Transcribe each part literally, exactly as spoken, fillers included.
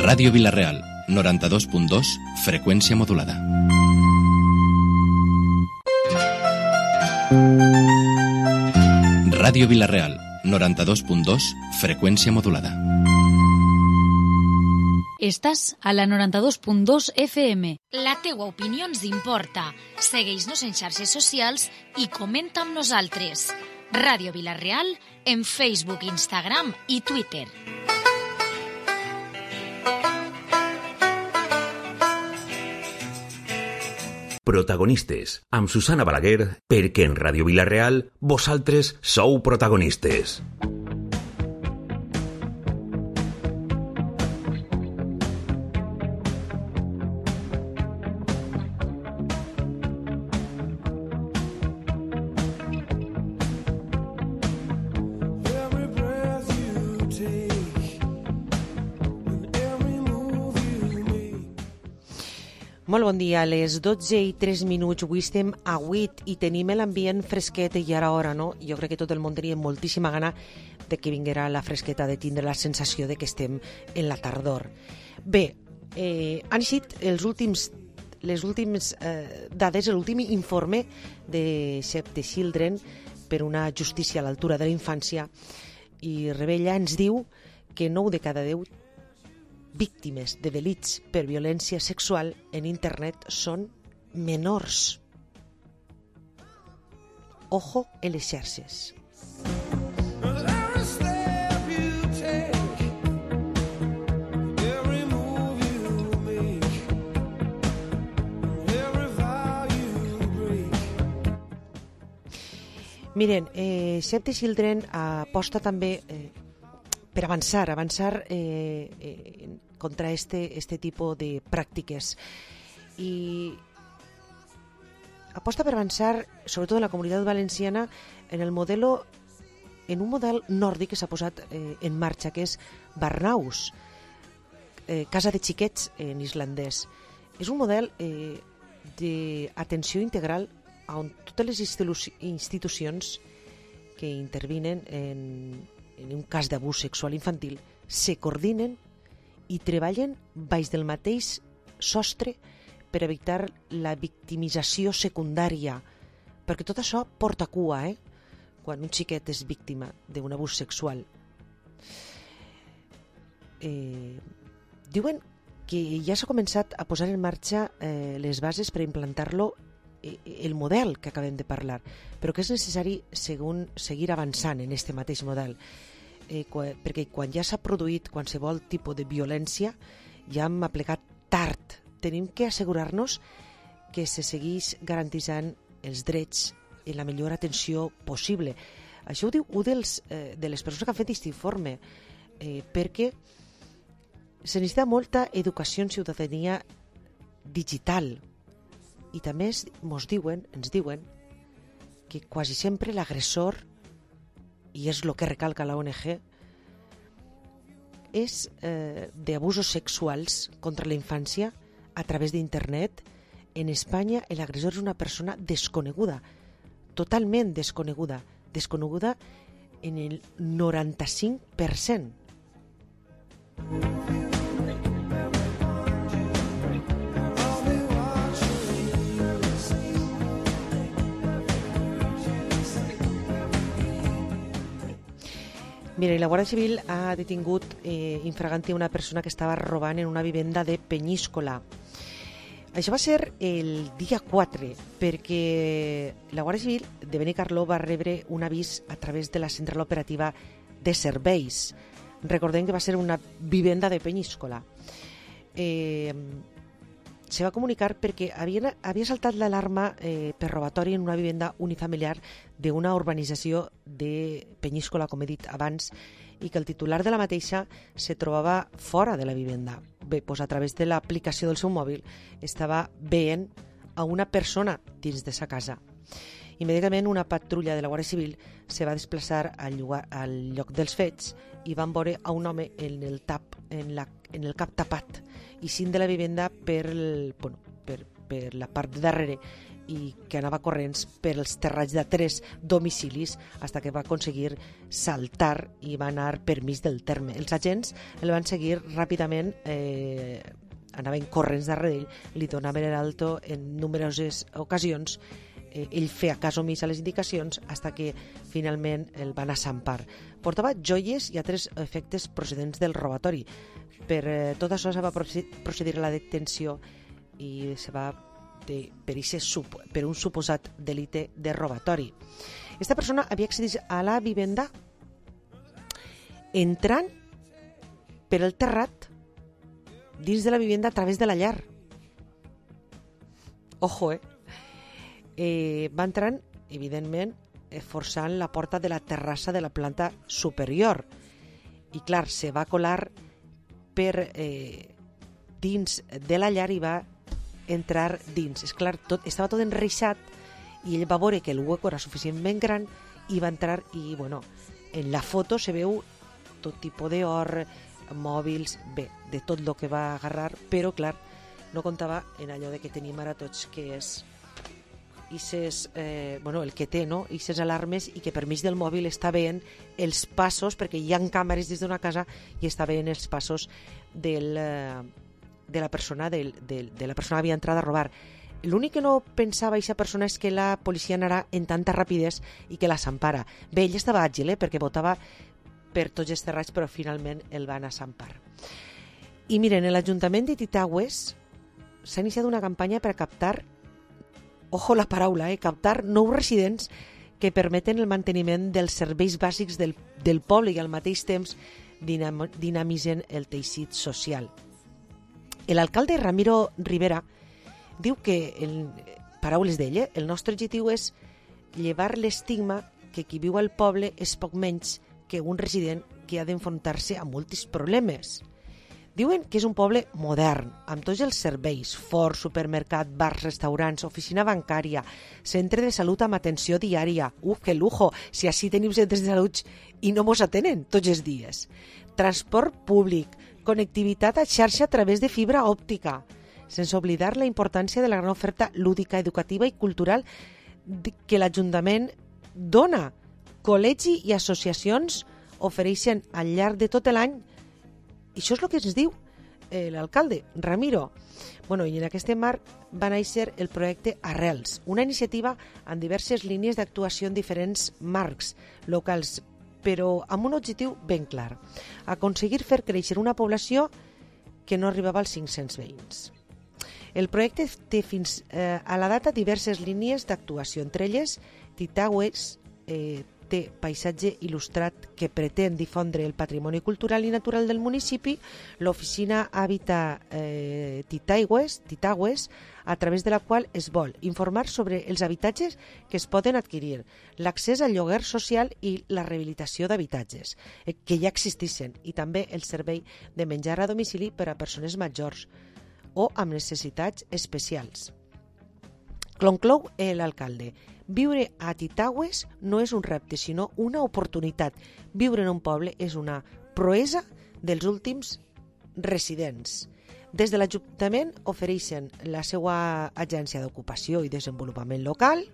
Ràdio Vila-real, noranta-dos punt dos, freqüència modulada. Ràdio Vila-real, noranta-dos punt dos, freqüència modulada. Estàs a la noranta-dos punt dos F M. La teua opinió ens importa. Segueix-nos en xarxes socials i comenta amb nosaltres. Ràdio Vila-real en Facebook, Instagram i Twitter. Protagonistes, amb Susana Balaguer, perquè en Ràdio Vila-real vosaltres sou protagonistes. Molt bon dia, a les dotze i tres minuts, avui estem a vuit i tenim l'ambient fresquet i ara hora, no? Jo crec que tot el món tenia moltíssima gana de que vinguera la fresqueta, de tindre la sensació de que estem en la tardor. Bé, eh, han sigut els últims, les últimes eh, dades, l'últim informe de Save the Children per una justícia a l'altura de la infància, i Rebella ens diu que nou de cada deu víctimes de delits per violència sexual en internet són menors. Ojo en les xarxes. Miren, eh, Save the Children aposta també eh, per avançar, avançar eh, eh, contra este, este tipus de pràctiques. I aposta per avançar, sobretot en la Comunitat Valenciana, en el modelo, en un model nòrdic que s'ha posat eh, en marxa, que és Barnaus, eh, casa de xiquets en islandès. És un model eh, d'atenció integral on totes les institu- institucions que intervinen en, en un cas d'abús sexual infantil se coordinen i treballen baix del mateix sostre per evitar la victimització secundària, perquè tot això porta cua, eh? Quan un xiquet és víctima d'un abús sexual. Eh, diuen que ja s'ha començat a posar en marxa eh, les bases per implantar-lo, eh, el model que acabem de parlar, però que és necessari segun, seguir avançant en aquest mateix model. Eh, quan, perquè quan ja s'ha produït qualsevol tipus de violència ja hem aplegat tard. Tenim que assegurar-nos que se segueix garantitzant els drets i la millor atenció possible. Això ho diu un dels, eh, de les persones que han fet aquest informe, eh, perquè se necessita molta educació en ciutadania digital i també es, mos diuen, ens diuen que quasi sempre l'agressor, i és el que recalca la O N G, és eh, d'abusos sexuals contra la infància a través d'internet. En Espanya l'agressor és una persona desconeguda, totalment desconeguda, desconeguda en el noranta-cinc per cent. Mira, la Guàrdia Civil ha detingut eh, infraganti una persona que estava robant en una vivenda de Penyíscola. Això va ser el dia quatre, perquè la Guàrdia Civil de Benicarló va rebre un avís a través de la central operativa de serveis. Recordem que va ser una vivenda de Penyíscola. Eh, se va comunicar perquè havia, havia saltat l'alarma eh, per robatori en una vivenda unifamiliar d'una urbanització de Penyíscola, com he dit abans, i que el titular de la mateixa se trobava fora de la vivenda. Bé, doncs a través de l'aplicació del seu mòbil estava veient a una persona dins de sa casa. Immediatament una patrulla de la Guàrdia Civil se va desplaçar al, llogar, al lloc dels fets i van veure a un home en el, tap, en la, en el cap tapat i cint de la vivenda per, el, bueno, per, per la part de darrere i que anava corrents per els terrats de tres domicilis fins que va aconseguir saltar i va anar per mig del terme. Els agents el van seguir ràpidament, eh, anaven corrents darrere ell, li donaven l'alto en numeroses ocasions, eh, ell feia cas omís a les indicacions fins que finalment el van assampar. Portava joies i altres efectes procedents del robatori. Per eh, tot això se va procedir a la detenció i se va de, per, ixe, per un suposat delicte de robatori. Esta persona havia accedit a la vivenda entrant per el terrat dins de la vivenda a través de la llar. Ojo, eh? eh va entrant, evidentment, forçant la porta de la terrassa de la planta superior. I, clar, se va colar per eh, dins de la llar i va entrar dins. És clar, tot, estava tot enreixat i ell va veure que el hueco era suficientment gran i va entrar i, bueno, en la foto se veu tot tipus d'or, mòbils, bé, de tot el que va agarrar, però, clar, no comptava en allò de que tenim ara tots, que és Ixes, eh, bueno, el que té, no? Ixes alarmes i que per mig del mòbil està veient els passos, perquè hi ha càmeres des d'una casa i està veient els passos del, de la persona del, del, de la persona que havia entrat a robar. L'únic que no pensava aquesta persona és que la policia anarà en tanta rapidesa i que la s'empara. Bé, ell estava àgil, eh, perquè botava per tots els terrats, però finalment el van assampar. I miren, en l'Ajuntament de Titaigües s'ha iniciat una campanya per a captar, ojo la paraula, eh, captar nous residents que permeten el manteniment dels serveis bàsics del, del poble i al mateix temps dinam, dinamitzen el teixit social. L'alcalde Ramiro Rivera diu que, en paraules d'ell, eh, el nostre objectiu és llevar l'estigma que qui viu al poble és poc menys que un resident que ha d'enfrontar-se a molts problemes. Diuen que és un poble modern, amb tots els serveis, forts, supermercat, bars, restaurants, oficina bancària, centre de salut amb atenció diària. Uf, que lujo, si així tenim centres de salut i no mos atenen tots els dies. Transport públic, connectivitat a xarxa a través de fibra òptica, sense oblidar la importància de la gran oferta lúdica, educativa i cultural que l'Ajuntament dona. Col·legi i associacions ofereixen al llarg de tot l'any. I això és el que ens diu eh, l'alcalde, Ramiro. Bueno, i en aquest marc va néixer el projecte Arrels, una iniciativa amb diverses línies d'actuació en diferents marcs locals, però amb un objectiu ben clar: aconseguir fer créixer una població que no arribava als cinc-cents veïns. El projecte té fins eh, a la data diverses línies d'actuació, entre elles Titaigües eh, té paisatge il·lustrat que pretén difondre el patrimoni cultural i natural del municipi, l'oficina Habita eh, Titaigües, Titaigües, a través de la qual es vol informar sobre els habitatges que es poden adquirir, l'accés al lloguer social i la rehabilitació d'habitatges eh, que ja existeixen, i també el servei de menjar a domicili per a persones majors o amb necessitats especials. Conclou l'alcalde: viure a Titaigües no és un repte, sinó una oportunitat. Viure en un poble és una proesa dels últims residents. Des de l'Ajuntament ofereixen la seva agència d'ocupació i desenvolupament local.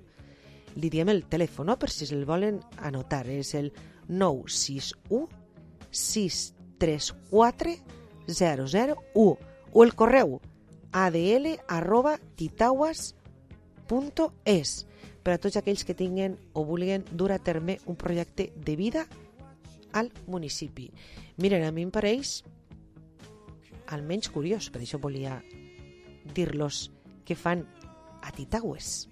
Li diem el telèfon, no?, per si el volen anotar. És el nou sis u sis tres quatre zero zero u o el correu adl arroba titaigües punt es per a tots aquells que tinguen o vulguin dur a terme un projecte de vida al municipi. Miren, a mi em pareix almenys curiós, per això volia dir-los què fan a Titaigües.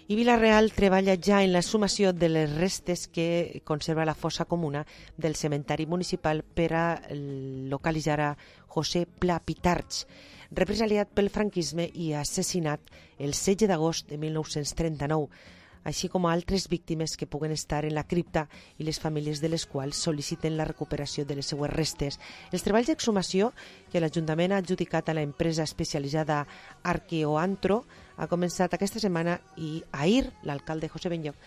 I Vila-real treballa ja en la sumació de les restes que conserva la fossa comuna del cementari municipal per a localitzar a José Pla Pitarch, represaliat pel franquisme i assassinat el setze d'agost de mil nou-cents trenta-nou, així com a altres víctimes que puguen estar en la cripta i les famílies de les quals sol·liciten la recuperació de les seues restes. Els treballs d'exhumació que l'Ajuntament ha adjudicat a l'empresa especialitzada Arqueoantro ha començat aquesta setmana i ahir l'alcalde José Benlloc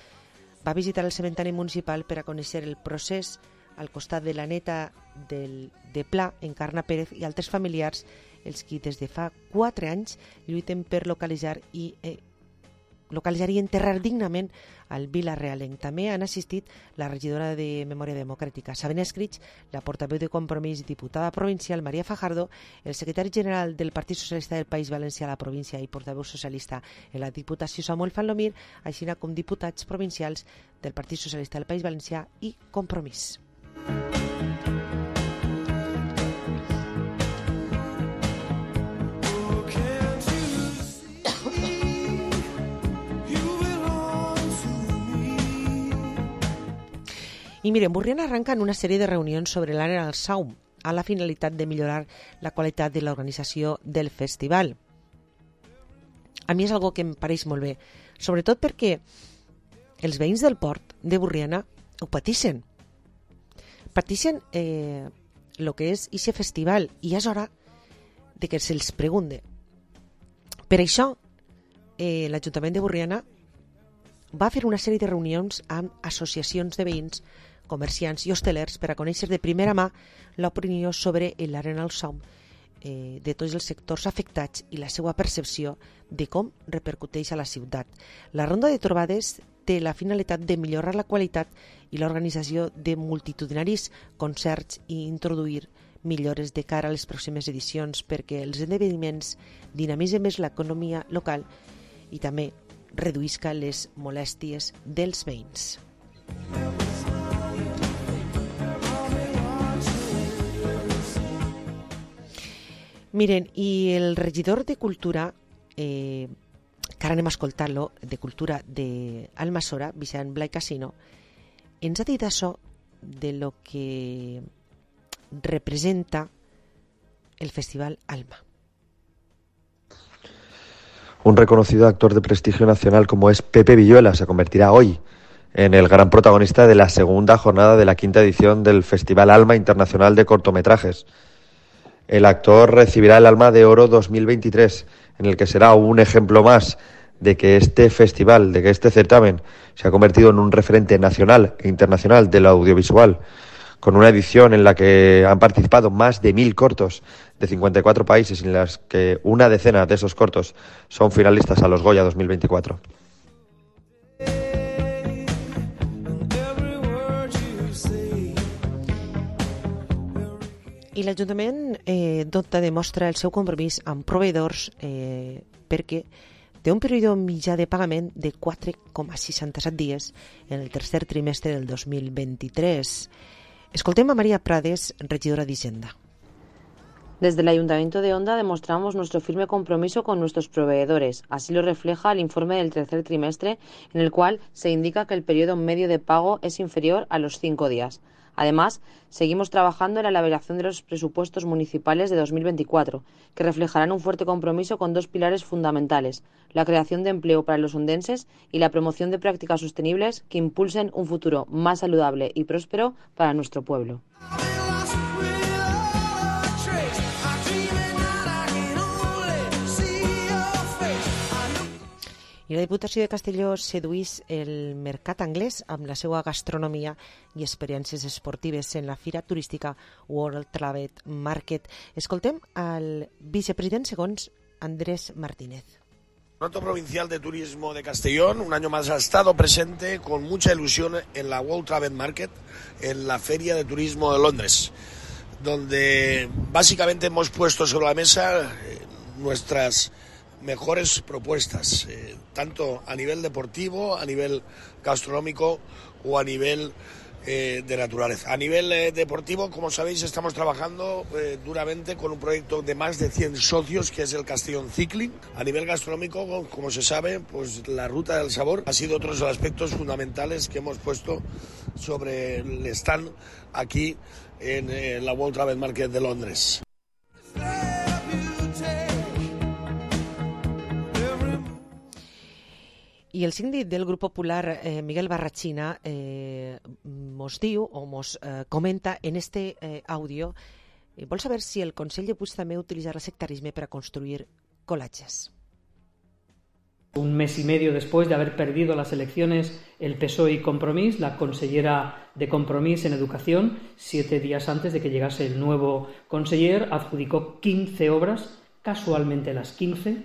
va visitar el cementari municipal per a conèixer el procés al costat de la neta del, de Pla, Encarna Pérez, i altres familiars, els qui des de fa quatre anys lluiten per localitzar i eh, localitzar i enterrar dignament al Vila-realenc. També han assistit la regidora de Memòria Democràtica, Sabina Escrits, la portaveu de Compromís i diputada provincial, Maria Fajardo, el secretari general del Partit Socialista del País Valencià a la província i portaveu socialista en la Diputació, Samuel Fanlomir, així com diputats provincials del Partit Socialista del País Valencià i Compromís. I miren, Borriana arranca en una sèrie de reunions sobre l'àrea del Saum a la finalitat de millorar la qualitat de l'organització del festival. A mi és algo que em pareix molt bé, sobretot perquè els veïns del port de Borriana ho patixen. Patixen eh, el que és aquest festival i és hora de que se'ls pregunte. Per això, eh, l'Ajuntament de Borriana va fer una sèrie de reunions amb associacions de veïns, comerciants i hostelers per a conèixer de primera mà l'opinió sobre l'Arena del Saum eh, de tots els sectors afectats i la seva percepció de com repercuteix a la ciutat. La ronda de trobades té la finalitat de millorar la qualitat i l'organització de multitudinaris concerts i introduir millores de cara a les pròximes edicions perquè els esdeveniments dinamitzen més l'economia local i també reduïsca les molèsties dels veïns. Miren, i el regidor de Cultura, eh, que ara anem a escoltar-lo, de Cultura d'Almassora, Vicent Blai Casino, ens ha dit això de lo que representa el Festival Alma. Un reconocido actor de prestigio nacional como es Pepe Villuela se convertirá hoy en el gran protagonista de la segunda jornada de la quinta edición del Festival Alma Internacional de Cortometrajes. El actor recibirá el Alma de Oro dos mil veintitrés, en el que será un ejemplo más de que este festival, de que este certamen se ha convertido en un referente nacional e internacional del audiovisual, con una edición en la que han participado más de mil cortos de cincuenta y cuatro países, en las que una decena de esos cortos son finalistas a los Goya dos mil veinticuatro. I l'Ajuntament eh, dota demostra el seu compromís amb proveïdors eh, perquè té un període mitjà de pagament de quatre coma seixanta-set dies en el tercer trimestre del dos mil vint-i-tres. Escoltem a María Prades, regidora d'Hisenda. Desde el Ayuntamiento de Onda demostramos nuestro firme compromiso con nuestros proveedores. Así lo refleja el informe del tercer trimestre, en el cual se indica que el periodo medio de pago es inferior a los cinco días. Además, seguimos trabajando en la elaboración de los presupuestos municipales de dos mil veinticuatro, que reflejarán un fuerte compromiso con dos pilares fundamentales: la creación de empleo para los ondenses y la promoción de prácticas sostenibles que impulsen un futuro más saludable y próspero para nuestro pueblo. I la Diputació de Castelló seduís el mercat anglès amb la seva gastronomia i experiències esportives en la fira turística World Travel Market. Escoltem al vicepresident segons Andrés Martínez. El Patronato Provincial de Turismo de Castellón un año más ha estado presente con mucha ilusión en la World Travel Market, en la Feria de Turismo de Londres, donde básicamente hemos puesto sobre la mesa eh, nuestras mejores propuestas, eh, tanto a nivel deportivo, a nivel gastronómico o a nivel eh, de naturaleza. A nivel eh, deportivo, como sabéis, estamos trabajando eh, duramente con un proyecto de más de cien socios, que es el Castellón Cycling. A nivel gastronómico, como se sabe, pues la Ruta del Sabor ha sido otro de los aspectos fundamentales que hemos puesto sobre el stand aquí en eh, la World Travel Market de Londres. I el síndic del Grup Popular, eh, Miguel Barrachina, eh, mos diu o mos eh, comenta en este eh, àudio, eh, vol saber si el Consell de Puig també utilitzarà el sectarisme per a construir colatges. Un mes y medio después de haber perdido las elecciones el P S O E y Compromís, la consellera de Compromís en Educación, siete días antes de que llegase el nuevo conseller, adjudicó quince obras, casualmente las quince,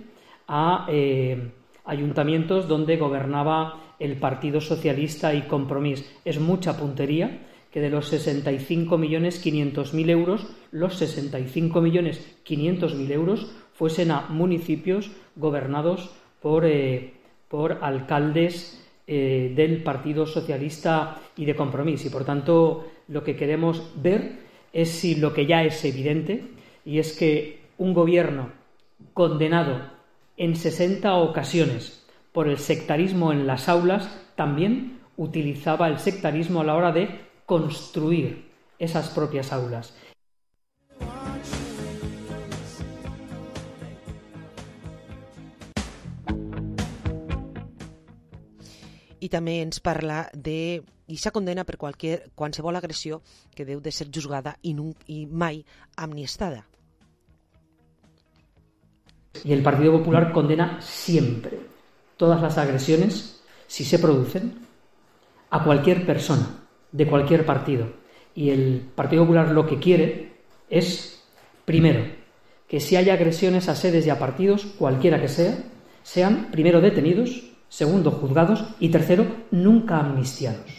a eh, ayuntamientos donde gobernaba el Partido Socialista y Compromís. Es mucha puntería que de los sesenta y cinco millones quinientos mil euros, los sesenta y cinco millones quinientos mil euros fuesen a municipios gobernados por, eh, por alcaldes eh, del Partido Socialista y de Compromís. Y, por tanto, lo que queremos ver es si lo que ya es evidente, y es que un gobierno condenado en sesenta ocasiones por el sectarismo en las aulas también utilizaba el sectarismo a la hora de construir esas propias aulas. I també ens parla de aquesta condena per qualsevol, qualsevol agressió que deu de ser juzgada i, nun, i mai amniestada. Y el Partido Popular condena siempre todas las agresiones, si se producen, a cualquier persona de cualquier partido. Y el Partido Popular lo que quiere es, primero, que si hay agresiones a sedes y a partidos, cualquiera que sea, sean primero detenidos, segundo juzgados y tercero nunca amnistiados.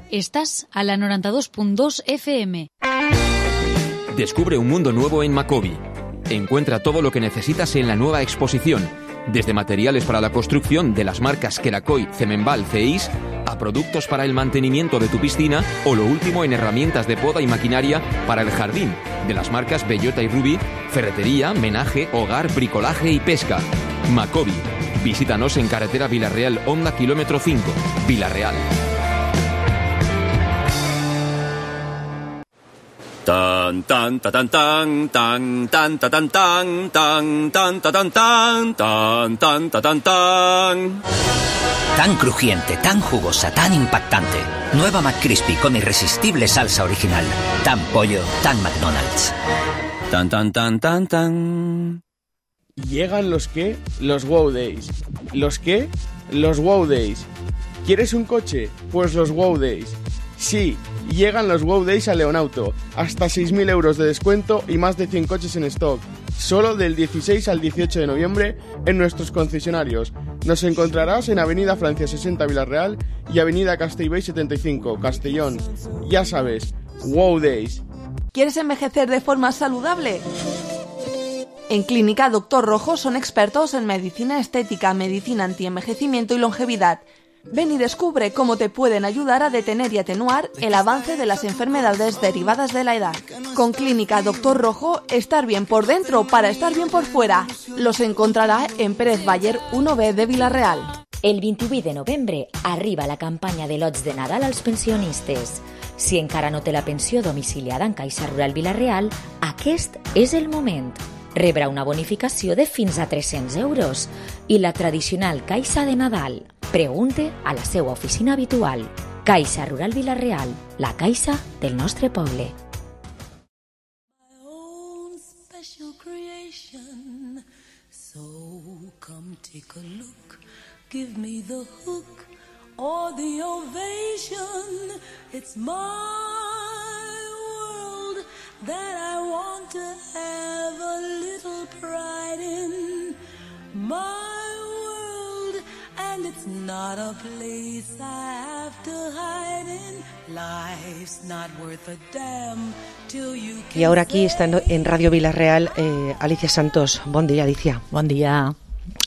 Estás a la noventa y dos punto dos F M. Descubre un mundo nuevo en Macobi. Encuentra todo lo que necesitas en la nueva exposición, desde materiales para la construcción de las marcas Kerakoy, Cemenbal, Ceis, a productos para el mantenimiento de tu piscina o lo último en herramientas de poda y maquinaria para el jardín, de las marcas Bellota y Ruby, ferretería, menaje, hogar, bricolaje y pesca. Macobi. Visítanos en carretera Villarreal, Honda, kilómetro cinco, Villarreal. Tan tan ta tan tan tan tan ta tan tan tan tan ta tan tan tan tan ta tan tan. Tan crujiente, tan jugosa, tan impactante. Nueva McCrispy con irresistible salsa original. Tan pollo, tan McDonald's. Tan tan tan tan tan. Llegan los qué, los Wow Days. ¿Los qué? Los Wow Days. ¿Quieres un coche? Pues los Wow Days. Sí, llegan los Wow Days a Leonauto, hasta seis mil euros de descuento y más de cien coches en stock, solo del dieciséis al dieciocho de noviembre en nuestros concesionarios. Nos encontrarás en Avenida Francia sesenta Villarreal y Avenida Castellbell setenta y cinco, Castellón. Ya sabes, Wow Days. ¿Quieres envejecer de forma saludable? En Clínica Doctor Rojo son expertos en medicina estética, medicina antienvejecimiento y longevidad. Ven y descubre cómo te pueden ayudar a detener y atenuar el avance de las enfermedades derivadas de la edad. Con Clínica Doctor Rojo, estar bien por dentro para estar bien por fuera. Los encontrarà en Pérez Baller uno B de Vila-real. El vint-i-vuit de novembre arriba la campanya de lots de Nadal als pensionistes. Si encara no té la pensió domiciliada en Caixa Rural Vila-real, aquest és el moment. Rebrà una bonificació de fins a tres-cents euros i la tradicional Caixa de Nadal. Pregunte a la seva oficina habitual. Caixa Rural Vila-real, la caixa del nostre poble. Give me the hook or the ovation. It's my world that I want to have a little pride in. My world, and it's not a place I have to hide in. Life's not worth a damn till you can. Y ahora aquí está en Radio Vila-real eh, Alicia Santos. Buen día, Alicia. Buen día.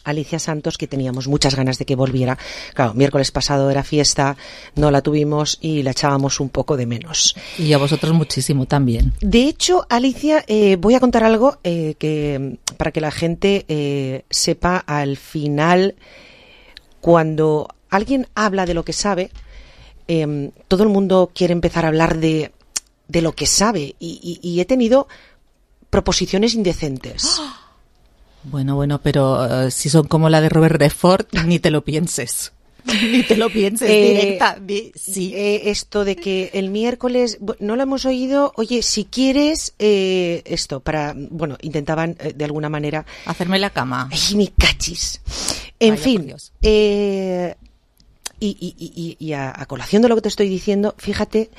Alicia Santos, que teníamos muchas ganas de que volviera. Claro, miércoles pasado era fiesta, no la tuvimos y la echábamos un poco de menos. Y a vosotros muchísimo también. De hecho, Alicia, eh, voy a contar algo eh, que para que la gente eh, sepa al final, cuando alguien habla de lo que sabe, eh, todo el mundo quiere empezar a hablar de de lo que sabe y, y, y he tenido proposiciones indecentes. Bueno, bueno, pero uh, si son como la de Robert Redford, ni te lo pienses. Ni te lo pienses, Eh, directa. Di- sí. Eh, esto de que el miércoles, bu- no lo hemos oído, oye, si quieres, eh, esto, para, bueno, intentaban eh, de alguna manera... Hacerme la cama. Ay, mi cachis. En Vaya, por fin, Dios. eh, y, y, y, y a, a colación de lo que te estoy diciendo, fíjate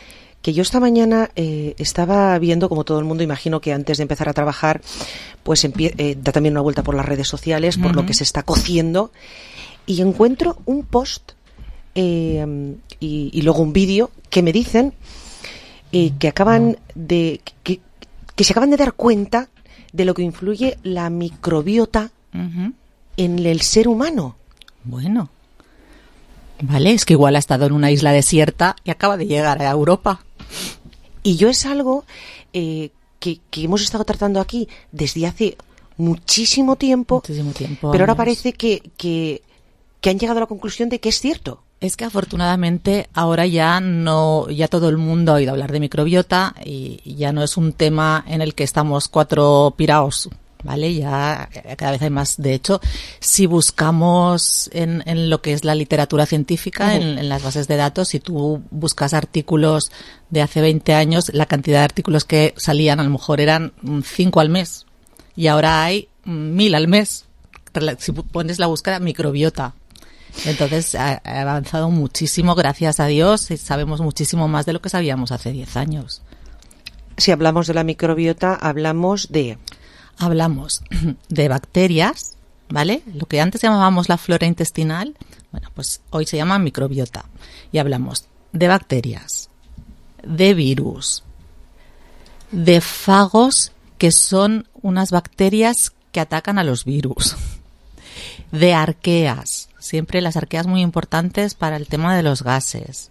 que yo esta mañana eh, estaba viendo, como todo el mundo, imagino que antes de empezar a trabajar, pues empie- eh, da también una vuelta por las redes sociales, por lo Ujú. que se está cociendo, y encuentro un post eh, y, y luego un vídeo que me dicen eh, que acaban de que, que se acaban de dar cuenta de lo que influye la microbiota Ujú. en el ser humano. Bueno. Vale, es que igual ha estado en una isla desierta y acaba de llegar a Europa. Y yo es algo eh, que, que hemos estado tratando aquí desde hace muchísimo tiempo, Muchísimo tiempo. pero ahora años. parece que, que, que han llegado a la conclusión de que es cierto. Es que afortunadamente ahora ya no, ya todo el mundo ha oído hablar de microbiota y ya no es un tema en el que estamos cuatro piraos, ¿vale? Ya cada vez hay más. De hecho, si buscamos en, en lo que es la literatura científica, Ujú. en, en las bases de datos, si tú buscas artículos de hace veinte años, la cantidad de artículos que salían a lo mejor eran mm, cinco al mes y ahora hay mm, mil al mes. Rela- Si pones la búsqueda microbiota. Entonces ha ha avanzado muchísimo, gracias a Dios, y sabemos muchísimo más de lo que sabíamos hace diez años. Si hablamos de la microbiota, hablamos de... Hablamos de bacterias, ¿vale? Lo que antes llamábamos la flora intestinal, bueno, pues hoy se llama microbiota. Y hablamos de bacterias, de virus, de fagos, que son unas bacterias que atacan a los virus, de arqueas, siempre las arqueas muy importantes para el tema de los gases,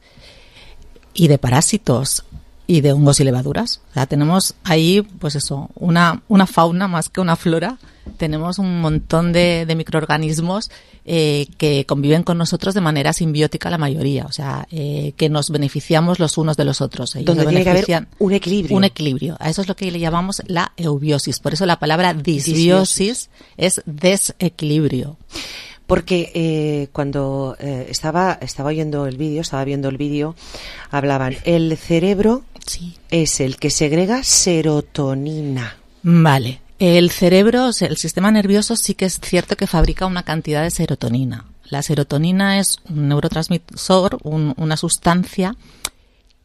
y de parásitos y de hongos y levaduras. O sea, tenemos ahí, pues eso, una, una fauna más que una flora. Tenemos un montón de, de microorganismos eh, que conviven con nosotros de manera simbiótica la mayoría. O sea, eh, que nos beneficiamos los unos de los otros. Ellos Donde se tiene que haber benefician- un equilibrio. Un equilibrio. A eso es lo que le llamamos la eubiosis. Por eso la palabra disbiosis es desequilibrio. Porque eh, cuando eh, estaba estaba oyendo el vídeo, estaba viendo el vídeo, hablaban, el cerebro Sí. es el que segrega serotonina. Vale. El cerebro, o sea, el sistema nervioso sí que es cierto que fabrica una cantidad de serotonina. La serotonina es un neurotransmisor, un- una sustancia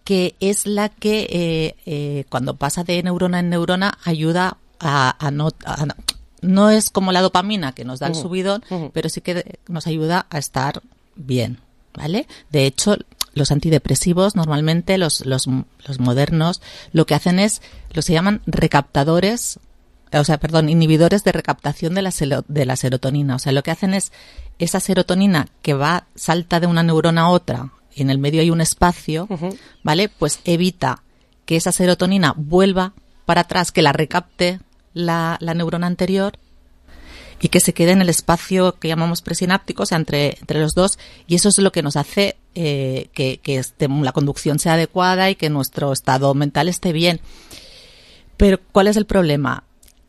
que es la que eh, eh, cuando pasa de neurona en neurona ayuda a, a no... a no- no es como la dopamina que nos da el Ujú, subidón, ujú. pero sí que nos ayuda a estar bien, ¿vale? De hecho, los antidepresivos normalmente, los, los, los modernos, lo que hacen es, los se llaman recaptadores, o sea, perdón, inhibidores de recaptación de la, selo- de la serotonina. O sea, lo que hacen es esa serotonina que va, salta de una neurona a otra, y en el medio hay un espacio, ¿vale? Pues evita que esa serotonina vuelva para atrás, que la recapte la, la neurona anterior y que se quede en el espacio que llamamos presináptico, o sea, entre, entre los dos, y eso es lo que nos hace eh, que, que este- la conducción sea adecuada y que nuestro estado mental esté bien. Pero, ¿cuál es el problema?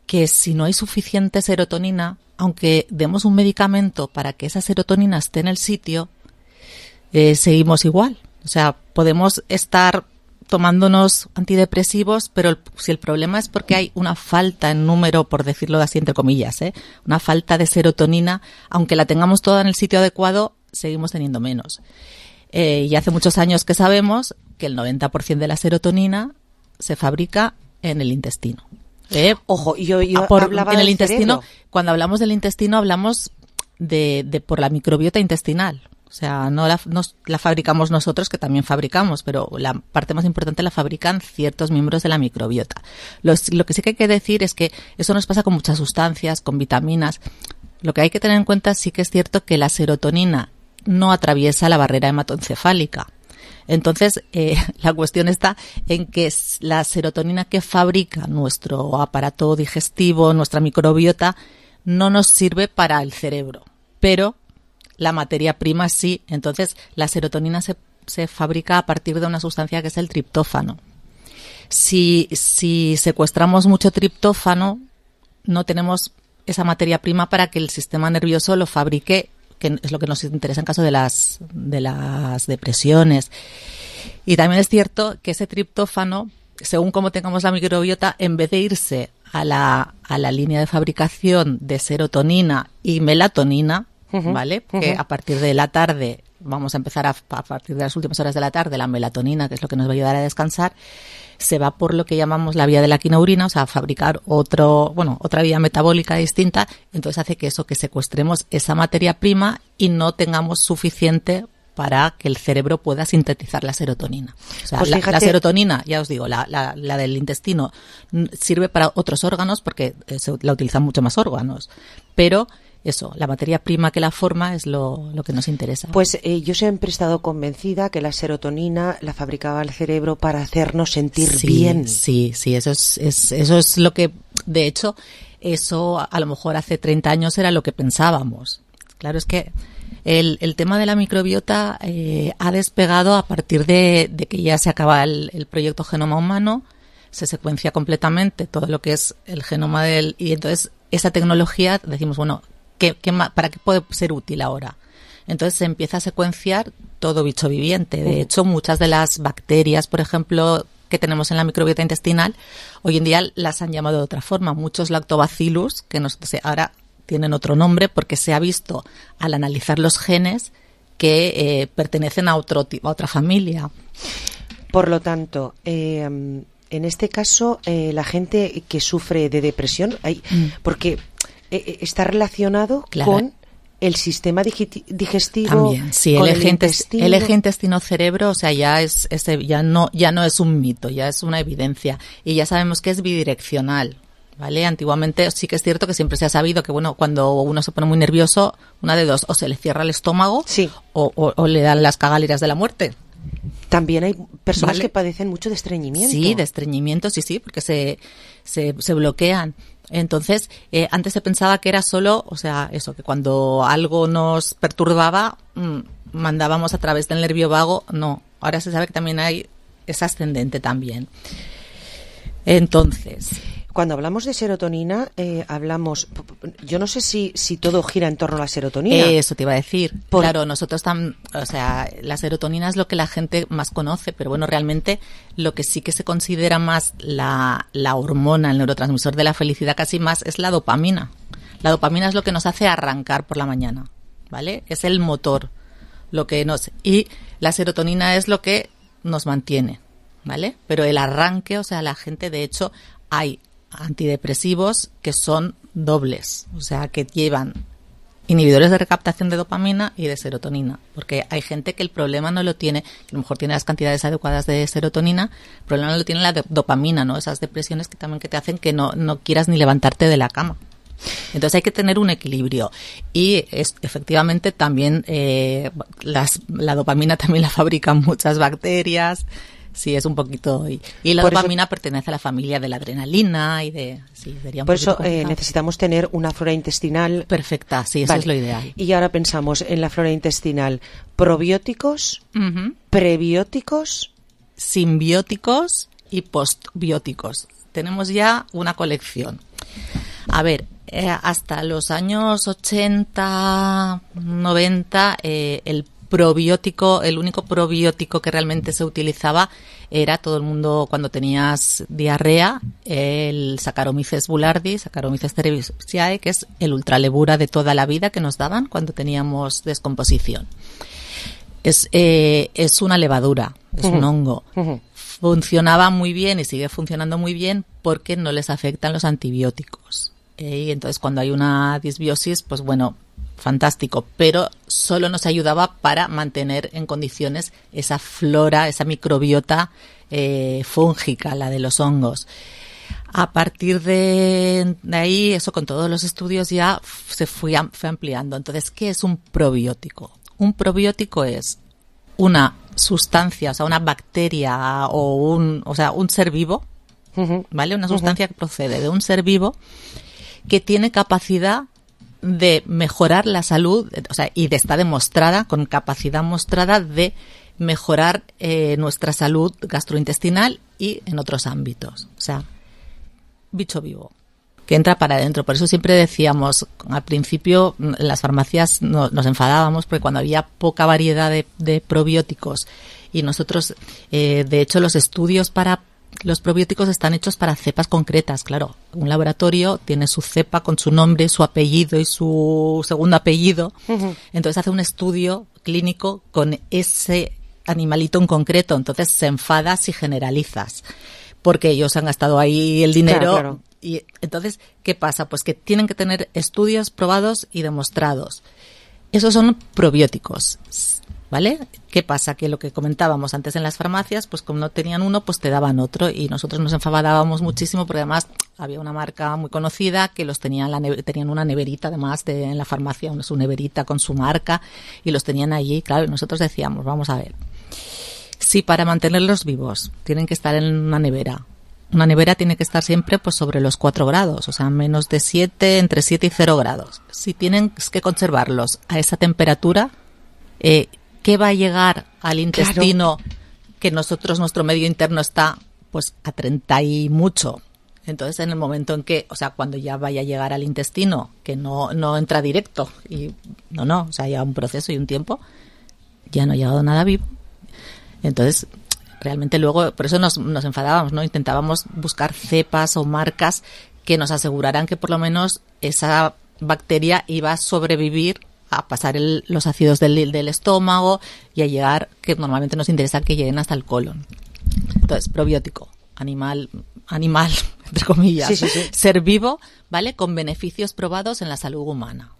Que si no hay suficiente serotonina, aunque demos un medicamento para que esa serotonina esté en el sitio, eh, seguimos igual. O sea, podemos estar tomándonos antidepresivos, pero el- si el problema es porque hay una falta en número, por decirlo así entre comillas, ¿eh? una falta de serotonina, aunque la tengamos toda en el sitio adecuado, seguimos teniendo menos. Eh, y hace muchos años que sabemos que el noventa por ciento de la serotonina se fabrica en el intestino. ¿eh? Ojo, yo, yo Ah, por- hablaba en el del intestino, cerebro. cuando hablamos del intestino hablamos de, de por la microbiota intestinal. O sea, no la, no la fabricamos nosotros, que también fabricamos, pero la parte más importante la fabrican ciertos miembros de la microbiota. Los- lo que sí que hay que decir es que eso nos pasa con muchas sustancias, con vitaminas. Lo que hay que tener en cuenta sí que es cierto que la serotonina no atraviesa la barrera hematoencefálica. Entonces, eh, la cuestión está en que s- la serotonina que fabrica nuestro aparato digestivo, nuestra microbiota, no nos sirve para el cerebro, pero la materia prima sí. Entonces, la serotonina se, se fabrica a partir de una sustancia que es el triptófano. Si, si secuestramos mucho triptófano, no tenemos esa materia prima para que el sistema nervioso lo fabrique, que es lo que nos interesa en caso de las, de las depresiones. Y también es cierto que ese triptófano, según cómo tengamos la microbiota, en vez de irse a la, a la línea de fabricación de serotonina y melatonina, uh-huh, ¿vale? Uh-huh. Que a partir de la tarde, vamos a empezar a, a partir de las últimas horas de la tarde, la melatonina, que es lo que nos va a ayudar a descansar, se va por lo que llamamos la vía de la quinaurina, o sea, a fabricar otro, bueno, otra vía metabólica distinta. Entonces hace que eso, que secuestremos esa materia prima y no tengamos suficiente para que el cerebro pueda sintetizar la serotonina. O sea, pues la, la serotonina, ya os digo, la, la, la del intestino sirve para otros órganos porque se, la utilizan mucho más órganos, pero eso, la materia prima que la forma es lo, lo que nos interesa. Pues eh, yo siempre he estado convencida que la serotonina la fabricaba el cerebro para hacernos sentir sí, bien. Sí, sí, eso es, es, eso es lo que, de hecho, eso a lo mejor hace treinta años era lo que pensábamos. Claro, es que el, el tema de la microbiota eh, ha despegado a partir de, de que ya se acaba el, el proyecto Genoma Humano, se secuencia completamente todo lo que es el genoma del, y entonces esa tecnología decimos, bueno, ¿Qué, qué, ¿para qué puede ser útil ahora? Entonces se empieza a secuenciar todo bicho viviente. De hecho, muchas de las bacterias, por ejemplo, que tenemos en la microbiota intestinal, hoy en día las han llamado de otra forma. Muchos lactobacillus, que nos, ahora tienen otro nombre porque se ha visto al analizar los genes que eh, pertenecen a, otro, a otra familia. Por lo tanto, eh, en este caso, eh, la gente que sufre de depresión, hay, mm. porque eh, está relacionado claro. con el sistema digestivo. También, sí, el eje, intestino. el eje intestino-cerebro, o sea, ya es, es ya no ya no es un mito, ya es una evidencia y ya sabemos que es bidireccional, ¿vale? Antiguamente sí que es cierto que siempre se ha sabido que, bueno, cuando uno se pone muy nervioso, una de dos, o se le cierra el estómago, sí. o, o, o le dan las cagáliras de la muerte. También hay personas ¿Vale? que padecen mucho de estreñimiento. Sí, de estreñimiento, sí, sí, porque se se, se bloquean. Entonces, eh, antes se pensaba que era solo, o sea, eso, que cuando algo nos perturbaba, mmm, mandábamos a través del nervio vago. No, ahora se sabe que también hay, es ascendente también. Entonces, cuando hablamos de serotonina, eh, hablamos, yo no sé si, si todo gira en torno a la serotonina. Eso te iba a decir. Por... Claro, nosotros tam, o sea, la serotonina es lo que la gente más conoce, pero bueno, realmente lo que sí que se considera más la, la hormona, el neurotransmisor de la felicidad casi más, es la dopamina. La dopamina es lo que nos hace arrancar por la mañana, ¿vale? Es el motor, lo que nos, y la serotonina es lo que nos mantiene, ¿vale? Pero el arranque, o sea, la gente, de hecho, hay antidepresivos que son dobles, o sea, que llevan inhibidores de recaptación de dopamina y de serotonina, porque hay gente que el problema no lo tiene, que a lo mejor tiene las cantidades adecuadas de serotonina, el problema no lo tiene la de dopamina, ¿no? Esas depresiones que también que te hacen que no, no quieras ni levantarte de la cama. Entonces hay que tener un equilibrio y es, efectivamente también eh, las, la dopamina también la fabrican muchas bacterias. Sí, es un poquito... Y, y la por dopamina eso, pertenece a la familia de la adrenalina y de... Sí, sería un por eso eh, necesitamos tener una flora intestinal... Perfecta, sí, eso vale. es lo ideal. Y ahora pensamos en la flora intestinal. Probióticos, uh-huh. prebióticos... Simbióticos y postbióticos. Tenemos ya una colección. A ver, eh, hasta los años ochenta, noventa, eh, el probiótico, el único probiótico que realmente se utilizaba era todo el mundo cuando tenías diarrea, el Saccharomyces boulardii, Saccharomyces cerevisiae, que es el ultralevura de toda la vida que nos daban cuando teníamos descomposición. Es, eh, es una levadura, es uh-huh. un hongo. Uh-huh. Funcionaba muy bien y sigue funcionando muy bien porque no les afectan los antibióticos. Eh, y entonces cuando hay una disbiosis, pues bueno, fantástico, pero solo nos ayudaba para mantener en condiciones esa flora, esa microbiota eh, fúngica, la de los hongos. A partir de, de ahí, eso con todos los estudios ya se fue, fue ampliando. Entonces, ¿qué es un probiótico? Un probiótico es una sustancia, o sea, una bacteria o un, o sea, un ser vivo, uh-huh. ¿vale? Una sustancia uh-huh. que procede de un ser vivo que tiene capacidad de mejorar la salud, o sea, y de, está demostrada, con capacidad mostrada de mejorar eh, nuestra salud gastrointestinal y en otros ámbitos. O sea, bicho vivo, que entra para adentro. Por eso siempre decíamos, al principio en las farmacias no, nos enfadábamos porque cuando había poca variedad de, de probióticos y nosotros, eh, de hecho, los estudios para los probióticos están hechos para cepas concretas, claro. Un laboratorio tiene su cepa con su nombre, su apellido y su segundo apellido. Uh-huh. Entonces hace un estudio clínico con ese animalito en concreto. Entonces se enfada si generalizas, porque ellos han gastado ahí el dinero. Claro, claro. Y entonces, ¿qué pasa? Pues que tienen que tener estudios probados y demostrados. Esos son probióticos, ¿vale? ¿Qué pasa? Que lo que comentábamos antes en las farmacias, pues como no tenían uno, pues te daban otro, y nosotros nos enfadábamos muchísimo porque además había una marca muy conocida que los tenían, la neve- tenían una neverita además de, en la farmacia, una su neverita con su marca, y los tenían allí, claro, y nosotros decíamos, vamos a ver, si para mantenerlos vivos tienen que estar en una nevera, una nevera tiene que estar siempre pues sobre los cuatro grados, o sea, menos de siete, entre siete y cero grados. Si tienen que conservarlos a esa temperatura, eh, ¿qué va a llegar al intestino? Claro. Que nosotros, nuestro medio interno está pues a treinta y mucho. Entonces, en el momento en que, o sea, cuando ya vaya a llegar al intestino, que no, no entra directo, y no, no, o sea, ya un proceso y un tiempo, ya no ha llegado nada vivo. Entonces, realmente luego, por eso nos, nos enfadábamos, ¿no? Intentábamos buscar cepas o marcas que nos aseguraran que por lo menos esa bacteria iba a sobrevivir a pasar el, los ácidos del, del estómago y a llegar, que normalmente nos interesa que lleguen hasta el colon. Entonces, probiótico, animal, animal, entre comillas, sí, sí, sí. Ser vivo, ¿vale? Con beneficios probados en la salud humana.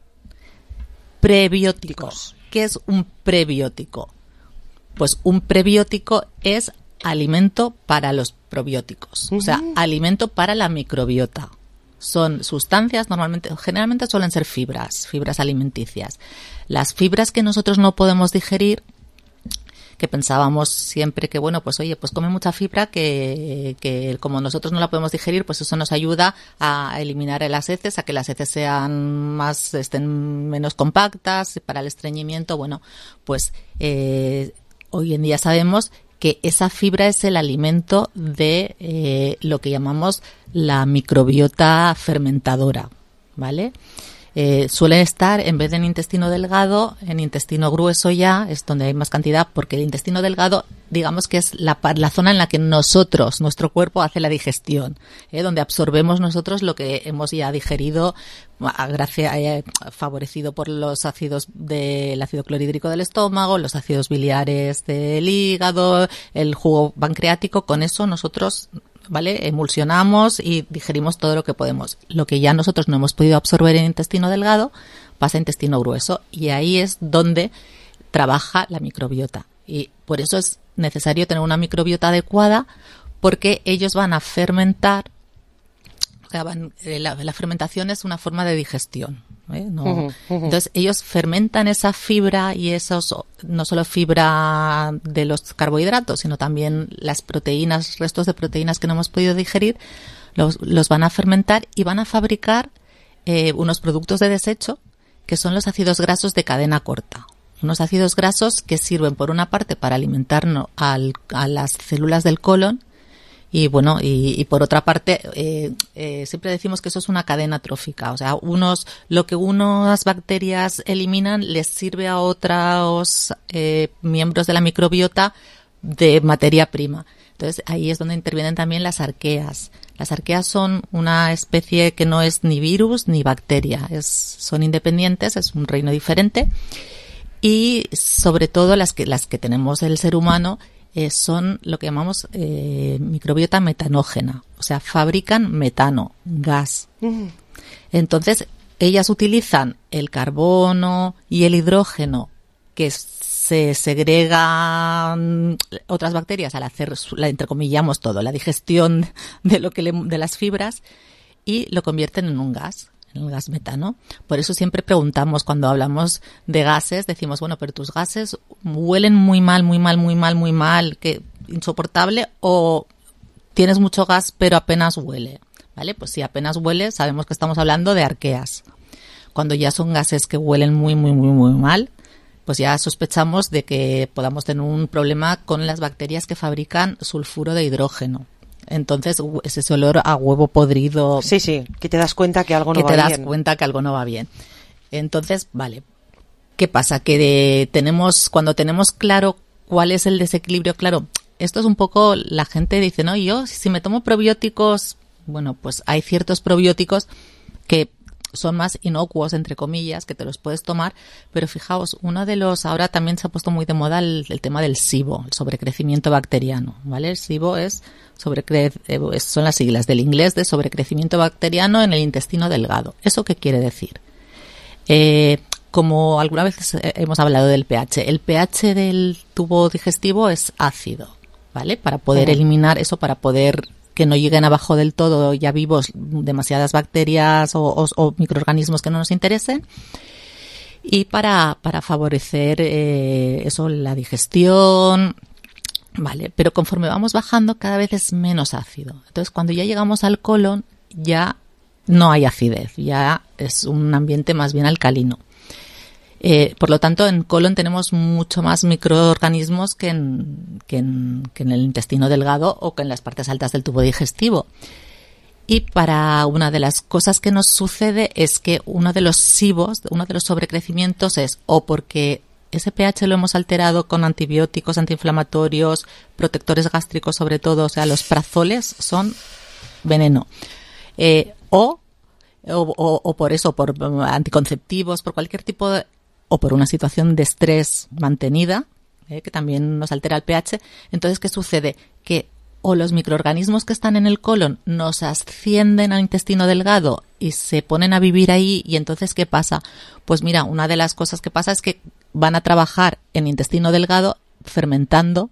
Prebióticos. ¿Qué es un prebiótico? Pues un prebiótico es alimento para los probióticos, uh-huh. O sea, alimento para la microbiota. Son sustancias, normalmente, generalmente suelen ser fibras, fibras alimenticias. Las fibras que nosotros no podemos digerir, que pensábamos siempre que, bueno, pues oye, pues come mucha fibra que, que como nosotros no la podemos digerir, pues eso nos ayuda a eliminar las heces, a que las heces sean más, estén menos compactas, para el estreñimiento. Bueno, pues eh, hoy en día sabemos que esa fibra es el alimento de eh, lo que llamamos la microbiota fermentadora, ¿vale? Eh, suelen estar, en vez de en intestino delgado, en intestino grueso ya, es donde hay más cantidad, porque el intestino delgado, digamos que es la, la zona en la que nosotros, nuestro cuerpo, hace la digestión, ¿eh? Donde absorbemos nosotros lo que hemos ya digerido, gracias, eh, favorecido por los ácidos del ácido clorhídrico del estómago, los ácidos biliares del hígado, el jugo pancreático. Con eso nosotros, ¿vale? Emulsionamos y digerimos todo lo que podemos. Lo que ya nosotros no hemos podido absorber en intestino delgado pasa a intestino grueso, y ahí es donde trabaja la microbiota. Y por eso es necesario tener una microbiota adecuada, porque ellos van a fermentar. O sea, van, la, la fermentación es una forma de digestión, ¿eh? No, uh-huh, uh-huh. Entonces ellos fermentan esa fibra, y esos, no solo fibra de los carbohidratos, sino también las proteínas, restos de proteínas que no hemos podido digerir, los, los van a fermentar y van a fabricar eh, unos productos de desecho que son los ácidos grasos de cadena corta. Unos ácidos grasos que sirven, por una parte, para alimentarnos al, a las células del colon. Y bueno, y, y por otra parte, eh, eh, siempre decimos que eso es una cadena trófica. O sea, unos, lo que unas bacterias eliminan les sirve a otros eh, miembros de la microbiota de materia prima. Entonces, ahí es donde intervienen también las arqueas. Las arqueas son una especie que no es ni virus ni bacteria. Es, son independientes, es un reino diferente. Y sobre todo las que, las que tenemos el ser humano, Eh, son lo que llamamos eh, microbiota metanógena, o sea, fabrican metano, gas. Uh-huh. Entonces, ellas utilizan el carbono y el hidrógeno que se segregan otras bacterias al hacer, la entrecomillamos todo, la digestión de lo que le, de las fibras, y lo convierten en un gas. El gas metano. Por eso siempre preguntamos, cuando hablamos de gases, decimos, bueno, pero tus gases huelen muy mal, muy mal, muy mal, muy mal, que insoportable, o tienes mucho gas pero apenas huele, ¿vale? Pues si apenas huele, sabemos que estamos hablando de arqueas. Cuando ya son gases que huelen muy, muy, muy, muy mal, pues ya sospechamos de que podamos tener un problema con las bacterias que fabrican sulfuro de hidrógeno. Entonces, es ese olor a huevo podrido. Sí, sí, que te das cuenta que algo no va bien. Que te bien. das cuenta que algo no va bien. Entonces, vale. ¿Qué pasa? Que de, tenemos, cuando tenemos claro cuál es el desequilibrio, claro, esto es un poco, la gente dice, no, yo si me tomo probióticos, bueno, pues hay ciertos probióticos que son más inocuos, entre comillas, que te los puedes tomar, pero fijaos, uno de los, ahora también se ha puesto muy de moda el, el tema del SIBO, el sobrecrecimiento bacteriano, ¿vale? El SIBO es sobrecre, eh, son las siglas del inglés de sobrecrecimiento bacteriano en el intestino delgado. ¿Eso qué quiere decir? Eh, como alguna vez hemos hablado del pH, el pH del tubo digestivo es ácido, ¿vale? Para poder uh-huh. eliminar eso, para poder que no lleguen abajo del todo ya vivos demasiadas bacterias o, o, o microorganismos que no nos interesen, y para, para favorecer eh, eso, la digestión, vale, pero conforme vamos bajando cada vez es menos ácido. Entonces cuando ya llegamos al colon ya no hay acidez, ya es un ambiente más bien alcalino. Eh, por lo tanto, en colon tenemos mucho más microorganismos que en, que, en, que en el intestino delgado o que en las partes altas del tubo digestivo. Y para una de las cosas que nos sucede es que uno de los SIBOs, uno de los sobrecrecimientos es o porque ese pH lo hemos alterado con antibióticos, antiinflamatorios, protectores gástricos sobre todo, o sea, los prazoles son veneno. Eh, o, o, o por eso, por anticonceptivos, por cualquier tipo de, o por una situación de estrés mantenida, eh, que también nos altera el pH. Entonces, ¿qué sucede? Que o los microorganismos que están en el colon nos ascienden al intestino delgado y se ponen a vivir ahí, y entonces, ¿qué pasa? Pues mira, una de las cosas que pasa es que van a trabajar en intestino delgado fermentando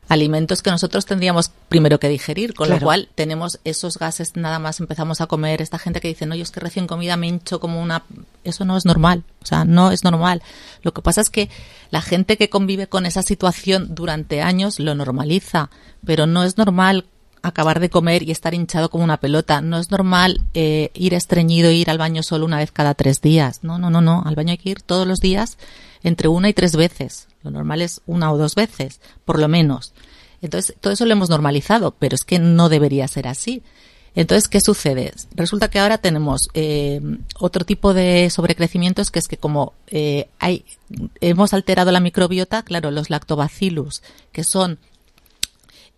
alimentos que nosotros tendríamos primero que digerir, con claro. lo cual tenemos esos gases, nada más empezamos a comer. Esta gente que dice, no, yo es que recién comida me hincho como una... Eso no es normal, o sea, no es normal. Lo que pasa es que la gente que convive con esa situación durante años lo normaliza, pero no es normal acabar de comer y estar hinchado como una pelota. No es normal eh, ir estreñido e ir al baño solo una vez cada tres días. No, no, no, no. Al baño hay que ir todos los días entre una y tres veces. Lo normal es una o dos veces, por lo menos. Entonces, todo eso lo hemos normalizado, pero es que no debería ser así. Entonces, ¿qué sucede? Resulta que ahora tenemos eh, otro tipo de sobrecrecimientos, que es que como eh, hay, hemos alterado la microbiota, claro, los lactobacillus, que son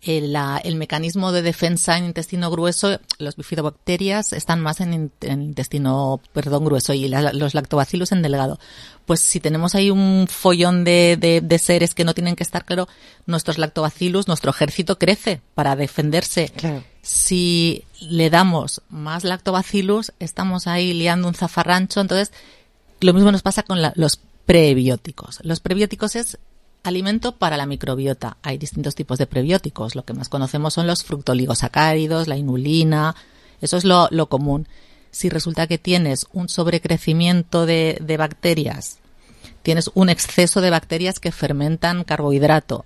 el, la, el mecanismo de defensa en intestino grueso, los bifidobacterias están más en, en el intestino, perdón, grueso, y la, los lactobacillus en delgado. Pues si tenemos ahí un follón de, de, de seres que no tienen que estar, claro, nuestros lactobacillus, nuestro ejército crece para defenderse. Claro. Si le damos más lactobacillus, estamos ahí liando un zafarrancho. Entonces, lo mismo nos pasa con la, los prebióticos. Los prebióticos es alimento para la microbiota. Hay distintos tipos de prebióticos. Lo que más conocemos son los fructoligosacáridos, la inulina. Eso es lo, lo común. Si resulta que tienes un sobrecrecimiento de, de bacterias, tienes un exceso de bacterias que fermentan carbohidrato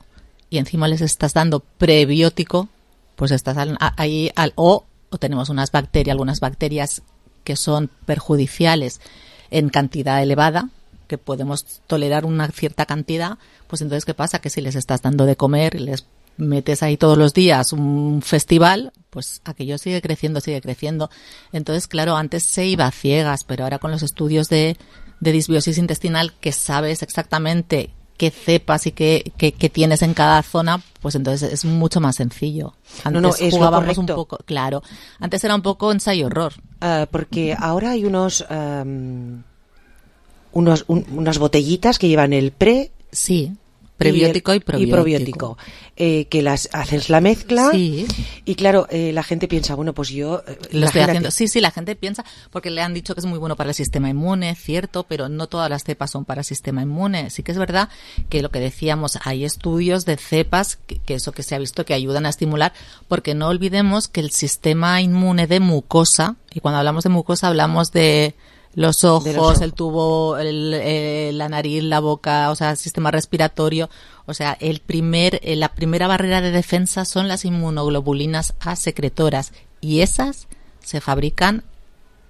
y encima les estás dando prebiótico, pues estás ahí al, o, o tenemos unas bacterias, algunas bacterias que son perjudiciales en cantidad elevada, que podemos tolerar una cierta cantidad, pues entonces ¿qué pasa? Que si les estás dando de comer y les metes ahí todos los días un festival, pues aquello sigue creciendo, sigue creciendo. Entonces, claro, antes se iba a ciegas, pero ahora con los estudios de, de disbiosis intestinal, que sabes exactamente qué cepas y qué, qué, qué tienes en cada zona, pues entonces es mucho más sencillo. Antes no, no, es jugábamos un poco, claro, antes era un poco ensayo-horror. Uh, porque ahora hay unos... Um... Unos, un, unas botellitas que llevan el pre... Sí, prebiótico y, el, y probiótico. Y probiótico eh, que las haces la mezcla. Sí. Y claro, eh, la gente piensa, bueno, pues yo... Eh, Lo estoy haciendo. Sí, sí, la gente piensa, porque le han dicho que es muy bueno para el sistema inmune, cierto, pero no todas las cepas son para el sistema inmune. Sí que es verdad que lo que decíamos, hay estudios de cepas, que, que eso que se ha visto que ayudan a estimular, porque no olvidemos que el sistema inmune de mucosa, y cuando hablamos de mucosa hablamos de... Los ojos, los ojos, el tubo, el, eh, la nariz, la boca, o sea, el sistema respiratorio. O sea, el primer, eh, la primera barrera de defensa son las inmunoglobulinas A secretoras, y esas se fabrican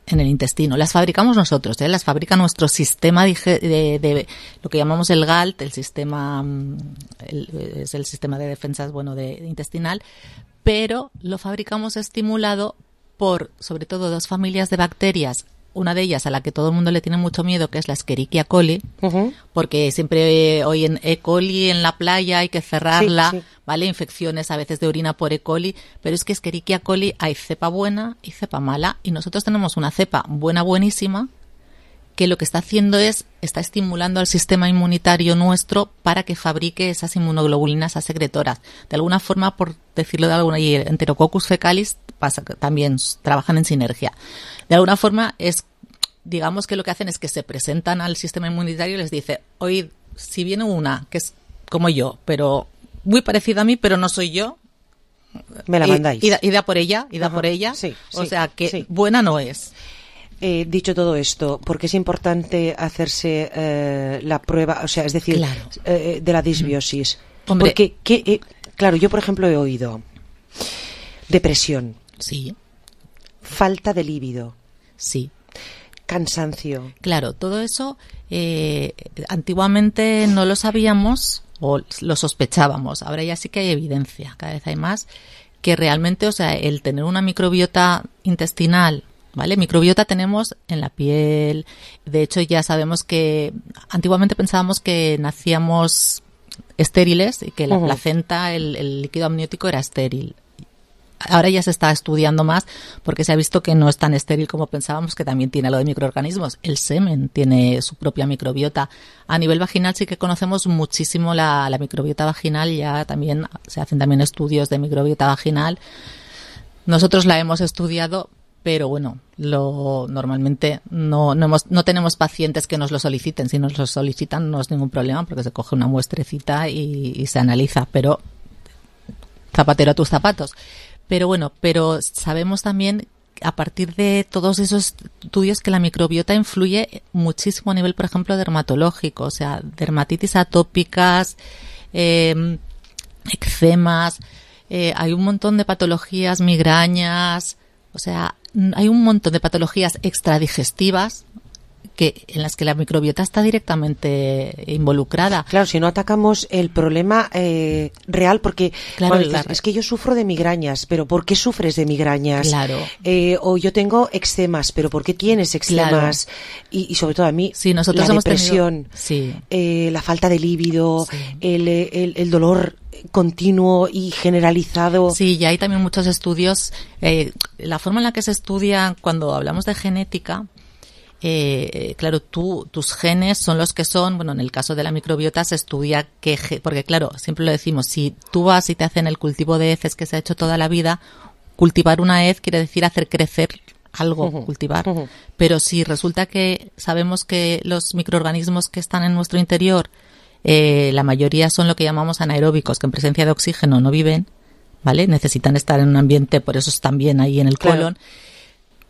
en el intestino. Las fabricamos nosotros, ¿eh? Las fabrica nuestro sistema de, de, de lo que llamamos el G A L T, el sistema el, es el sistema de defensas, bueno, de, de intestinal, pero lo fabricamos estimulado por, sobre todo, dos familias de bacterias. Una de ellas a la que todo el mundo le tiene mucho miedo, que es la Escherichia coli, uh-huh. porque siempre hoy en E. coli en la playa hay que cerrarla, sí, sí. ¿vale? Infecciones a veces de orina por E. coli, pero es que Escherichia coli hay cepa buena y cepa mala, y nosotros tenemos una cepa buena, buenísima, que lo que está haciendo es, está estimulando al sistema inmunitario nuestro para que fabrique esas inmunoglobulinas, esas secretoras. De alguna forma, por decirlo de alguna, y el Enterococcus fecalis pasa, también trabajan en sinergia. De alguna forma es, digamos que lo que hacen es que se presentan al sistema inmunitario y les dice, oye, si viene una que es como yo, pero muy parecida a mí, pero no soy yo, me la mandáis. Y, y, da, y da por ella, y da Ajá, por ella. Sí, o sí, sea que sí. buena no es. Eh, dicho todo esto, ¿por qué es importante hacerse eh, la prueba, o sea, es decir, claro. eh, de la disbiosis? Hombre. Porque, ¿qué, eh, claro, yo por ejemplo he oído depresión. Sí. Falta de líbido. Sí. Cansancio. Claro, todo eso eh, antiguamente no lo sabíamos o lo sospechábamos. Ahora ya sí que hay evidencia, cada vez hay más, que realmente, o sea, el tener una microbiota intestinal, ¿vale? Microbiota tenemos en la piel. De hecho, ya sabemos que antiguamente pensábamos que nacíamos estériles y que la uh-huh. placenta, el, el líquido amniótico era estéril. Ahora ya se está estudiando más porque se ha visto que no es tan estéril como pensábamos, que también tiene lo de microorganismos. El semen tiene su propia microbiota. A nivel vaginal sí que conocemos muchísimo la, la microbiota vaginal, ya también se hacen también estudios de microbiota vaginal. Nosotros la hemos estudiado, pero bueno, lo normalmente no no, hemos, no tenemos pacientes que nos lo soliciten. Si nos lo solicitan no es ningún problema porque se coge una muestrecita y, y se analiza, pero zapatero a tus zapatos. Pero bueno, pero sabemos también a partir de todos esos estudios que la microbiota influye muchísimo a nivel, por ejemplo, dermatológico, o sea, dermatitis atópicas, eh, eczemas, eh, hay un montón de patologías, migrañas, o sea, hay un montón de patologías extradigestivas que en las que la microbiota está directamente involucrada. Claro, si no atacamos el problema eh, real, porque claro, dices, la... es que yo sufro de migrañas, pero ¿por qué sufres de migrañas? Claro. Eh, o yo tengo eczemas, pero ¿por qué tienes eczemas? Claro. Y, y sobre todo a mí, sí, nosotros la hemos depresión, tenido... sí. eh, la falta de líbido, sí. el, el, el dolor continuo y generalizado. Sí, ya hay también muchos estudios. Eh, la forma en la que se estudia cuando hablamos de genética, Eh, claro, tú, tus genes son los que son. Bueno, en el caso de la microbiota se estudia qué, porque claro, siempre lo decimos, si tú vas y te hacen el cultivo de heces que se ha hecho toda la vida, cultivar una hez quiere decir hacer crecer algo, uh-huh, cultivar. Uh-huh. Pero si resulta que sabemos que los microorganismos que están en nuestro interior, eh, la mayoría son lo que llamamos anaeróbicos, que en presencia de oxígeno no viven, ¿vale? Necesitan estar en un ambiente, por eso están bien ahí en el claro. colon.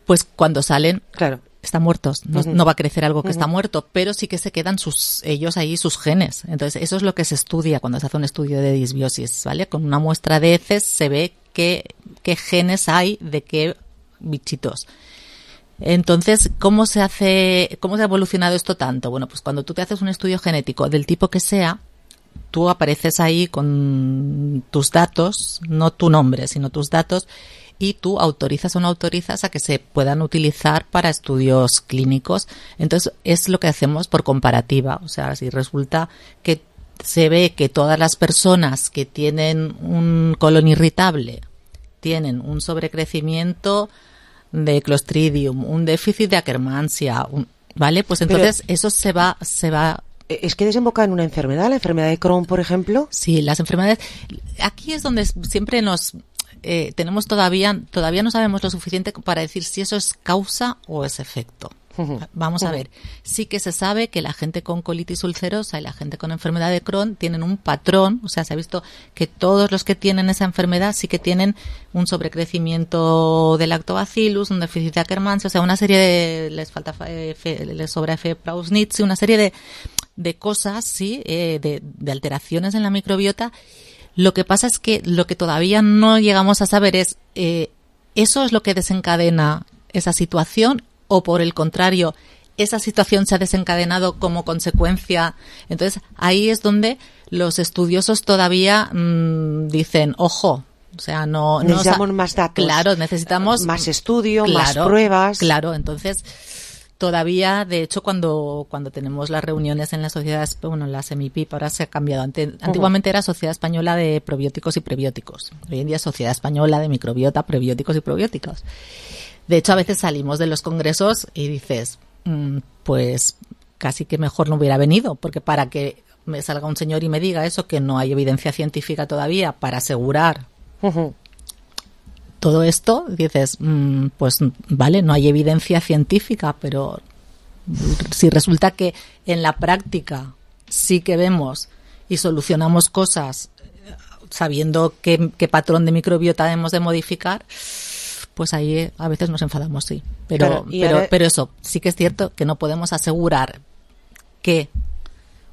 Pues cuando salen, claro. están muertos, no, uh-huh. no va a crecer algo que uh-huh. está muerto, pero sí que se quedan sus ellos ahí, sus genes. Entonces, eso es lo que se estudia cuando se hace un estudio de disbiosis, ¿vale? Con una muestra de heces se ve qué, qué genes hay de qué bichitos. Entonces, ¿cómo se hace, cómo se ha evolucionado esto tanto? Bueno, pues cuando tú te haces un estudio genético del tipo que sea, tú apareces ahí con tus datos, no tu nombre, sino tus datos, y tú autorizas o no autorizas a que se puedan utilizar para estudios clínicos. Entonces, es lo que hacemos por comparativa. O sea, si resulta que se ve que todas las personas que tienen un colon irritable tienen un sobrecrecimiento de Clostridium, un déficit de Akkermansia, un, ¿vale? Pues entonces Pero... eso se va, se va ¿Es que desemboca en una enfermedad? ¿La enfermedad de Crohn, por ejemplo? Sí, las enfermedades. Aquí es donde siempre nos eh, tenemos todavía, todavía no sabemos lo suficiente para decir si eso es causa o es efecto. Uh-huh. Vamos uh-huh. a ver. Sí que se sabe que la gente con colitis ulcerosa y la gente con enfermedad de Crohn tienen un patrón, o sea, se ha visto que todos los que tienen esa enfermedad sí que tienen un sobrecrecimiento de lactobacillus, un déficit de Akkermansia, o sea, una serie de, les falta, F, les sobra F. prausnitzii, una serie de, de cosas, sí, eh, de, de alteraciones en la microbiota. Lo que pasa es que lo que todavía no llegamos a saber es, eh, ¿eso es lo que desencadena esa situación? o por el contrario, esa situación se ha desencadenado como consecuencia. Entonces, ahí es donde los estudiosos todavía mmm, dicen, ojo, o sea, no... Necesitamos no, más datos. Claro, necesitamos... Más estudio, claro, más pruebas. Claro, entonces... Todavía, de hecho, cuando cuando tenemos las reuniones en la sociedad, bueno, la SEMIPIP ahora se ha cambiado. Ante, antiguamente era Sociedad Española de Probióticos y Prebióticos. Hoy en día es Sociedad Española de Microbiota, Prebióticos y Probióticos. De hecho, a veces salimos de los congresos y dices, mmm, pues casi que mejor no hubiera venido, porque para que me salga un señor y me diga eso, que no hay evidencia científica todavía para asegurar uh-huh. todo esto, dices, mmm, pues vale, no hay evidencia científica, pero si resulta que en la práctica sí que vemos y solucionamos cosas sabiendo qué, qué patrón de microbiota hemos de modificar, pues ahí a veces nos enfadamos, sí. Pero, claro, pero, ahora... pero eso, sí que es cierto que no podemos asegurar que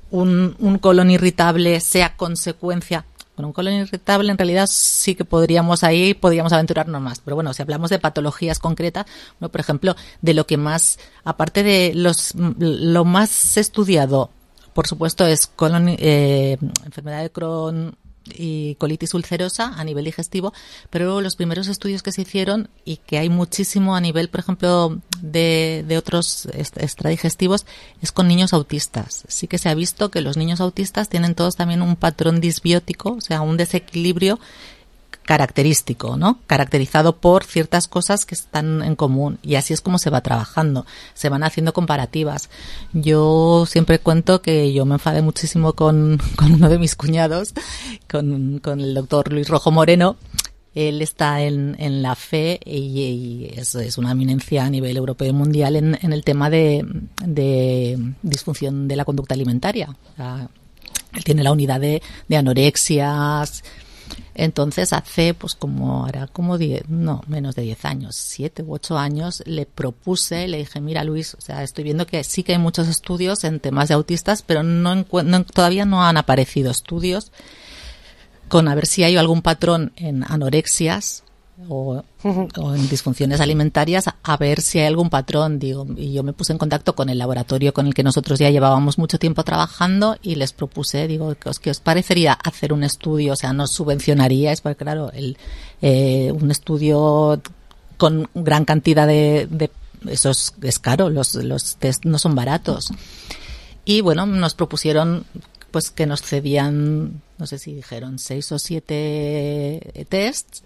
un, un colon irritable sea consecuencia. Con un colon irritable en realidad sí que podríamos ahí, podríamos aventurarnos más. Pero bueno, si hablamos de patologías concretas, bueno, por ejemplo, de lo que más, aparte de los lo más estudiado, por supuesto, es colon, eh, enfermedad de Crohn y colitis ulcerosa a nivel digestivo, pero luego los primeros estudios que se hicieron y que hay muchísimo a nivel, por ejemplo, de, de otros extradigestivos, es con niños autistas. Sí que se ha visto que los niños autistas tienen todos también un patrón disbiótico, o sea, un desequilibrio característico, ¿no? Caracterizado por ciertas cosas que están en común, y así es como se va trabajando, se van haciendo comparativas. Yo siempre cuento que yo me enfadé muchísimo con, con uno de mis cuñados, con, con el doctor Luis Rojo Moreno. Él está en, en la F E y, y es, es una eminencia a nivel europeo y mundial en, en el tema de, de disfunción de la conducta alimentaria. O sea, él tiene la unidad de, de anorexias. Entonces hace pues como hará como diez, no, menos de diez años, siete u ocho años, le propuse, le dije, mira Luis, o sea, estoy viendo que sí que hay muchos estudios en temas de autistas, pero no, encu- no todavía no han aparecido estudios con a ver si hay algún patrón en anorexias o, o en disfunciones alimentarias, a ver si hay algún patrón, digo, y yo me puse en contacto con el laboratorio con el que nosotros ya llevábamos mucho tiempo trabajando y les propuse, digo, ¿qué os, qué os parecería hacer un estudio? O sea, ¿nos subvencionaríais? Porque claro, el, eh, un estudio con gran cantidad de, de eso es, es caro, los, los test no son baratos. Y bueno, nos propusieron pues que nos cedían, no sé si dijeron seis o siete tests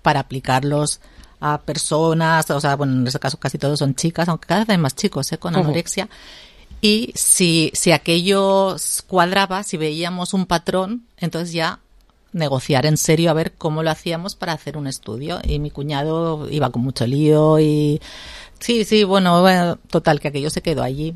para aplicarlos a personas, o sea, bueno, en este caso casi todos son chicas, aunque cada vez hay más chicos, ¿eh? Con anorexia. Uh-huh. Y si, si aquello cuadraba, si veíamos un patrón, entonces ya negociar en serio a ver cómo lo hacíamos para hacer un estudio. Y mi cuñado iba con mucho lío y sí, sí, bueno, bueno total, que aquello se quedó allí.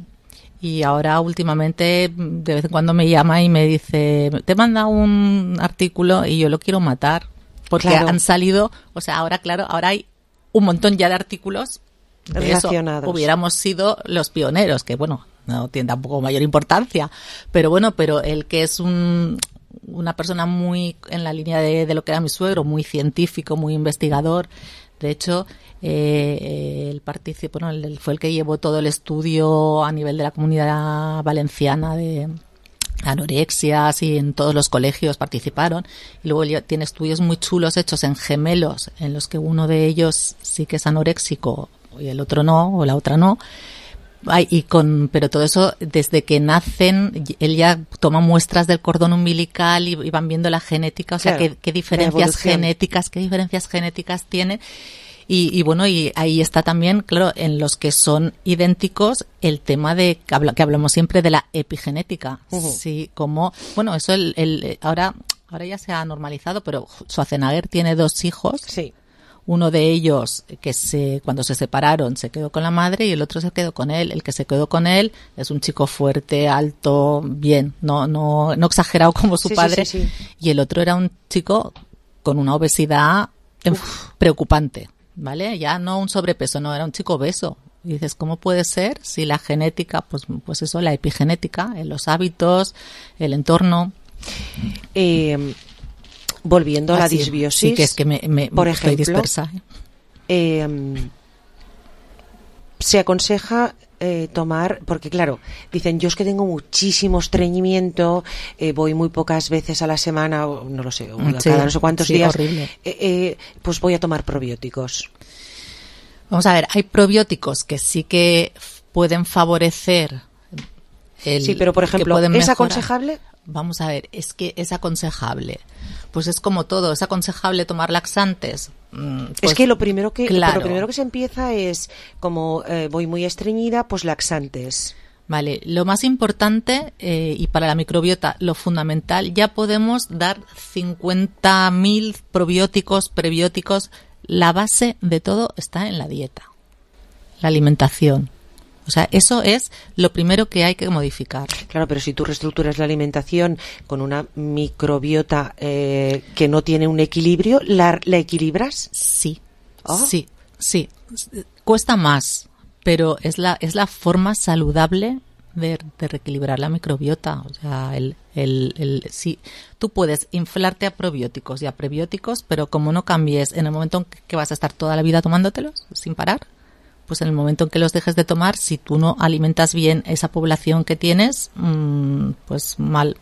Y ahora últimamente de vez en cuando me llama y me dice, te manda un artículo y yo lo quiero matar. Porque claro. han salido, o sea, ahora claro, ahora hay un montón ya de artículos de relacionados. Eso hubiéramos sido los pioneros, que bueno, no tiene tampoco mayor importancia, pero bueno, pero el que es un una persona muy en la línea de, de lo que era mi suegro, muy científico, muy investigador. De hecho, eh, él participó, bueno, él fue el que llevó todo el estudio a nivel de la Comunidad Valenciana de anorexias y en todos los colegios participaron, y luego tiene estudios muy chulos hechos en gemelos en los que uno de ellos sí que es anoréxico y el otro no, o la otra no. Ay, y con, pero todo eso desde que nacen, él ya toma muestras del cordón umbilical y, y van viendo la genética, o sea, claro, qué, qué diferencias genéticas, qué diferencias genéticas tienen. Y, y bueno, y ahí está también, claro, en los que son idénticos, el tema de que, habla, que hablamos siempre de la epigenética. Uh-huh. Sí, como, bueno, eso el, el, ahora, ahora ya se ha normalizado, pero Schwarzenegger tiene dos hijos. Sí. Uno de ellos que se, cuando se separaron se quedó con la madre y el otro se quedó con él. El que se quedó con él es un chico fuerte, alto, bien, no, no, no exagerado como su sí, padre. Sí, sí, sí. Y el otro era un chico con una obesidad Uf. preocupante. ¿Vale? Ya no un sobrepeso, no, era un chico obeso. Y dices, ¿cómo puede ser si la genética, pues, pues eso, la epigenética, en los hábitos, el entorno? Eh, volviendo a la Así, disbiosis. Sí, que es que me, me por estoy ejemplo, dispersa. Eh, se aconseja eh, tomar, porque claro, dicen, yo es que tengo muchísimo estreñimiento, eh, voy muy pocas veces a la semana, o no lo sé, o Sí, cada no sé cuántos sí, días, horrible. eh, eh, pues voy a tomar probióticos. Vamos a ver, hay probióticos que sí que f- pueden favorecer el, Sí, pero por que ejemplo, pueden ¿es mejorar. aconsejable? Vamos a ver, es que es aconsejable. Pues es como todo, es aconsejable tomar laxantes. Mm, pues, es que lo primero que claro. lo primero que se empieza es como eh, voy muy estreñida, pues laxantes. Vale, lo más importante eh, y para la microbiota lo fundamental, ya podemos dar cincuenta mil probióticos, prebióticos. La base de todo está en la dieta, la alimentación. O sea, eso es lo primero que hay que modificar. Claro, pero si tú reestructuras la alimentación con una microbiota eh, que no tiene un equilibrio, ¿la, la equilibras? Sí, Oh. sí, sí. Cuesta más, pero es la es la forma saludable de, de reequilibrar la microbiota. O sea, el, el, el, sí, tú puedes inflarte a probióticos y a prebióticos, pero como no cambies en el momento en que vas a estar toda la vida tomándotelos sin parar, pues en el momento en que los dejes de tomar, si tú no alimentas bien esa población que tienes, mmm, pues mal,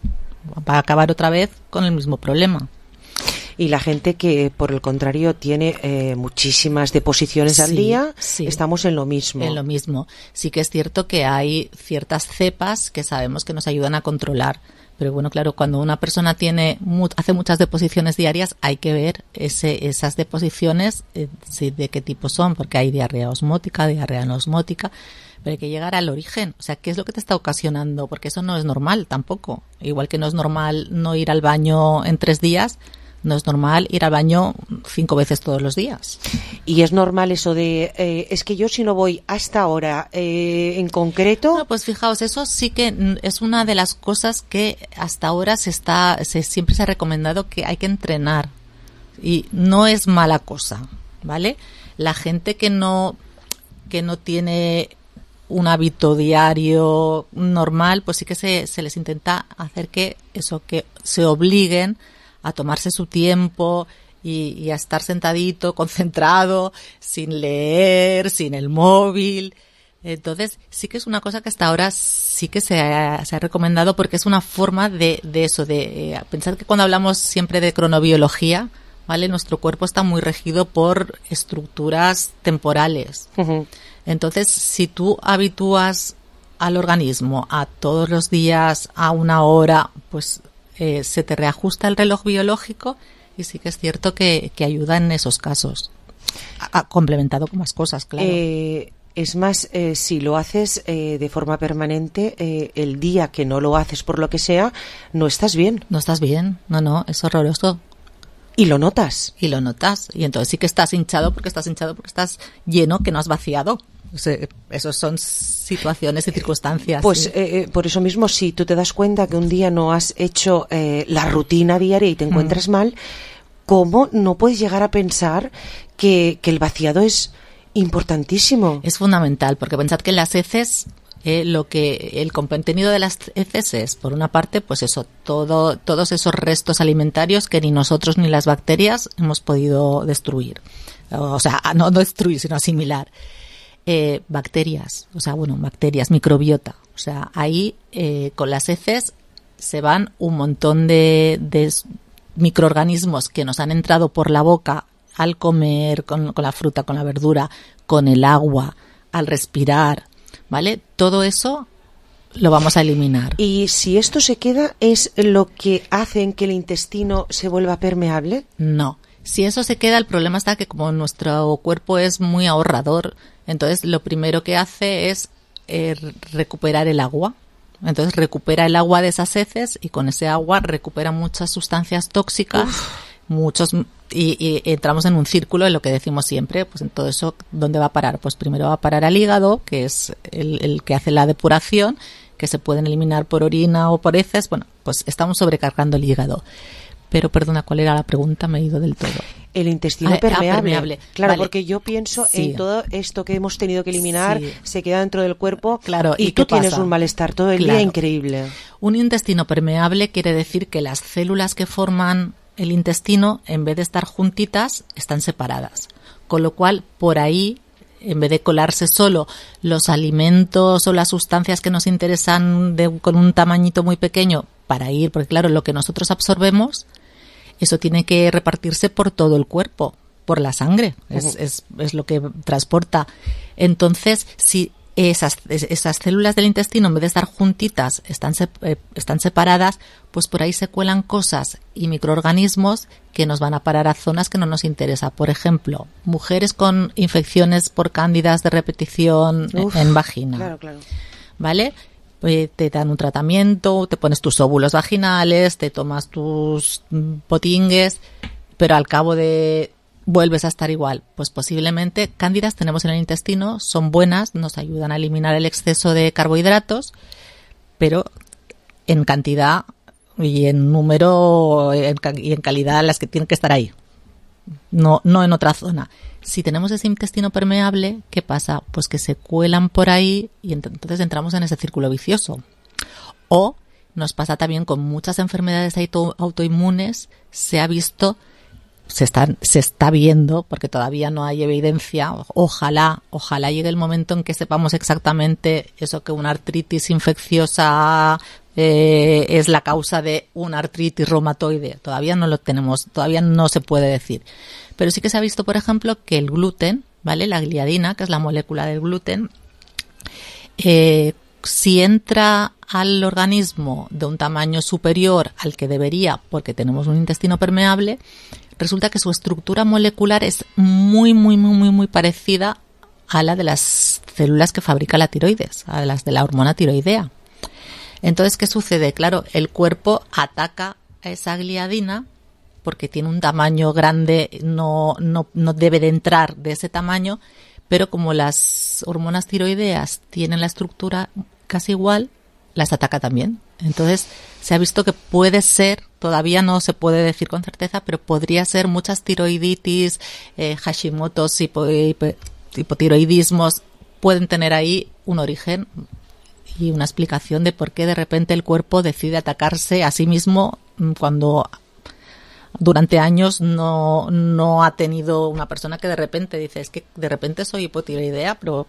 va a acabar otra vez con el mismo problema. Y la gente que, por el contrario, tiene eh, muchísimas deposiciones al Sí, día, sí. estamos en lo mismo. En lo mismo. Sí que es cierto que hay ciertas cepas que sabemos que nos ayudan a controlar. Pero bueno, claro, cuando una persona tiene mu- hace muchas deposiciones diarias, hay que ver ese, esas deposiciones, eh, sí, de qué tipo son, porque hay diarrea osmótica, diarrea anosmótica, pero hay que llegar al origen. O sea, ¿qué es lo que te está ocasionando? Porque eso no es normal tampoco. Igual que no es normal no ir al baño en tres días, no es normal ir al baño cinco veces todos los días. Y es normal eso de, eh, es que yo si no voy hasta ahora eh, en concreto... Bueno, pues fijaos, eso sí que mm, es una de las cosas que hasta ahora se está, se, siempre se ha recomendado que hay que entrenar. Y no es mala cosa, ¿vale? La gente que no, que no tiene un hábito diario normal, pues sí que se, se les intenta hacer que eso, que se obliguen a tomarse su tiempo y, y a estar sentadito, concentrado, sin leer, sin el móvil. Entonces, sí que es una cosa que hasta ahora sí que se ha, se ha recomendado porque es una forma de, de eso, de eh, pensar que cuando hablamos siempre de cronobiología, ¿vale? Nuestro cuerpo está muy regido por estructuras temporales. Uh-huh. Entonces, si tú habitúas al organismo a todos los días, a una hora, pues eh, se te reajusta el reloj biológico y sí que es cierto que, que ayuda en esos casos. A, a, complementado con más cosas, claro. Eh, es más, eh, si lo haces eh, de forma permanente, eh, el día que no lo haces por lo que sea, no estás bien. No estás bien, no, no, es horroroso. Y lo notas. Y lo notas. Y entonces sí que estás hinchado porque estás hinchado porque estás lleno que no has vaciado. O sea, esas son situaciones y circunstancias. Pues sí. eh, por eso mismo, si tú te das cuenta que un día no has hecho eh, la rutina diaria y te encuentras mm. mal, ¿cómo no puedes llegar a pensar que, que el vaciado es importantísimo? Es fundamental, porque pensad que en las heces, eh, lo que el contenido de las heces es, por una parte, pues eso, todo, todos esos restos alimentarios que ni nosotros ni las bacterias hemos podido destruir. O sea, no destruir, sino asimilar. Eh, bacterias, o sea, bueno, bacterias, microbiota. O sea, ahí eh, con las heces se van un montón de, de microorganismos que nos han entrado por la boca al comer, con, con la fruta, con la verdura, con el agua, al respirar, ¿vale? Todo eso lo vamos a eliminar. ¿Y si esto se queda, es lo que hace que el intestino se vuelva permeable? No. Si eso se queda, el problema está que como nuestro cuerpo es muy ahorrador, entonces lo primero que hace es eh, recuperar el agua. Entonces recupera el agua de esas heces y con ese agua recupera muchas sustancias tóxicas, Uf. muchos y, y entramos en un círculo en lo que decimos siempre, pues en todo eso, ¿dónde va a parar? Pues primero va a parar al hígado, que es el, el que hace la depuración, que se pueden eliminar por orina o por heces. Bueno, pues estamos sobrecargando el hígado. Pero, perdona, ¿cuál era la pregunta? Me he ido del todo. El intestino ah, permeable. Ah, permeable. Claro, vale. Porque yo pienso sí. en todo esto que hemos tenido que eliminar, sí. se queda dentro del cuerpo claro, y, y tú pasa? tienes un malestar todo el claro. día increíble. Un intestino permeable quiere decir que las células que forman el intestino, en vez de estar juntitas, están separadas. Con lo cual, por ahí en vez de colarse solo los alimentos o las sustancias que nos interesan de, con un tamañito muy pequeño para ir, porque claro, lo que nosotros absorbemos, eso tiene que repartirse por todo el cuerpo, por la sangre, es, uh-huh. es, es lo que transporta. Entonces, si esas, esas células del intestino, en vez de estar juntitas, están, eh, están separadas, pues por ahí se cuelan cosas y microorganismos que nos van a parar a zonas que no nos interesa. Por ejemplo, mujeres con infecciones por cándidas de repetición Uf, en vagina. Claro, claro. ¿Vale? Pues te dan un tratamiento, te pones tus óvulos vaginales, te tomas tus potingues, pero al cabo de vuelves a estar igual. Pues posiblemente cándidas tenemos en el intestino, son buenas, nos ayudan a eliminar el exceso de carbohidratos, pero en cantidad y en número en, y en calidad las que tienen que estar ahí, no, no en otra zona. Si tenemos ese intestino permeable, ¿qué pasa? Pues que se cuelan por ahí y entonces entramos en ese círculo vicioso. O nos pasa también con muchas enfermedades auto, autoinmunes, se ha visto Se está, se está viendo, porque todavía no hay evidencia, ojalá, ojalá llegue el momento en que sepamos exactamente eso, que una artritis infecciosa eh, es la causa de una artritis reumatoide. Todavía no lo tenemos, todavía no se puede decir. Pero sí que se ha visto, por ejemplo, que el gluten, ¿vale? La gliadina, que es la molécula del gluten, eh, si entra al organismo de un tamaño superior al que debería, porque tenemos un intestino permeable, resulta que su estructura molecular es muy, muy, muy, muy, muy parecida a la de las células que fabrica la tiroides, a las de la hormona tiroidea. Entonces, ¿qué sucede? Claro, el cuerpo ataca a esa gliadina porque tiene un tamaño grande, no, no, no debe de entrar de ese tamaño, pero como las hormonas tiroideas tienen la estructura casi igual, las ataca también. Entonces, se ha visto que puede ser, todavía no se puede decir con certeza, pero podría ser muchas tiroiditis, eh, Hashimoto's, hipo, hipo, hipotiroidismos, pueden tener ahí un origen y una explicación de por qué de repente el cuerpo decide atacarse a sí mismo cuando durante años no, no ha tenido una persona que de repente dice, es que de repente soy hipotiroidea, pero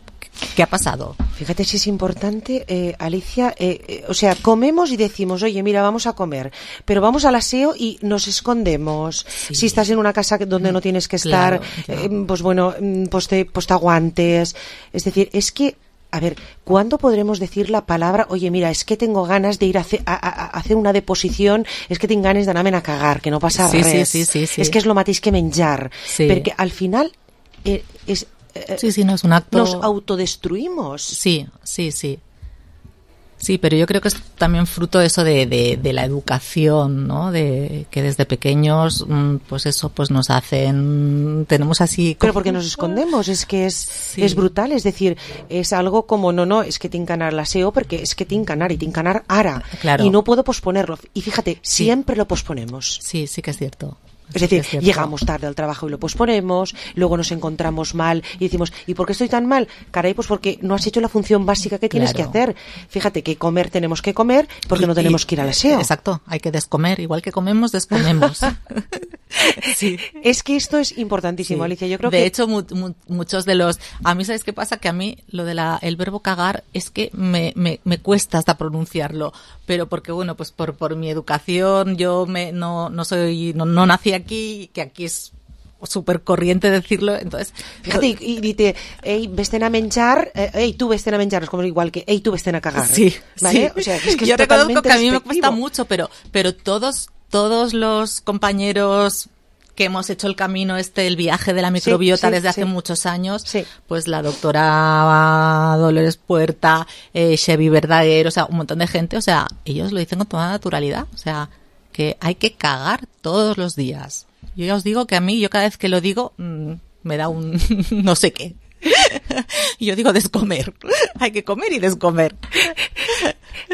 ¿qué ha pasado? Fíjate si es importante, eh, Alicia, eh, eh, o sea, comemos y decimos, oye, mira, vamos a comer, pero vamos al aseo y nos escondemos. Sí. Si estás en una casa donde no tienes que estar, claro, claro. Eh, pues bueno, pues te, pues te aguantes. Es decir, es que a ver, ¿cuándo podremos decir la palabra, oye, mira, es que tengo ganas de ir a, hacer, a, a, a hacer una deposición, es que tengo ganas d'anar-me'n a cagar, que no passa sí, res. Sí, sí, sí, sí. És que és lo mateix que menjar. Sí. Perquè al final eh, és, eh, sí, sí, no es un acto... nos autodestruimos. Sí, sí, sí. Sí, pero yo creo que es también fruto de eso de, de, de la educación, ¿no? De que desde pequeños, pues eso, pues nos hacen, tenemos así... Pero porque nos escondemos, es que es, sí. es brutal, es decir, es algo como, no, no, es que tinc que anar a l'aseo porque es que tinc que anar y tinc que anar ara. Claro. Y no puedo posponerlo. Y fíjate, sí. siempre lo posponemos. Sí, sí que es cierto. Es decir, es llegamos tarde al trabajo y lo posponemos, luego nos encontramos mal y decimos, ¿y por qué estoy tan mal? Caray, pues porque no has hecho la función básica que tienes claro. que hacer. Fíjate que comer tenemos que comer porque y, no tenemos y, que ir al aseo. Exacto, hay que descomer, igual que comemos, descomemos. Sí. Es que esto es importantísimo, sí. Alicia. Yo creo de que... hecho, mu mu muchos de los... A mí, ¿sabes qué pasa? Que a mí lo de la el verbo cagar es que me, me, me cuesta hasta pronunciarlo, pero porque, bueno, pues por, por mi educación yo me no, no soy... No, no nací aquí, que aquí es súper corriente decirlo, entonces... Fíjate, y, y dice, hey, vesten a menjar, hey, tú vesten a menjar, es como igual que, hey, tú vesten a cagar. Sí, ¿vale? Sí. O sea, es que yo es reconozco que a mí me despectivo. cuesta mucho, pero, pero todos, todos los compañeros que hemos hecho el camino este, el viaje de la microbiota sí, sí, desde hace sí. muchos años, sí. pues la doctora Dolores Puerta, eh, Chevy Verdaguer, o sea, un montón de gente, o sea, ellos lo dicen con toda naturalidad, o sea, que hay que cagar todos los días. Yo ya os digo que a mí, yo cada vez que lo digo, mmm, me da un no sé qué. Yo digo descomer. Hay que comer y descomer.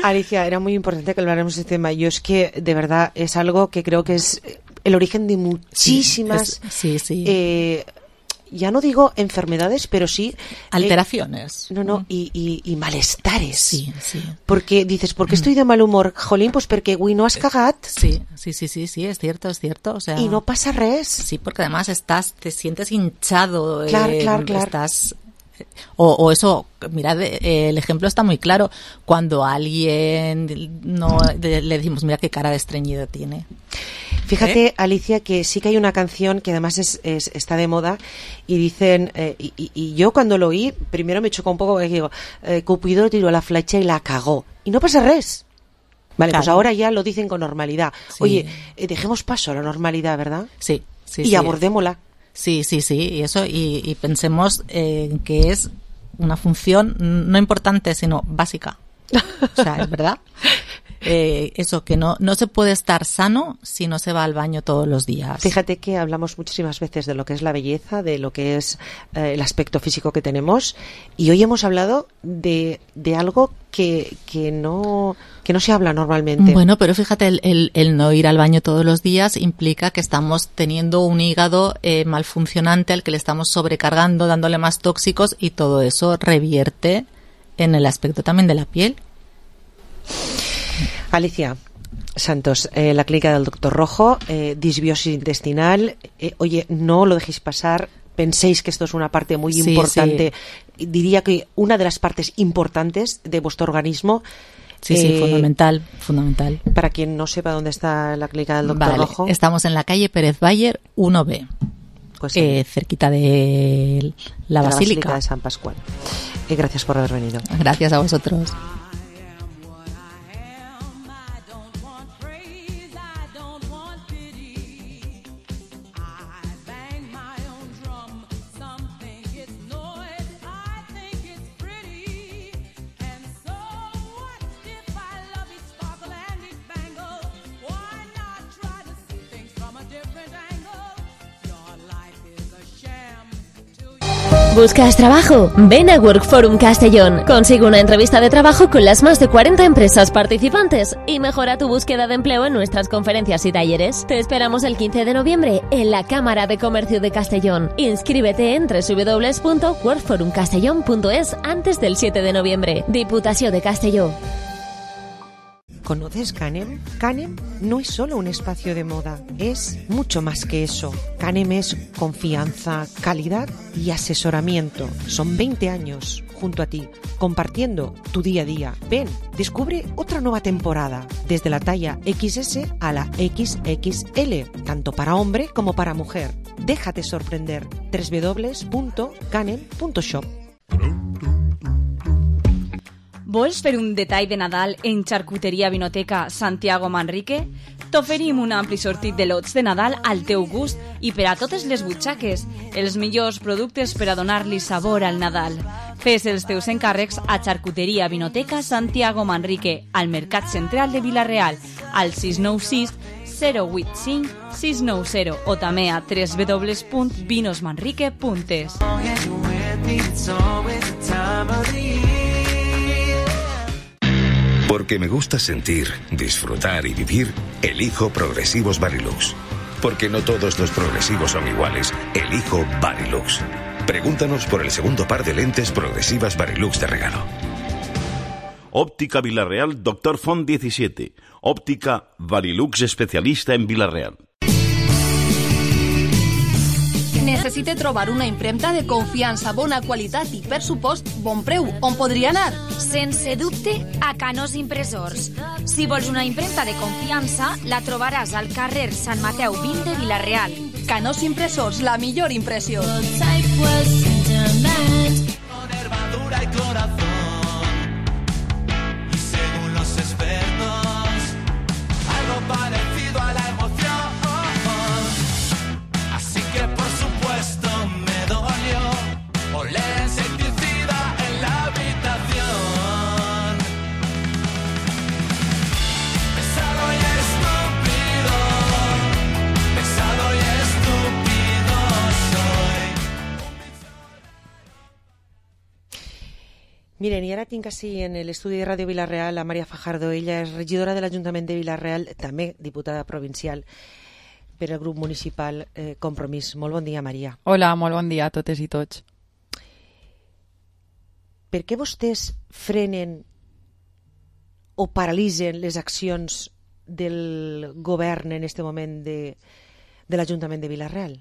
Alicia, era muy importante que habláramos de este tema. Yo es que, de verdad, es algo que creo que es el origen de muchísimas... Sí, es, sí, sí. Eh, ya no digo enfermedades, pero sí... Alteraciones. Eh, no, no, y, y, y malestares. Sí, sí. Porque dices, ¿por qué estoy de mal humor? Jolín, pues perquè avui no has cagat. Sí, sí, sí, sí, sí, es cierto, es cierto. O sea, y no pasa res. Sí, porque además estás, te sientes hinchado. Claro, eh, claro, claro. Estás... O, o eso, mirad, eh, el ejemplo está muy claro. Cuando a alguien no le, le decimos, mira qué cara de estreñido tiene. Fíjate, ¿Eh? Alicia, que sí que hay una canción que además es, es, está de moda y dicen, eh, y, y yo cuando lo oí, primero me chocó un poco porque digo, eh, Cupido tiró la flecha y la cagó. Y no pasa res. Vale, Claro. pues ahora ya lo dicen con normalidad. Sí. Oye, eh, dejemos paso a la normalidad, ¿verdad? Sí, sí, y sí. abordémosla. Sí, sí, sí, y eso, y, y pensemos eh, que es una función no importante, sino básica. O sea, es verdad. Eh, eso, que no, no se puede estar sano si no se va al baño todos los días. Fíjate que hablamos muchísimas veces de lo que es la belleza, de lo que es eh, el aspecto físico que tenemos, y hoy hemos hablado de, de algo que, que no que no se habla normalmente. Bueno, pero fíjate, el, el, el no ir al baño todos los días implica que estamos teniendo un hígado eh, malfuncionante al que le estamos sobrecargando, dándole más tóxicos, y todo eso revierte en el aspecto también de la piel. Alicia Santos, eh, la clínica del doctor Rojo, eh, disbiosis intestinal. Eh, oye, no lo dejéis pasar. Penséis que esto es una parte muy Sí, importante. Diría que una de las partes importantes de vuestro organismo. Sí, sí, fundamental, fundamental. Para quien no sepa dónde está la clínica del doctor Vale, Rojo. estamos en la calle Pérez Bayer uno B, Pues eh, cerquita de la de Basílica. de San Pascual. Eh, gracias por haber venido. Gracias a vosotros. ¿Buscas trabajo? Ven a Workforum Castellón. Consigue una entrevista de trabajo con las más de cuarenta empresas participantes y mejora tu búsqueda de empleo en nuestras conferencias y talleres. Te esperamos el quince de noviembre en la Cámara de Comercio de Castellón. Inscríbete en doble u doble u doble u punto workforum castellón punto es antes del siete de noviembre. Diputación de Castelló. ¿Conoces Canem? Canem no es solo un espacio de moda, es mucho más que eso. Canem es confianza, calidad y asesoramiento. Son veinte años junto a ti, compartiendo tu día a día. Ven, descubre otra nueva temporada, desde la talla equis ese a la equis equis ele, tanto para hombre como para mujer. Déjate sorprender. doble u doble u doble u punto canem punto shop. Vols fer un detall de Nadal en Xarcuteria Vinoteca Santiago Manrique? T'oferim un ampli sortit de lots de Nadal al teu gust i per a totes les butxaques, els millors productes per a donar-li sabor al Nadal. Fes els teus encàrrecs a Xarcuteria Vinoteca Santiago Manrique, al Mercat Central de Vila-real, al sis nou sis zero vuit cinc sis nou zero o també a doble u doble u doble u punt vinos manrique punt es. Porque me gusta sentir, disfrutar y vivir, elijo Progresivos Varilux. Porque no todos los progresivos son iguales, elijo Varilux. Pregúntanos por el segundo par de lentes progresivas Varilux de regalo. Óptica Villarreal Doctor Font diecisiete. Óptica Varilux especialista en Villarreal. Necessite trobar una impremta de confiança, bona qualitat i, per supost, bon preu. On podria anar? Sense dubte, a Canós Impressors. Si vols una impremta de confiança, la trobaràs al carrer Sant Mateu vint de Vila-real. Canós Impressors, la millor impressió. Miren, i ara tinc així en l'estudi de Ràdio Vila-real a Maria Fajardo. Ella és regidora de l'Ajuntament de Vila-real, també diputada provincial per al grup municipal eh, Compromís. Molt bon dia, Maria. Hola, molt bon dia a totes i tots. Per què vostès frenen o paralitzen les accions del govern en aquest moment de, de l'Ajuntament de Vila-real?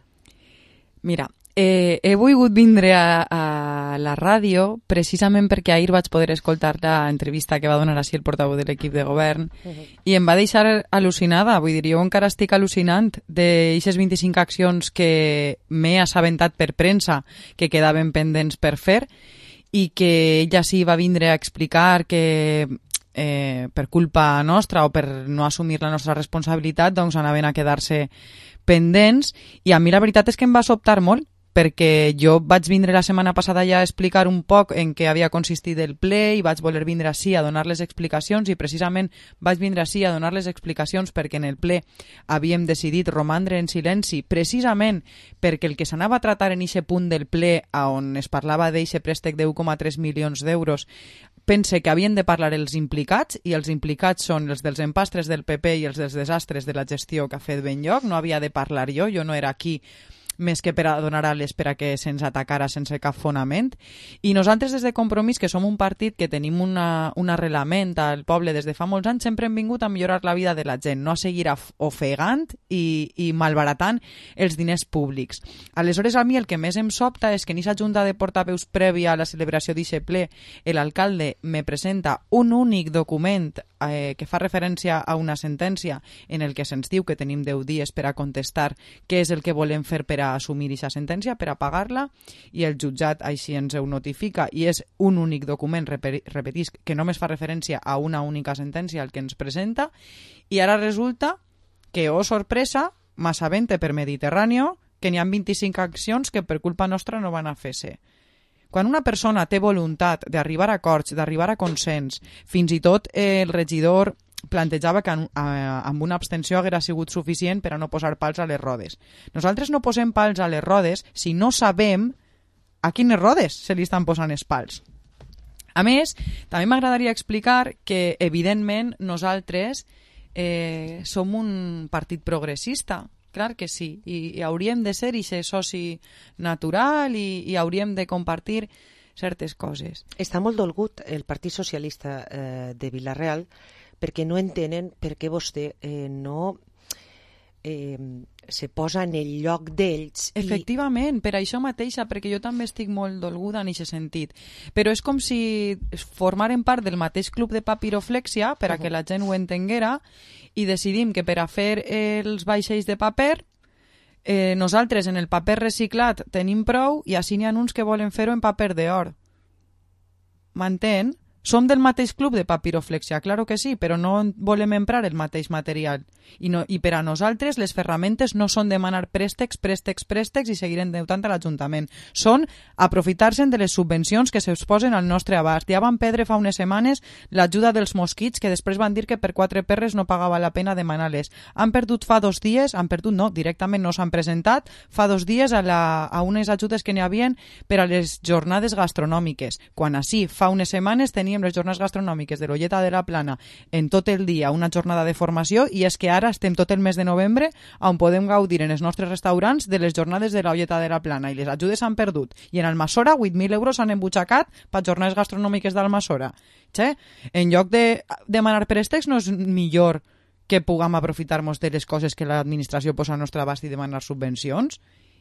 Mira, eh, he volgut vindre a, a a la ràdio, precisament perquè ahir vaig poder escoltar l'entrevista que va donar així el portaveu de l'equip de govern uh-huh. i em va deixar al·lucinada. Vull dir, jo encara estic al·lucinant d'aixes vint-i-cinc accions que m'he assabentat per premsa que quedaven pendents per fer i que ella sí va vindre a explicar que eh, per culpa nostra o per no assumir la nostra responsabilitat doncs anaven a quedar-se pendents, i a mi la veritat és que em va sobtar molt, perquè jo vaig vindre la setmana passada ja a explicar un poc en què havia consistit el ple i vaig voler vindre així a donar les explicacions, i precisament vaig vindre així a donar les explicacions perquè en el ple havíem decidit romandre en silenci, precisament perquè el que s'anava a tratar en eixe punt del ple on es parlava d'eixe préstec de u coma tres milions d'euros, pense que havien de parlar els implicats, i els implicats són els dels empastres del P P i els dels desastres de la gestió que ha fet Benlloc. No havia de parlar jo, jo no era aquí més que per a donar ales per a que se'ns atacara sense cap fonament. I nosaltres des de Compromís, que som un partit que tenim una, un arrelament al poble des de fa molts anys, sempre hem vingut a millorar la vida de la gent, no a seguir ofegant i, i malbaratant els diners públics. Aleshores, a mi el que més em sobta és que en aquesta junta de portaveus prèvia a la celebració d'aquest ple, l'alcalde me presenta un únic document eh, que fa referència a una sentència en el que se'ns diu que tenim deu dies per a contestar què és el que volem fer per a assumir aquesta sentència, per a pagar-la, i el jutjat així ens ho notifica, i és un únic document, repetisc, que només fa referència a una única sentència el que ens presenta, i ara resulta que, oh sorpresa, m'assabente per Mediterráneo que n'hi ha vint-i-cinc accions que per culpa nostra no van a fer-se. Quan una persona té voluntat d'arribar a acords, d'arribar a consens, fins i tot eh, el regidor plantejava que amb una abstenció haguera sigut suficient per a no posar pals a les rodes. Nosaltres no posem pals a les rodes si no sabem a quines rodes se li estan posant els pals. A més, també m'agradaria explicar que, evidentment, nosaltres eh, som un partit progressista. Clar que sí, i, i hauríem de ser ixe soci natural i, i hauríem de compartir certes coses. Està molt dolgut el Partit Socialista eh, de Vila-real perquè no entenen per què vostè eh, no eh, se posa en el lloc d'ells. I... Efectivament, per això mateixa, perquè jo també estic molt dolguda en aquest sentit. Però és com si formaren part del mateix club de papiroflexia, per a que la gent ho entenguera, i decidim que per a fer els vaixells de paper, eh, nosaltres en el paper reciclat tenim prou, i així n'hi ha uns que volen fer-ho en paper d'or. M'entén? Som del mateix club de papiroflexia, claro que sí, però no volem emprar el mateix material. I, no, i per a nosaltres les ferramentes no són demanar préstecs, préstecs, préstecs i seguir endeutant a l'Ajuntament. Són aprofitar-se'n de les subvencions que se'ls posen al nostre abast. Ja van perdre fa unes setmanes l'ajuda dels mosquits, que després van dir que per quatre perres no pagava la pena demanar-les. Han perdut fa dos dies, han perdut no, directament no s'han presentat, fa dos dies a, la, a unes ajudes que n'hi havien per a les jornades gastronòmiques. Quan així, fa unes setmanes teníem les jornades gastronòmiques de l'Olleta de la Plana en tot el dia, una jornada de formació, i és que ara estem tot el mes de novembre on podem gaudir en els nostres restaurants de les jornades de l'Olleta de la Plana, i les ajudes s'han perdut. I en Almassora vuit mil euros s'han embutxacat per jornades gastronòmiques d'Almassora. Che? En lloc de demanar préstecs, no és millor que puguem aprofitar-nos de les coses que l'administració posa al nostre abast i demanar subvencions?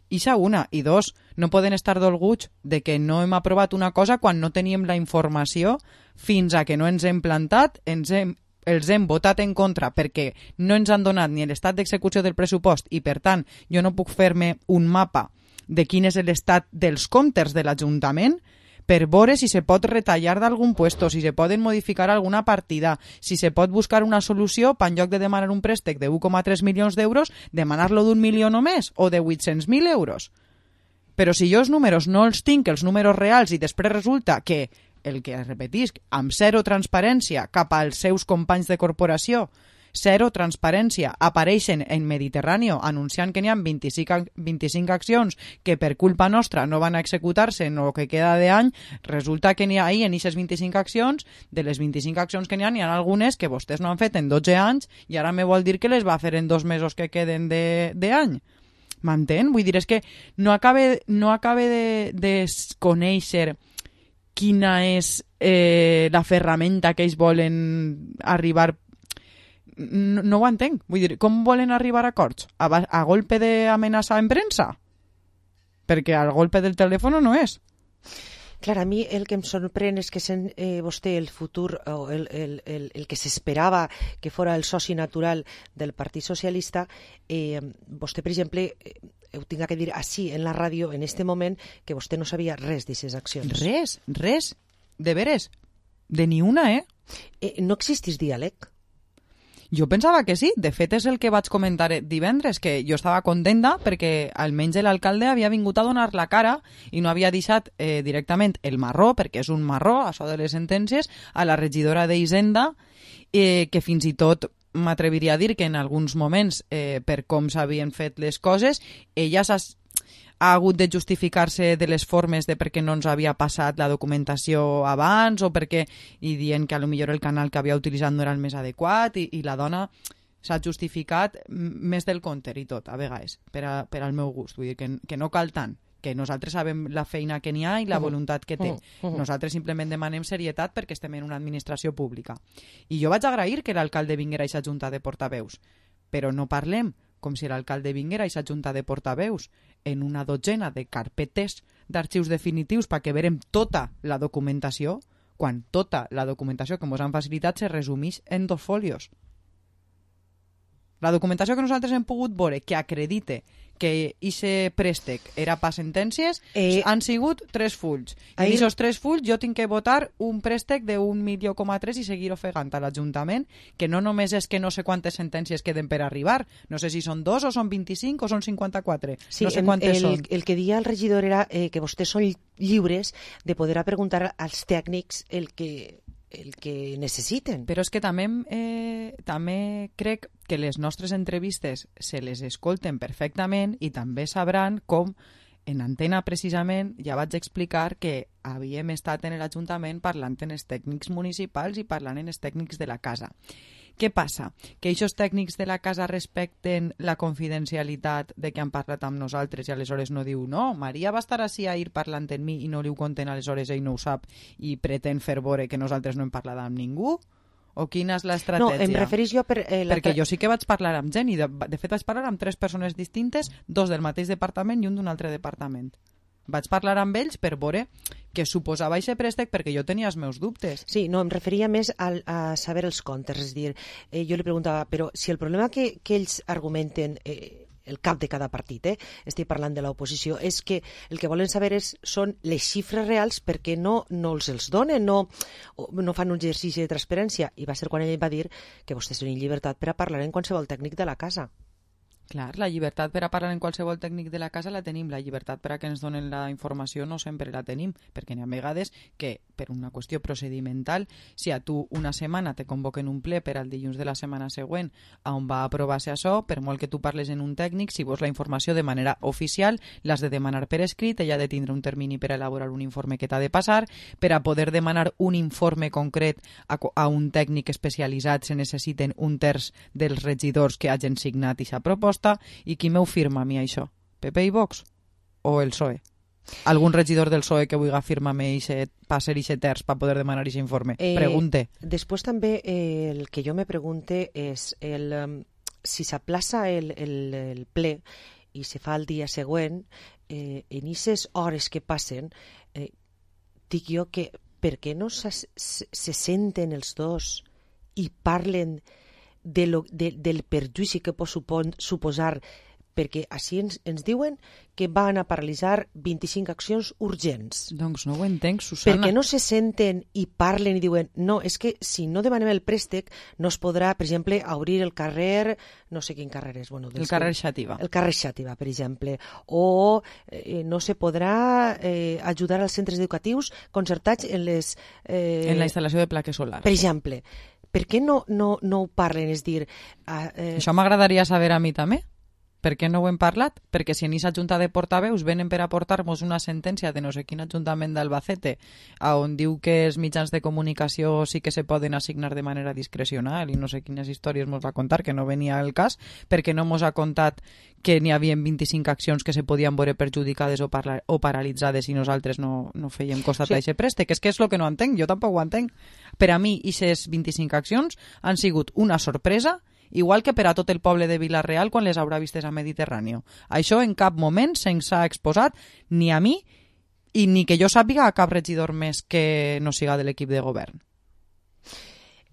Ixa una. I dos, no poden estar dolguts de que no hem aprovat una cosa quan no teníem la informació fins a que no ens hem plantat, ens hem, els hem votat en contra perquè no ens han donat ni l'estat d'execució del pressupost, i per tant jo no puc fer-me un mapa de quin és l'estat dels comptes de l'Ajuntament per veure si se pot retallar d'algun puesto, si se poden modificar alguna partida, si se pot buscar una solució per en lloc de demanar un préstec de u coma tres milions d'euros, demanar-lo d'un milió només o de vuit-cents mil euros. Però si jo els números no els tinc, els números reals, i després resulta que, el que repetisc, amb zero transparència cap als seus companys de corporació, zero transparència, apareixen en Mediterráneo anunciant que n'hi ha vint-i-cinc, vint-i-cinc accions que per culpa nostra no van a executar-se en el que queda d'any, resulta que n'hi ha ahí en aquestes vint-i-cinc accions, de les vint-i-cinc accions que n'hi ha, n'hi ha algunes que vostès no han fet en dotze anys i ara me vol dir que les va fer en dos mesos que queden d'any. M'entén? Vull dir, és que no acabe, no acabe de, de conèixer quina és eh, la ferramenta que ells volen arribar. No, no ho entenc. Vull dir, com volen arribar a acords? A, a golpe d'amenaça en premsa? Perquè al golpe del telèfon no és. Clar, a mi el que em sorprèn és que sent eh, vostè el futur, o el, el, el, el que s'esperava que fora el soci natural del Partit Socialista, eh, vostè, per exemple, eh, ho tinc que dir així en la ràdio, en este moment, que vostè no sabia res d'aquestes accions. Res, res, de veres, de ni una, eh? eh no existís diàleg? Jo pensava que sí, de fet és el que vaig comentar divendres, que jo estava contenta perquè almenys l'alcalde havia vingut a donar la cara i no havia deixat eh, directament el marró, perquè és un marró, això de les sentències, a la regidora d'Hisenda, eh, que fins i tot m'atreviria a dir que en alguns moments, eh, per com s'havien fet les coses, ella s'ha ha hagut de justificar-se de les formes de per què no ens havia passat la documentació abans o perquè, i dient que a lo millor el canal que havia utilitzat no era el més adequat i, i la dona s'ha justificat més del compte i tot, a vegades, per, a, per al meu gust. Vull dir que, que no cal tant, que nosaltres sabem la feina que n'hi ha i la voluntat que té. Nosaltres simplement demanem serietat perquè estem en una administració pública. I jo vaig agrair que l'alcalde vinguera a aquesta junta de portaveus, però no parlem com si l'alcalde vinguera a aquesta junta de portaveus en una dotzena de carpetes d'arxius definitius perquè verem tota la documentació, quan tota la documentació que ens han facilitat se resumeix en dos folios. La documentació que nosaltres hem pogut veure que acredite que aquest préstec era per sentències eh, han sigut tres fulls. I en aquests tres fulls jo tinc que votar un préstec d'un milió coma tres i seguir ofegant a l'Ajuntament, que no només és que no sé quantes sentències queden per arribar, no sé si són dos o són vint-i-cinc o són cinquanta-quatre, sí, no sé quantes el, són. El que deia el regidor era eh, que vostès són lliures de poder preguntar als tècnics el que el que necessiten. Però és que també, eh, també crec que les nostres entrevistes se les escolten perfectament i també sabran com en antena precisament ja vaig explicar que havíem estat en l'Ajuntament parlant en els tècnics municipals i parlant en els tècnics de la casa. Què passa? Que aquests tècnics de la casa respecten la confidencialitat de que han parlat amb nosaltres i aleshores no diu no, Maria va estar així ahir parlant amb mi i no li ho conten, aleshores ell no ho sap i pretén fer veure que nosaltres no hem parlat amb ningú? O quina és l'estratègia? No, em referís jo per... Eh, Perquè jo sí que vaig parlar amb gent i de, de fet vaig parlar amb tres persones distintes, dos del mateix departament i un d'un altre departament. Vaig parlar amb ells per veure que suposava aquest préstec perquè jo tenia els meus dubtes. Sí, no, em referia més a, a saber els comptes, és a dir, eh, jo li preguntava, però si el problema que, que ells argumenten, eh, el cap de cada partit, eh, estic parlant de l'oposició, és que el que volen saber és, són les xifres reals perquè no, no els els donen, no, no fan un exercici de transparència. I va ser quan ell va dir que vostès tenen llibertat per a parlar en qualsevol tècnic de la casa. Clar, la llibertat per a parlar en qualsevol tècnic de la casa la tenim, la llibertat per a que ens donen la informació no sempre la tenim, perquè n'hi ha vegades que, per una qüestió procedimental, si a tu una setmana te convoquen un ple per al dilluns de la setmana següent on va aprovar-se això, per molt que tu parles en un tècnic, si vols la informació de manera oficial, l'has de demanar per escrit, ella ha de tindre un termini per a elaborar un informe que t'ha de passar, per a poder demanar un informe concret a, a un tècnic especialitzat se necessiten un terç dels regidors que hagin signat aquesta proposta. I qui m'ho firma a mi això? P P i Vox? O el P S O E? Algun regidor del P S O E que vulgui firmar-me per ser ixe terç per poder demanar aquest informe? Eh, Pregunte. Després també eh, el que jo me pregunte és el, um, si s'aplaça el, el, el ple i se fa el dia següent, eh, en aquestes hores que passen, eh, dic jo que per què no se, se, se senten els dos i parlen De lo, de, del perjudici que pot supon, suposar, perquè així ens, ens diuen que van a paralitzar vint-i-cinc accions urgents. Doncs no ho entenc, Susana. Perquè no se senten i parlen i diuen no, és que si no demanem el préstec no es podrà, per exemple, obrir el carrer, no sé quin carrer és. Bueno, el carrer Xàtiva. El carrer Xàtiva, per exemple. O eh, no se podrà eh, ajudar als centres educatius concertats en les... Eh, en la instal·lació de plaques solars. Per exemple. Per què no, no, no ho parlen? És dir... Eh... Això m'agradaria saber a mi també. Per què no ho hem parlat? Perquè si en aquesta junta de portaveus venen per aportar-nos una sentència de no sé quin ajuntament d'Albacete on diu que els mitjans de comunicació sí que se poden assignar de manera discrecional i no sé quines històries mos va contar, que no venia el cas, perquè no mos ha contat que n'hi havia vint-i-cinc accions que se podien veure perjudicades o, parla, o paralitzades i nosaltres no, no fèiem costat sí. a aquest préstec. És que és el que no entenc, jo tampoc ho entenc. Per a mi, aquestes vint-i-cinc accions han sigut una sorpresa, igual que per a tot el poble de Vila-real quan les haurà vistes a Mediterrani. Això en cap moment se'ns ha exposat ni a mi I ni que jo sàpiga cap regidor més que no siga de l'equip de govern.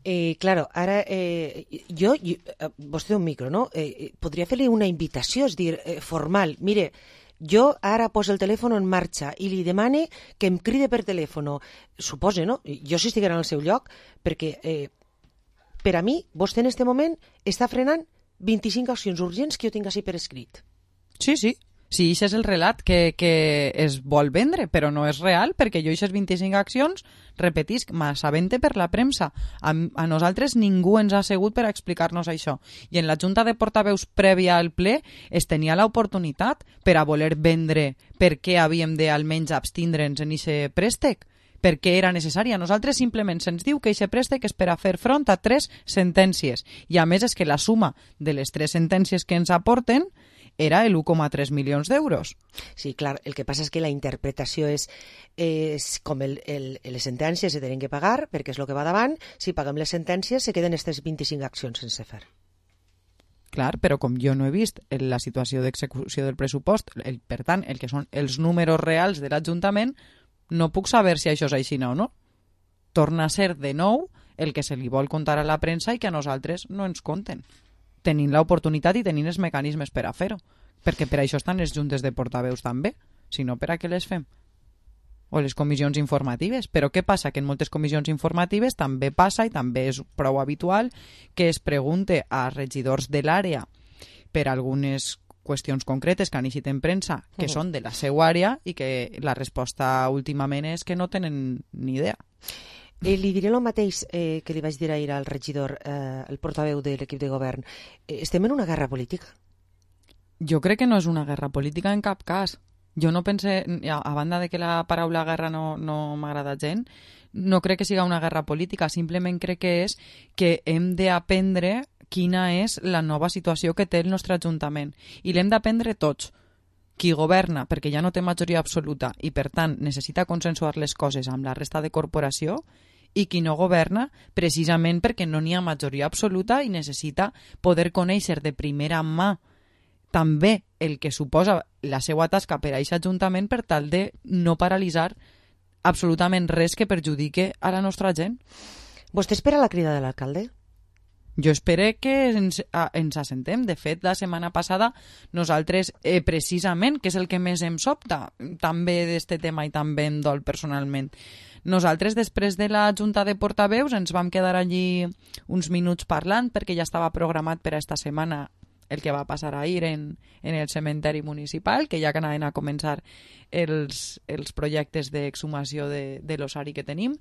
Eh, claro, ara eh, jo, jo, vostè té un micro, no? Eh, podria fer-li una invitació, és dir, eh, formal. Mire, jo ara poso el telèfon en marxa i li demane que em cride per telèfon. Supose, no? Jo si estiguera en el seu lloc, perquè eh, per a mi, vostè en este moment està frenant vint-i-cinc accions urgents que jo tinc així per escrit. Sí, sí. Sí, això és el relat que, que es vol vendre, però no és real, perquè jo aquestes vint-i-cinc accions, repetisc, m'assabente per la premsa. A, a nosaltres ningú ens ha assegut per explicar-nos això. I en la Junta de Portaveus prèvia al ple es tenia l'oportunitat per a voler vendre per què havíem de almenys abstindre'ns en aquest préstec, per què era necessari. A nosaltres simplement se'ns diu que aquest préstec és per a fer front a tres sentències. I a més és que la suma de les tres sentències que ens aporten era el u coma tres milions d'euros. Sí, clar, el que passa és que la interpretació és, és com el, el, les sentències se tenen que pagar, perquè és el que va davant, si paguem les sentències se queden aquestes vint-i-cinc accions sense fer. Clar, però com jo no he vist la situació d'execució del pressupost, el, per tant, el que són els números reals de l'Ajuntament, no puc saber si això és així o no. Torna a ser de nou el que se li vol contar a la premsa i que a nosaltres no ens conten, tenint l'oportunitat i tenint els mecanismes per a fer-ho. Perquè per això estan les juntes de portaveus també, si no per a què les fem? O les comissions informatives. Però què passa? Que en moltes comissions informatives també passa, i també és prou habitual, que es pregunte a regidors de l'àrea per algunes qüestions concretes que han eixit en premsa, que uh-huh. són de la seva àrea, i que la resposta últimament és que no tenen ni idea. Eh, li diré el mateix eh, que li vaig dir ahir al regidor, eh, el portaveu de l'equip de govern. Eh, estem en una guerra política? Jo crec que no és una guerra política en cap cas. Jo no pense, a banda de que la paraula guerra no, no m'agrada gent, no crec que siga una guerra política, simplement crec que és que hem d'aprendre quina és la nova situació que té el nostre Ajuntament. I l'hem d'aprendre tots. Qui governa, perquè ja no té majoria absoluta i, per tant, necessita consensuar les coses amb la resta de corporació, i qui no governa, precisament perquè no n'hi ha majoria absoluta i necessita poder conèixer de primera mà també el que suposa la seva tasca per a aquest Ajuntament per tal de no paralitzar absolutament res que perjudique a la nostra gent. Vostè espera la crida de l'alcalde? Jo espero que ens, a, ens assentem. De fet, la setmana passada nosaltres, eh, precisament, que és el que més em sobta, també d'este tema i també em dol personalment, nosaltres, després de la Junta de Portaveus, ens vam quedar allí uns minuts parlant perquè ja estava programat per a esta setmana el que va passar ahir en, en el cementeri municipal, que ja que anaven a començar els, els projectes d'exhumació de, de l'ossari que tenim.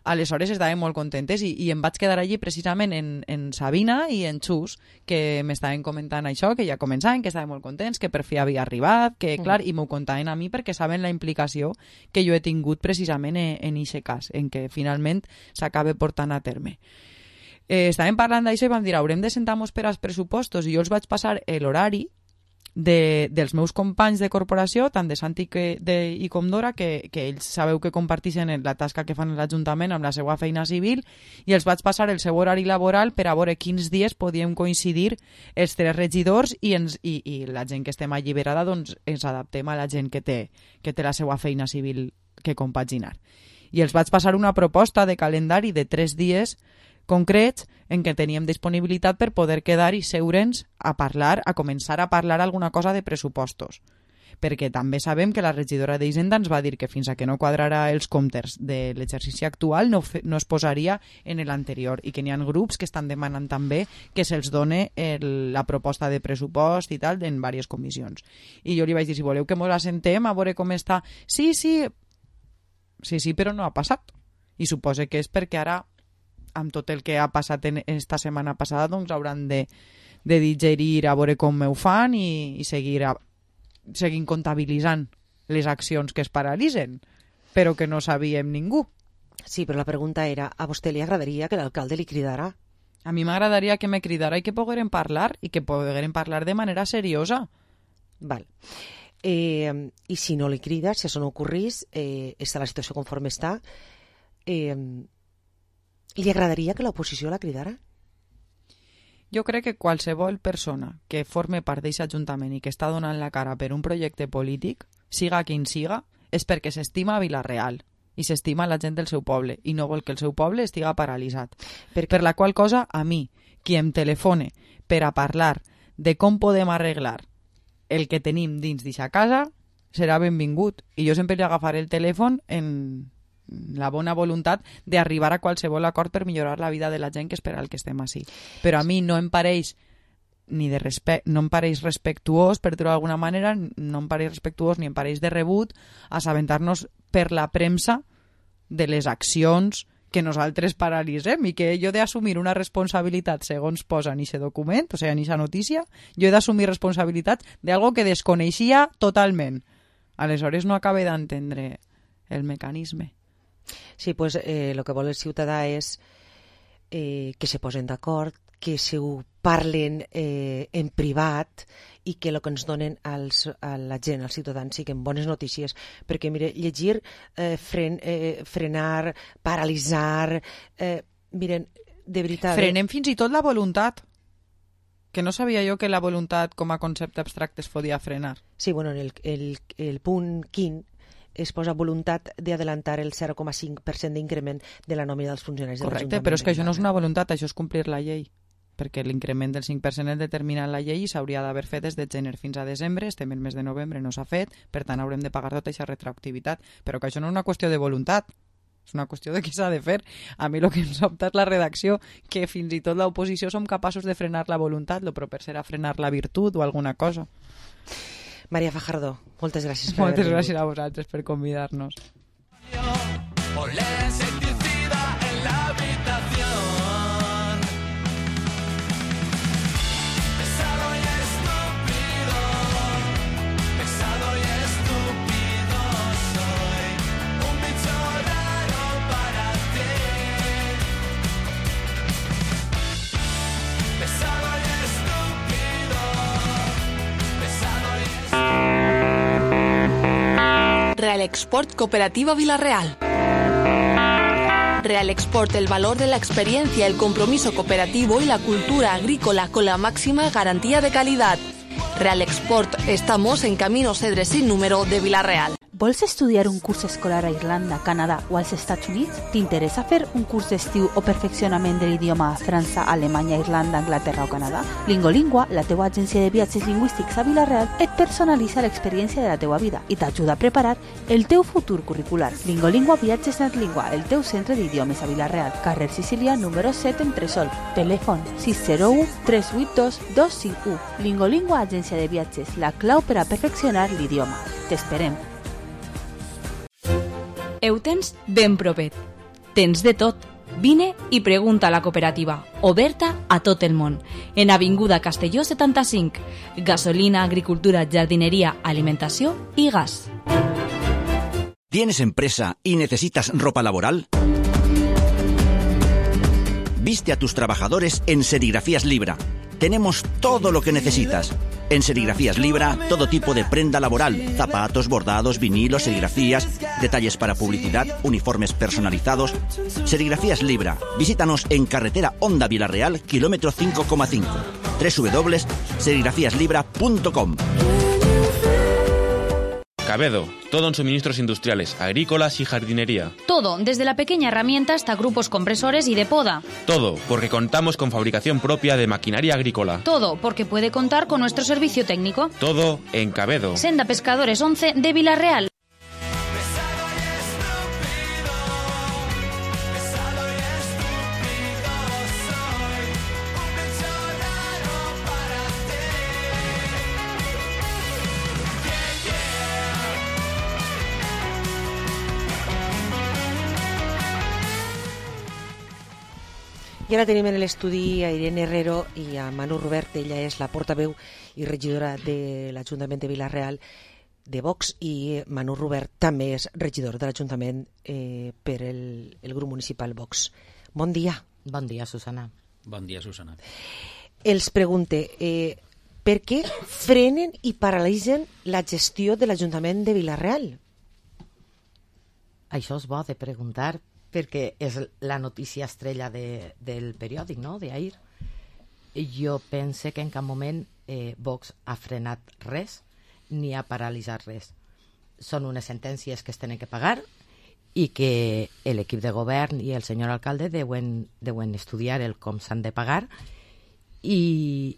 Aleshores estàvem molt contentes i, i em vaig quedar allí precisament en, en Sabina i en Xus, que m'estaven comentant això, que ja començaven, que estaven molt contents, que per fi havia arribat, que clar, i m'ho contaven a mi perquè saben la implicació que jo he tingut precisament en aquest cas, en què finalment s'acaba portant a terme. Eh, estàvem parlant d'això i vam dir, haurem de sentar-nos per als pressupostos, i jo els vaig passar l'horari de, dels meus companys de corporació, tant de Santi que, de, i com d'Ora, que, que ells sabeu que comparteixen la tasca que fan a l'Ajuntament amb la seva feina civil, i els vaig passar el seu horari laboral per a veure quins dies podíem coincidir els tres regidors i, ens, i, i la gent que estem alliberada doncs ens adaptem a la gent que té, que té la seva feina civil que compaginar. I els vaig passar una proposta de calendari de tres dies concrets en què teníem disponibilitat per poder quedar i seure'ns a parlar, a començar a parlar alguna cosa de pressupostos. Perquè també sabem que la regidora d'Hisenda ens va dir que fins a que no quadrarà els comptes de l'exercici actual no, fe, no es posaria en l'anterior, i que n'hi ha grups que estan demanant també que se'ls done el, la proposta de pressupost i tal en diverses comissions. I jo li vaig dir, si voleu que mos assentem a veure com està. Sí, sí, sí, sí, però no ha passat. I suposo que és perquè ara, amb tot el que ha passat en esta setmana passada, doncs hauran de, de digerir a veure com ho fan i, i seguir, a, seguir comptabilitzant les accions que es paralitzen, però que no sabíem ningú. Sí, però la pregunta era, a vostè li agradaria que l'alcalde li cridara? A mi m'agradaria que me cridara i que poguérem parlar, i que poguérem parlar de manera seriosa. Val. Eh, I si no li crida, si això no ocorrís, eh, està la situació conforme està, eh, li agradaria que l'oposició la cridara? Jo crec que qualsevol persona que forme part d'aquest Ajuntament i que està donant la cara per un projecte polític, siga quin siga, és perquè s'estima a Vila-real i s'estima la gent del seu poble i no vol que el seu poble estiga paralitzat. Per, per la qual cosa, a mi, qui em telefone per a parlar de com podem arreglar el que tenim dins d'aquesta casa, serà benvingut. I jo sempre li agafaré el telèfon en la bona voluntat d'arribar a qualsevol acord per millorar la vida de la gent que espera el que estem així. Però a mi no em pareix ni de respecte, no em pareix respectuós, per dir-ho d'alguna manera, no em pareix respectuós ni em pareix de rebut assabentar-nos per la premsa de les accions que nosaltres paralitzem i que jo he d'assumir una responsabilitat segons posa en aquest document, o sigui, en aquesta notícia, jo he d'assumir responsabilitat d'algo que desconeixia totalment. Aleshores no acabe d'entendre el mecanisme. Sí, pues eh, lo que vol el ciutadà és eh, que se posen d'acord, que se ho parlen eh, en privat i que el que ens donen als, a la gent, als ciutadans, siguin bones notícies. Perquè, mire, llegir, eh, fren, eh, frenar, paralitzar... Eh, miren, de veritat... Frenem fins i tot la voluntat. Que no sabia jo que la voluntat com a concepte abstracte es podia frenar. Sí, bueno, en el, el, el punt quint es posa voluntat d'adelantar el zero coma cinc per cent d'increment de la nòmina dels funcionaris de l'Ajuntament. Correcte, però és que això no és una voluntat, això és complir la llei. Perquè l'increment del cinc per cent és determinat en la llei i s'hauria d'haver fet des de gener fins a desembre, estem en el mes de novembre, no s'ha fet, per tant haurem de pagar tota aquesta retroactivitat. Però que això no és una qüestió de voluntat, és una qüestió de què s'ha de fer. A mi el que em sobta és la redacció, que fins i tot l'oposició som capaços de frenar la voluntat, el proper serà frenar la virtut o alguna cosa. Maria Fajardo, moltes gràcies per Moltes gràcies a vosaltres per convidar-nos. Olé insecticida en la habitación. Pesado y estúpido, pesado y estúpido soy. Un bicho raro para ti. Pesado y estúpido, pesado y Real Export Cooperativa Vila-real. Real Export, el valor de la experiencia, el compromiso cooperativo y la cultura agrícola con la máxima garantía de calidad. Real Export, estamos en Camino Cedre sin número de Vila-real. Vols estudiar un curs escolar a Irlanda, Canadà o als Estats Units? T'interessa fer un curs d'estiu o perfeccionament de l'idioma a França, Alemanya, Irlanda, Anglaterra o Canadà? Lingolingua, la teua agència de viatges lingüístics a Vila-real, et personalitza l'experiència de la teua vida i t'ajuda a preparar el teu futur curricular. Lingolingua Viatges Netlingua, el teu centre d'idiomes a Vila-real, carrer Sicília, número set en Tresol. Telèfon sis zero u tres vuit dos dos cinc u. Lingolingua Agència de Viatges, la clau per a perfeccionar l'idioma. T'esperem. Ho tens ben propet. Tens de tot. Vine i pregunta a la cooperativa, oberta a tot el món. En Avinguda Castelló setanta-cinc. Gasolina, agricultura, jardineria, alimentació i gas. ¿Tienes empresa y necesitas ropa laboral? Viste a tus trabajadores en Serigrafías Libra. Tenemos todo lo que necesitas. En Serigrafías Libra, todo tipo de prenda laboral, zapatos, bordados, vinilos, serigrafías, detalles para publicidad, uniformes personalizados. Serigrafías Libra. Visítanos en carretera Honda Vila-real, kilómetro cinco coma cinco. doble u doble u doble u punto serigrafías libra punto com. Cabedo, todo en suministros industriales, agrícolas y jardinería. Todo, desde la pequeña herramienta hasta grupos compresores y de poda. Todo, porque contamos con fabricación propia de maquinaria agrícola. Todo, porque puede contar con nuestro servicio técnico. Todo en Cabedo. Senda Pescadores once de Vila-real. I ara tenim en l'estudi a Irene Herrero i a Manu Rubert. Ella és la portaveu i regidora de l'Ajuntament de Vila-real de Vox, i Manu Rubert també és regidor de l'Ajuntament eh, per el, el grup municipal Vox. Bon dia. Bon dia, Susana. Bon dia, Susana. Els pregunte, eh, per què frenen i paralitzen la gestió de l'Ajuntament de Vila-real? Això és bo de preguntar, perquè és la notícia estrella de, del periòdic, no?, d'ahir. Jo pense que en cap moment eh, Vox ha frenat res ni ha paralitzat res. són unes sentències que es tenen que pagar i que l'equip de govern i el senyor alcalde deuen, deuen estudiar el com s'han de pagar i,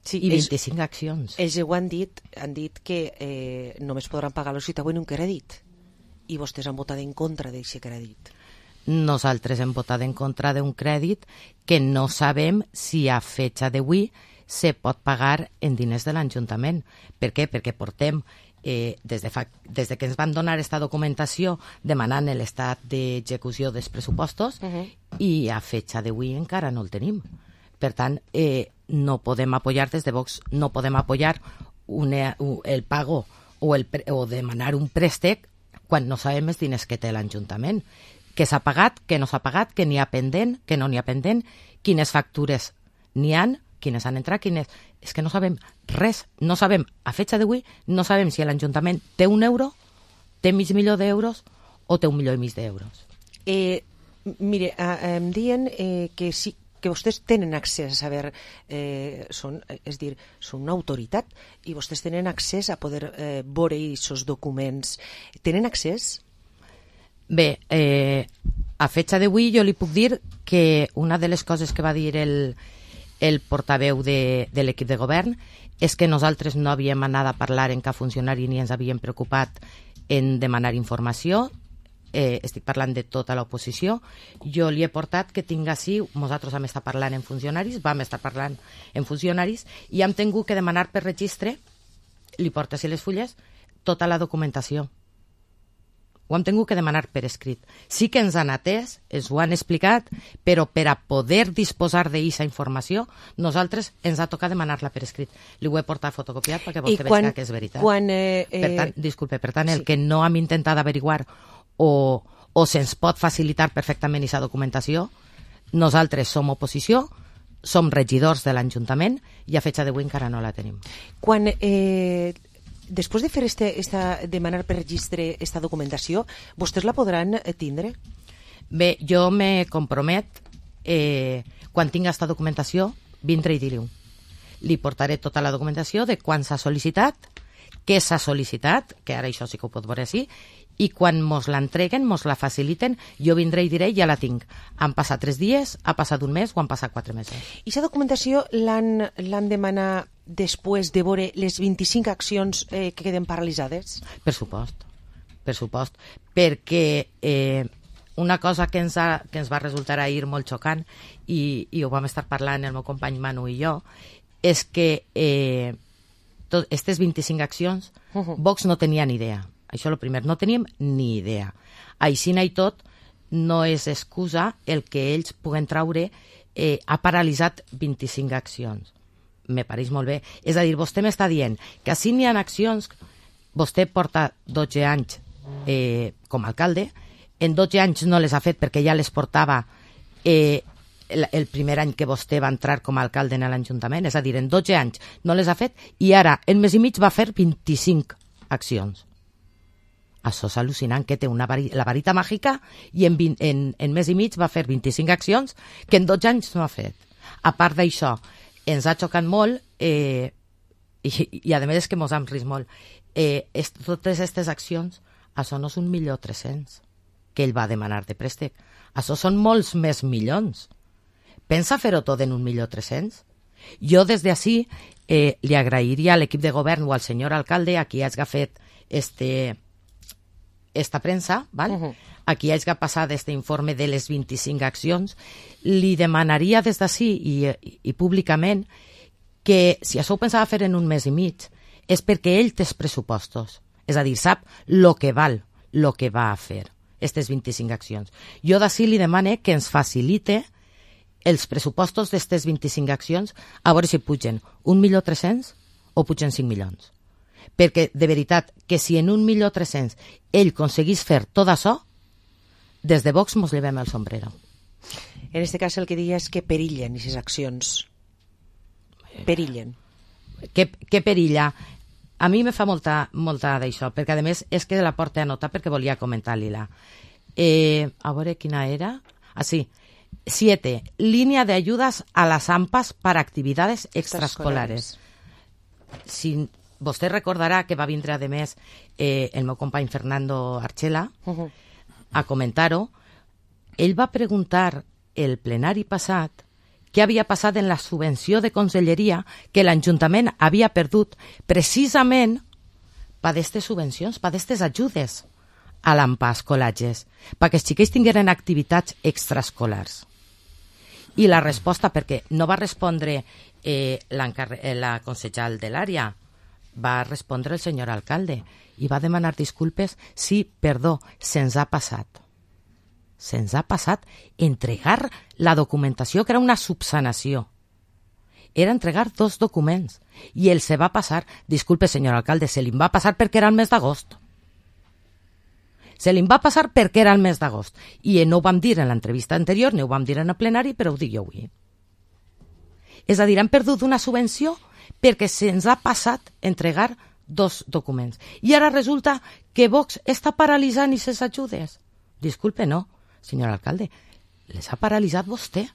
sí, i vint-i-cinc accions. Ells ho han dit, han dit que eh, només podran pagar-los si treuen un crèdit i vostès han votat en contra d'aquest crèdit. Nosaltres hem votat en contra d'un crèdit que no sabem si a fecha d'avui se pot pagar en diners de l'Ajuntament. Per què? Perquè portem, eh, des, de fa, des de que ens van donar aquesta documentació demanant l'estat d'execució dels pressupostos uh -huh. i a fecha d'avui encara no el tenim. Per tant, eh, no podem apoyar des de Vox, no podem apoyar una, un, el pago o, el, o demanar un préstec quan no sabem els diners que té l'Ajuntament. Que s'ha pagat, que no s'ha pagat, que n'hi ha pendent, que no n'hi ha pendent, quines factures n'hi han, quines han entrat, quines... És que no sabem res, no sabem, a fecha d'avui, no sabem si l'Ajuntament té un euro, té mig milió d'euros o té un milió i mig d'euros. Eh, mire, eh, em diuen eh, que sí, que vostès tenen accés a saber, eh, són, és dir, són una autoritat i vostès tenen accés a poder eh, veure aquests documents. Tenen accés? Bé, eh, a fecha d'avui jo li puc dir que una de les coses que va dir el, el portaveu de, de l'equip de govern és que nosaltres no havíem anat a parlar en cap funcionari ni ens havíem preocupat en demanar informació. Eh, estic parlant de tota l'oposició. Jo li he portat que tinc així, nosaltres hem estat parlant en funcionaris, vam estar parlant en funcionaris i hem tingut que demanar per registre, li porto així les fulles, tota la documentació. Ho hem tingut que demanar per escrit. Sí que ens han atès, ens ho han explicat, però per a poder disposar d'aquesta informació, nosaltres ens ha tocat demanar-la per escrit. Li ho he portat fotocopiat perquè vostè veig que és veritat. Quan, eh, per tant, disculpe, per tant, el sí. que no hem intentat averiguar o, o se'ns pot facilitar perfectament aquesta documentació, nosaltres som oposició, som regidors de l'Ajuntament i a fecha d'avui encara no la tenim. Quan... Eh... Després de fer este, esta, demanar per registre esta documentació, vostès la podran tindre? Bé, jo me compromet, eh, quan tinga esta documentació, vindré i dir-ho. Li portaré tota la documentació de quan s'ha sol·licitat, què s'ha sol·licitat, que ara això sí que ho pot veure així, i quan mos l'entreguen, mos la faciliten, jo vindré i diré, ja la tinc. Han passat tres dies, ha passat un mes o han passat quatre mesos. I aquesta documentació l'han demanat després de veure les vint-i-cinc accions eh, que queden paralitzades? Per supost, per supost, perquè eh, una cosa que ens, ha, que ens va resultar ahir molt xocant, i, i ho vam estar parlant el meu company Manu i jo, és que eh, tot, aquestes vint-i-cinc accions, uh-huh. Vox no tenia ni idea. Això el primer, no teníem ni idea. Així i tot, no és excusa el que ells puguen traure, eh, ha paralitzat vint-i-cinc accions. Me pareix molt bé. És a dir, vostè m'està dient que així n'hi ha accions, vostè porta dotze anys eh, com a alcalde, en dotze anys no les ha fet perquè ja les portava eh, el, el primer any que vostè va entrar com a alcalde en l'Ajuntament, és a dir, en dotze anys no les ha fet i ara, en mes i mig, va fer vint-i-cinc accions. Això és al·lucinant, que té una vari, la varita màgica i en, vint, en, en mes i mig va fer vint-i-cinc accions que en dotze anys no ha fet. A part d'això, ens ha xocat molt eh, i, i a més és que mos hem risc molt. Eh, est, totes aquestes accions, això no és un milió tres-cents que ell va demanar de préstec. Això són molts més milions. Pensa fer-ho tot en un milió tres-cents? Jo des d'ací eh, li agrairia a l'equip de govern o al senyor alcalde a qui hagi fet este... esta premsa, val? Uh-huh. Aquí hagi passat este informe de les vint-i-cinc accions, li demanaria des d'ací i, i, i públicament que si això ho pensava fer en un mes i mig és perquè ell té els pressupostos, és a dir, sap el que val, el que va a fer, aquestes vint-i-cinc accions. Jo d'ací li demane que ens facilite els pressupostos d'aquestes vint-i-cinc accions a veure si pugen un milió tres-cents o pugen cinc milions. Perquè, de veritat, que si en un milió tres-cents ell aconseguís fer tot això, des de Vox mos llevem el sombrero. En aquest cas el que diria és que perillen aquestes accions. Perillen. Que, que perilla? A mi me fa molta, molta d'això, perquè a més és que la porta a nota perquè volia comentar-li-la. Eh, a veure quina era. Ah, sí. Siete. Línea de ayudas a las AMPAs para actividades extraescolares. Si vostè recordarà que va vindre, a més, eh, el meu company Fernando Archela uh-huh. a comentar-ho. Ell va preguntar el plenari passat què havia passat en la subvenció de conselleria que l'Ajuntament havia perdut precisament per aquestes subvencions, per aquestes ajudes a l'AMPA escolatges, perquè els xiquets tingueren activitats extraescolars. I la resposta, perquè no va respondre eh, la consellera de l'àrea, va respondre el senyor alcalde i va demanar disculpes. Sí, perdó, se'ns ha passat. Se'ns ha passat entregar la documentació, que era una subsanació. Era entregar dos documents i el se va passar. Disculpe, senyor alcalde, se li va passar perquè era el mes d'agost. Se li va passar perquè era el mes d'agost. I no ho vam dir en l'entrevista anterior, ni ho vam dir en el plenari, però ho dic jo avui. És a dir, han perdut una subvenció perquè se'ns ha passat entregar dos documents. I ara resulta que Vox està paralitzant aquestes ajudes. Disculpe, no, senyor alcalde, les ha paralitzat vostè.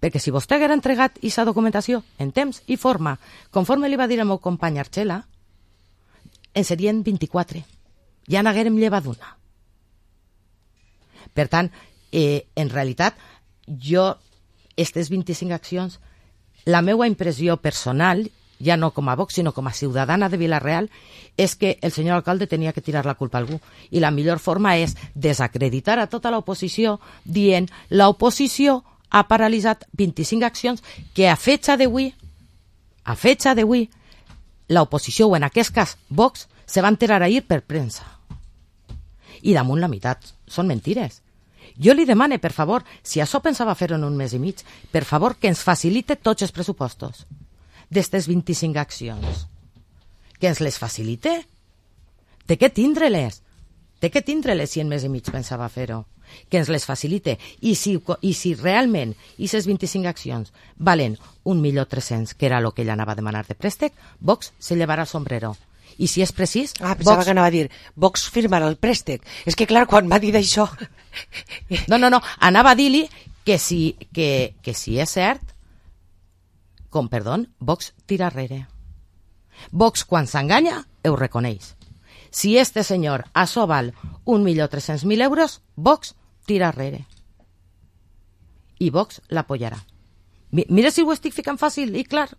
Perquè si vostè haguera entregat aquesta documentació en temps i forma, conforme li va dir el meu company Archela, en serien vint-i-quatre. Ja n'haguérem llevat una. Per tant, eh, en realitat, jo, aquestes vint-i-cinc accions, la meva impressió personal, ja no com a Vox, sinó com a ciutadana de Vila-real, és que el senyor alcalde tenia que tirar la culpa a algú. I la millor forma és desacreditar a tota l'oposició dient l'oposició ha paralitzat vint-i-cinc accions que a fecha d'avui, a fecha d'avui, l'oposició, o en aquest cas Vox, se va enterar ahir per premsa. I damunt la meitat són mentires. Jo li demane, per favor, si això pensava fer-ho en un mes i mig, per favor, que ens facilite tots els pressupostos d'estes vint-i-cinc accions. Que ens les facilite. Té que tindre-les. Té que tindre-les si en mes i mig pensava fer-ho. Que ens les facilite. I si, i si realment aquestes vint-i-cinc accions valen un milió tres-cents, que era el que ell anava a demanar de préstec, Vox se llevarà el sombrero. I si és precís... Ah, pensava Vox... que anava a dir Vox firmarà el préstec. És que, clar, quan m'ha dit això... No, no, no. Anava a dir-li que si, que, que si és cert, com, perdó, Vox tira arrere. Vox, quan s'enganya, ho reconeix. Si este senyor això val un milió tres-cents mil euros, Vox tira arrere. I Vox l'apoyarà. Mira si ho estic ficant fàcil i clar.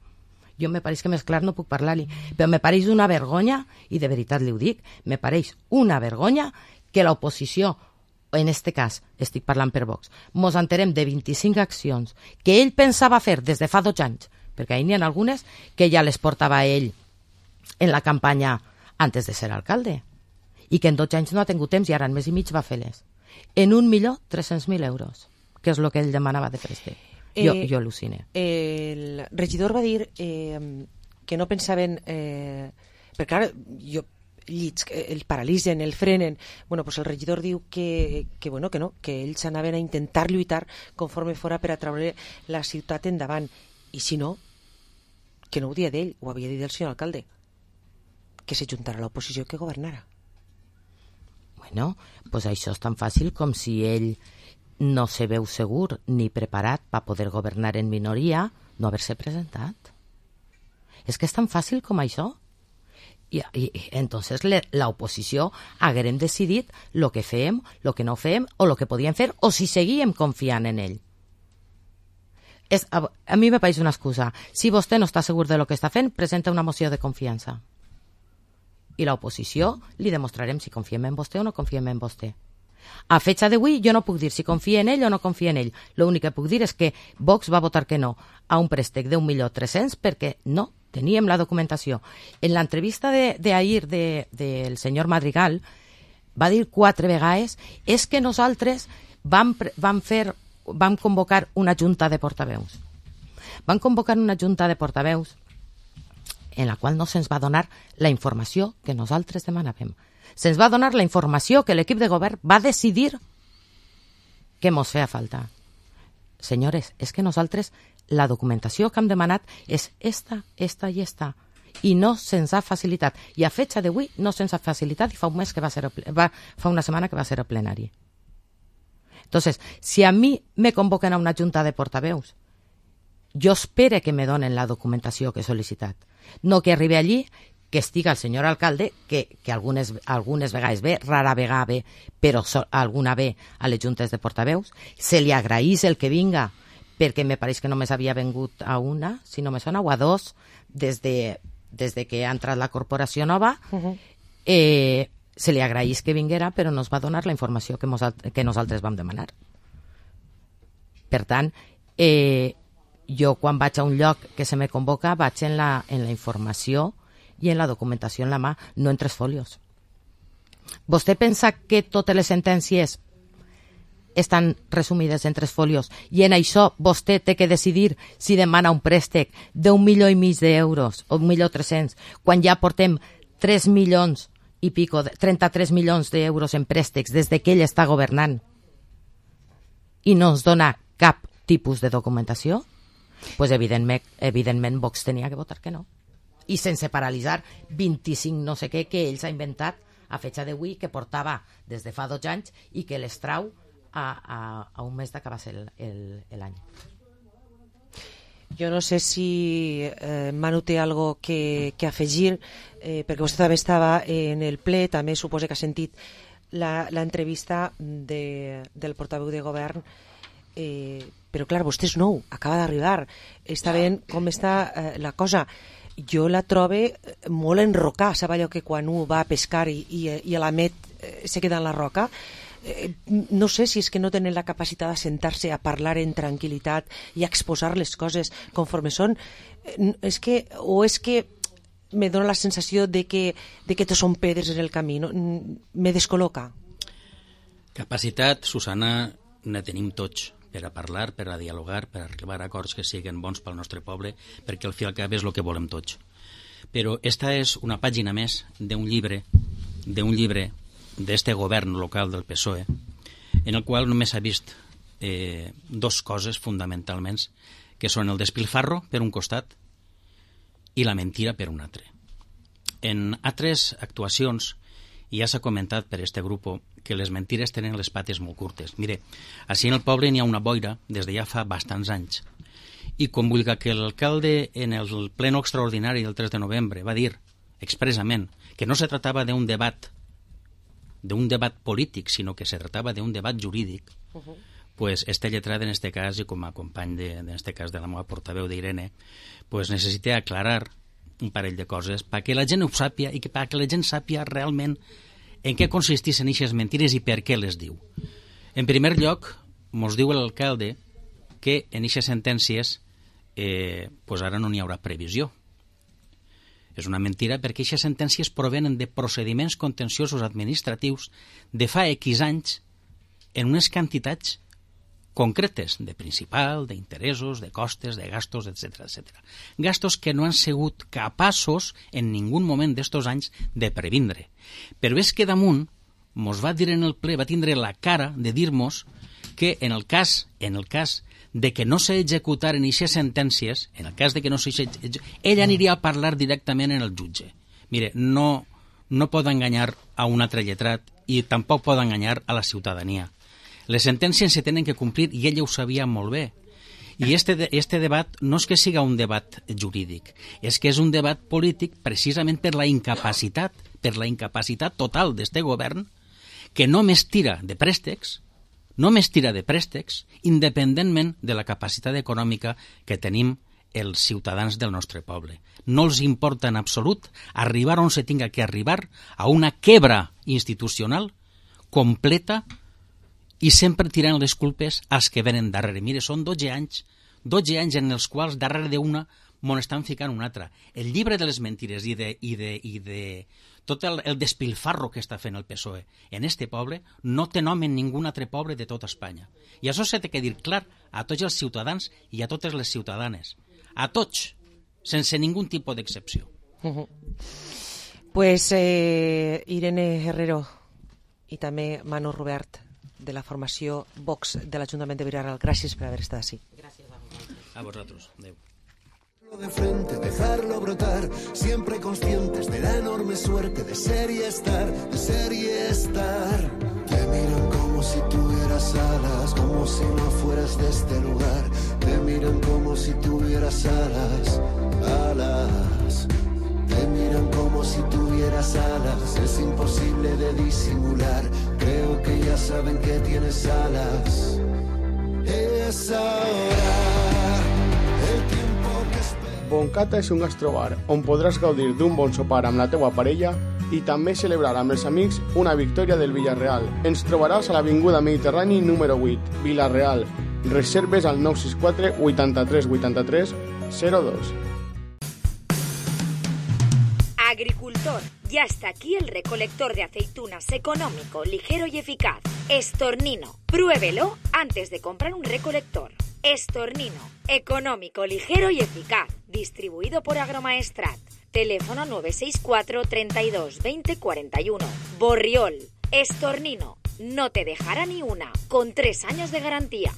Jo me pareix que més clar no puc parlar-li, però me pareix una vergonya, i de veritat li ho dic, me pareix una vergonya que l'oposició, en este cas, estic parlant per Vox, mos enterem de vint-i-cinc accions que ell pensava fer des de fa dos anys, perquè n'hi ha algunes que ja les portava ell en la campanya antes de ser alcalde, i que en dos anys no ha tingut temps i ara en mes i mig va fer-les. En un milió tres-cents mil euros, que és el que ell demanava de préstec. Jo, Eh, jo al·lucine. El regidor va dir eh, que no pensaven... Eh, perquè, clar, jo, llits, eh, el paralitzen, el frenen... Bueno, pues el regidor diu que, que, bueno, que no, que ells anaven a intentar lluitar conforme fora per a treure la ciutat endavant. I si no, que no ho dia d'ell, ho havia dit el senyor alcalde, que s'ajuntara a l'oposició que governara. Bueno, pues això és tan fàcil com si ell no se veu segur ni preparat per poder governar en minoria, no haver-se presentat. És que és tan fàcil com això. I, i, i entonces l'oposició haguérem decidit el que fem, el que no fem, o el que podíem fer, o si seguíem confiant en ell. És, a, a mi me pareix una excusa. Si vostè no està segur de lo que està fent, presenta una moció de confiança. I l'oposició li demostrarem si confiem en vostè o no confiem en vostè. A fecha d'avui jo no puc dir si confia en ell o no confia en ell. L'únic que puc dir és que Vox va votar que no a un préstec d'un milió tres-cents perquè no teníem la documentació. En l'entrevista d'ahir de, de, del senyor Madrigal va dir quatre vegades és que nosaltres vam, vam, fer, vam convocar una junta de portaveus. Vam convocar una junta de portaveus en la qual no se'ns va donar la informació que nosaltres demanàvem. Se'ns va donar la informació que l'equip de govern va decidir que mos feia falta. Senyores, és que nosaltres la documentació que hem demanat és esta, esta i esta, i no se'ns ha facilitat. I a fecha d'avui no se'ns ha facilitat i fa un mes que va ser, va, fa una setmana que va ser el plenari. Entonces, si a mi me convoquen a una junta de portaveus, jo espero que me donen la documentació que he sol·licitat. No que arribi allí que estiga el senyor alcalde, que, que algunes, algunes vegades ve, rara vegada ve, però so, alguna ve a les juntes de portaveus. Se li agraís el que vinga, perquè me pareix que només havia vengut a una, si no me sona, o a dos, des de, des de que ha entrat la corporació nova. Uh-huh. eh, se li agraís que vinguera, però no es va donar la informació que, mos, que nosaltres vam demanar. Per tant, eh, jo quan vaig a un lloc que se me convoca vaig en la, en la informació i en la documentació en la mà, no en tres folios. Vostè pensa que totes les sentències estan resumides en tres folios i en això vostè té que decidir si demana un préstec d'un milió i mig d'euros o un milió tres-cents, quan ja portem tres milions i pico, trenta-tres milions d'euros en préstecs des de que ell està governant i no ens dona cap tipus de documentació? Pues evidentment, evidentment Vox tenia que votar que no. I sense paralitzar vint-i-cinc no sé què que ells ha inventat a fecha d'avui, que portava des de fa dos anys i que les trau a, a, a un mes d'acabar-se l'any. Jo no sé si eh, Manu té algo que, que afegir, eh, perquè vostè també estava en el ple, també suposo que ha sentit l'entrevista de, del portaveu de govern, eh, però clar, vostè és nou, acaba d'arribar, està veient com està eh, la cosa. Jo la trobe molt enrocar, sap allò que quan un va a pescar i, i, i a la met eh, se queda en la roca? Eh, no sé si és que no tenen la capacitat de sentar-se a parlar en tranquil·litat i a exposar les coses conforme són. Eh, és que, o és que me dona la sensació de que, de que tot són pedres en el camí, no? Me descol·loca. Capacitat, Susana, ne tenim tots per a parlar, per a dialogar, per a arribar a acords que siguin bons pel nostre poble, perquè al fi i al cap és el que volem tots. Però esta és una pàgina més d'un llibre, d'un llibre d'este govern local del P S O E, en el qual només s'ha vist eh, dos coses fonamentalment, que són el despilfarro per un costat i la mentira per un altre. En altres actuacions ja s'ha comentat per este grup que les mentires tenen les pates molt curtes. Mire, així en el poble n'hi ha una boira des de ja fa bastants anys. I com vulgui que l'alcalde en el pleno extraordinari del tres de novembre va dir expressament que no se tratava d'un debat d'un debat polític, sinó que se tratava d'un debat jurídic, uh-huh. pues este lletrat en este cas, i com a company de, en este cas de la meva portaveu d'Irene, pues necessita aclarar un parell de coses perquè la gent ho sàpia i que perquè la gent sàpia realment en què consisteixen aquestes mentires i per què les diu. En primer lloc, mos diu l'alcalde que en aquestes sentències eh, pues ara no n'hi haurà previsió. És una mentira perquè aquestes sentències provenen de procediments contenciosos administratius de fa X anys en unes quantitats concretes de principal, d'interessos, de costes, de gastos, etcètera, etcètera. Gastos que no han sigut capaços en ningú moment d'estos anys de previndre. Però és que damunt mos va dir en el ple, va tindre la cara de dir-mos que en el cas, en el cas de que no s'executaren aquestes sentències, en el cas de que no s'executaren, ell aniria a parlar directament en el jutge. Mire, no, no pot enganyar a un altre lletrat i tampoc pot enganyar a la ciutadania. Les sentències se tenen que complir i ella ho sabia molt bé. I este, este debat no és que siga un debat jurídic, és que és un debat polític precisament per la incapacitat, per la incapacitat total d'este govern que només tira de préstecs, només tira de préstecs independentment de la capacitat econòmica que tenim els ciutadans del nostre poble. No els importa en absolut arribar on se tinga que arribar a una quebra institucional completa i sempre tirant les culpes als que venen darrere. Mire, són dotze anys, dotze anys en els quals darrere d'una m'on estan ficant una altra. El llibre de les mentires i de, i de, i de tot el, el despilfarro que està fent el P S O E en este poble no té nom en ningú altre poble de tota Espanya. I això s'ha de dir clar a tots els ciutadans i a totes les ciutadanes. A tots, sense ningú tipus d'excepció. Uh-huh. Pues eh, Irene Herrero i també Manu Robert, de la formació Vox de l'Ajuntament de Vilareal. Gràcies per haver estat així. Gràcies a vosaltres. A vosaltres. Adéu. De frente, dejarlo brotar, siempre conscientes de la enorme suerte de ser y estar, de ser y estar. Te miran como si tuvieras alas, como si no fueras de este lugar. Te miran como si tuvieras alas, alas. Te miran como si tuvieras alas, es imposible de disimular. Creo que ya saben que tienes alas. Es ahora el tiempo que espera. Boncata és un gastrobar on podràs gaudir d'un bon sopar amb la teua parella i també celebrar amb els amics una victòria del Villarreal. Ens trobaràs a l'Avinguda Mediterrani número vuit, Villarreal. Reserves al nou sis quatre vuitanta-tres vuitanta-tres cero dos. Agricultor, ya está aquí el recolector de aceitunas económico, ligero y eficaz. Estornino, pruébelo antes de comprar un recolector. Estornino, económico, ligero y eficaz. Distribuido por Agromaestrat. Teléfono nueve seis cuatro, treinta y dos, veinte, cuarenta y uno. Borriol, Estornino, no te dejará ni una, con tres años de garantía.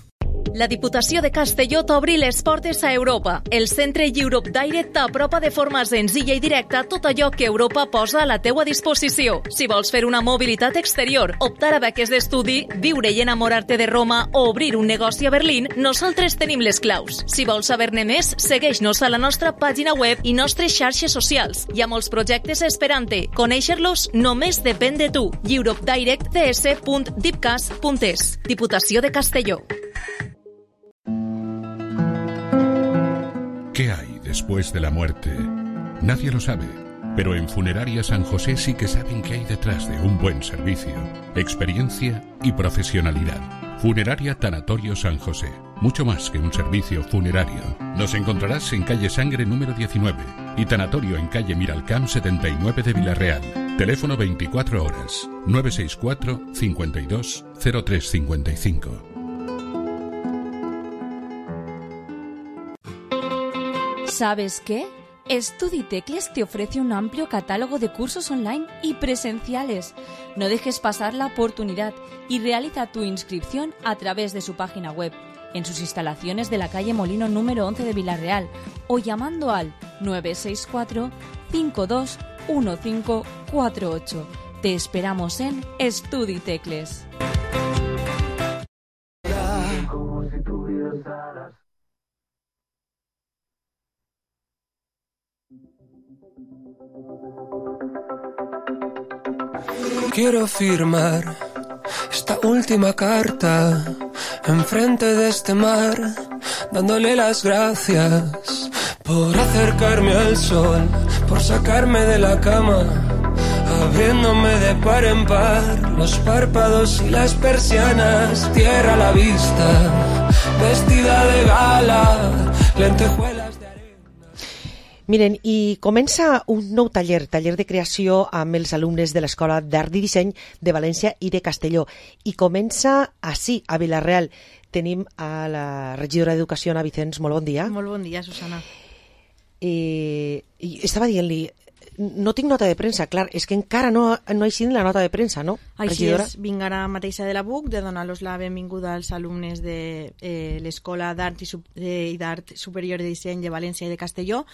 La Diputació de Castelló t'obri les portes a Europa. El centre Europe Direct t'apropa de forma senzilla i directa tot allò que Europa posa a la teua disposició. Si vols fer una mobilitat exterior, optar a beques d'estudi, viure i enamorar-te de Roma o obrir un negoci a Berlín, nosaltres tenim les claus. Si vols saber-ne més, segueix-nos a la nostra pàgina web i nostres xarxes socials. Hi ha molts projectes esperant-te. Conèixer-los només depèn de tu. europe direct d s punt dipcas punt es. Diputació de Castelló. ¿Qué hay después de la muerte? Nadie lo sabe, pero en Funeraria San José sí que saben qué hay detrás de un buen servicio, experiencia y profesionalidad. Funeraria Tanatorio San José, mucho más que un servicio funerario. Nos encontrarás en calle Sangre número diecinueve y Tanatorio en calle Miralcamp setenta y nueve de Villarreal. Teléfono veinticuatro horas, nueve seis cuatro, cincuenta y dos, cero tres cincuenta y cinco. ¿Sabes qué? StudiTecles te ofrece un amplio catálogo de cursos online y presenciales. No dejes pasar la oportunidad y realiza tu inscripción a través de su página web, en sus instalaciones de la calle Molino número once de Villarreal o llamando al nueve seis cuatro, cinco dos uno cinco cuatro ocho. Te esperamos en StudiTecles. Quiero firmar esta última carta enfrente de este mar, dándole las gracias por acercarme al sol, por sacarme de la cama, abriéndome de par en par los párpados y las persianas, tierra a la vista, vestida de gala, lentejuelas de... Miren, i comença un nou taller, taller de creació amb els alumnes de l'Escola d'Art i Disseny de València i de Castelló. I comença així, a Villarreal. Tenim a la regidora d'Educació, Ana Vicens. Molt bon dia. Molt bon dia, Susana. Eh, estava dient-li, no tinc nota de premsa, clar, és que encara no, no ha eixit la nota de premsa, no, Així regidora? és, vinc ara mateixa de la B U C de donar-los la benvinguda als alumnes de eh, l'Escola d'Art i, Sup eh, i d'Art Superior de Disseny de València i de Castelló.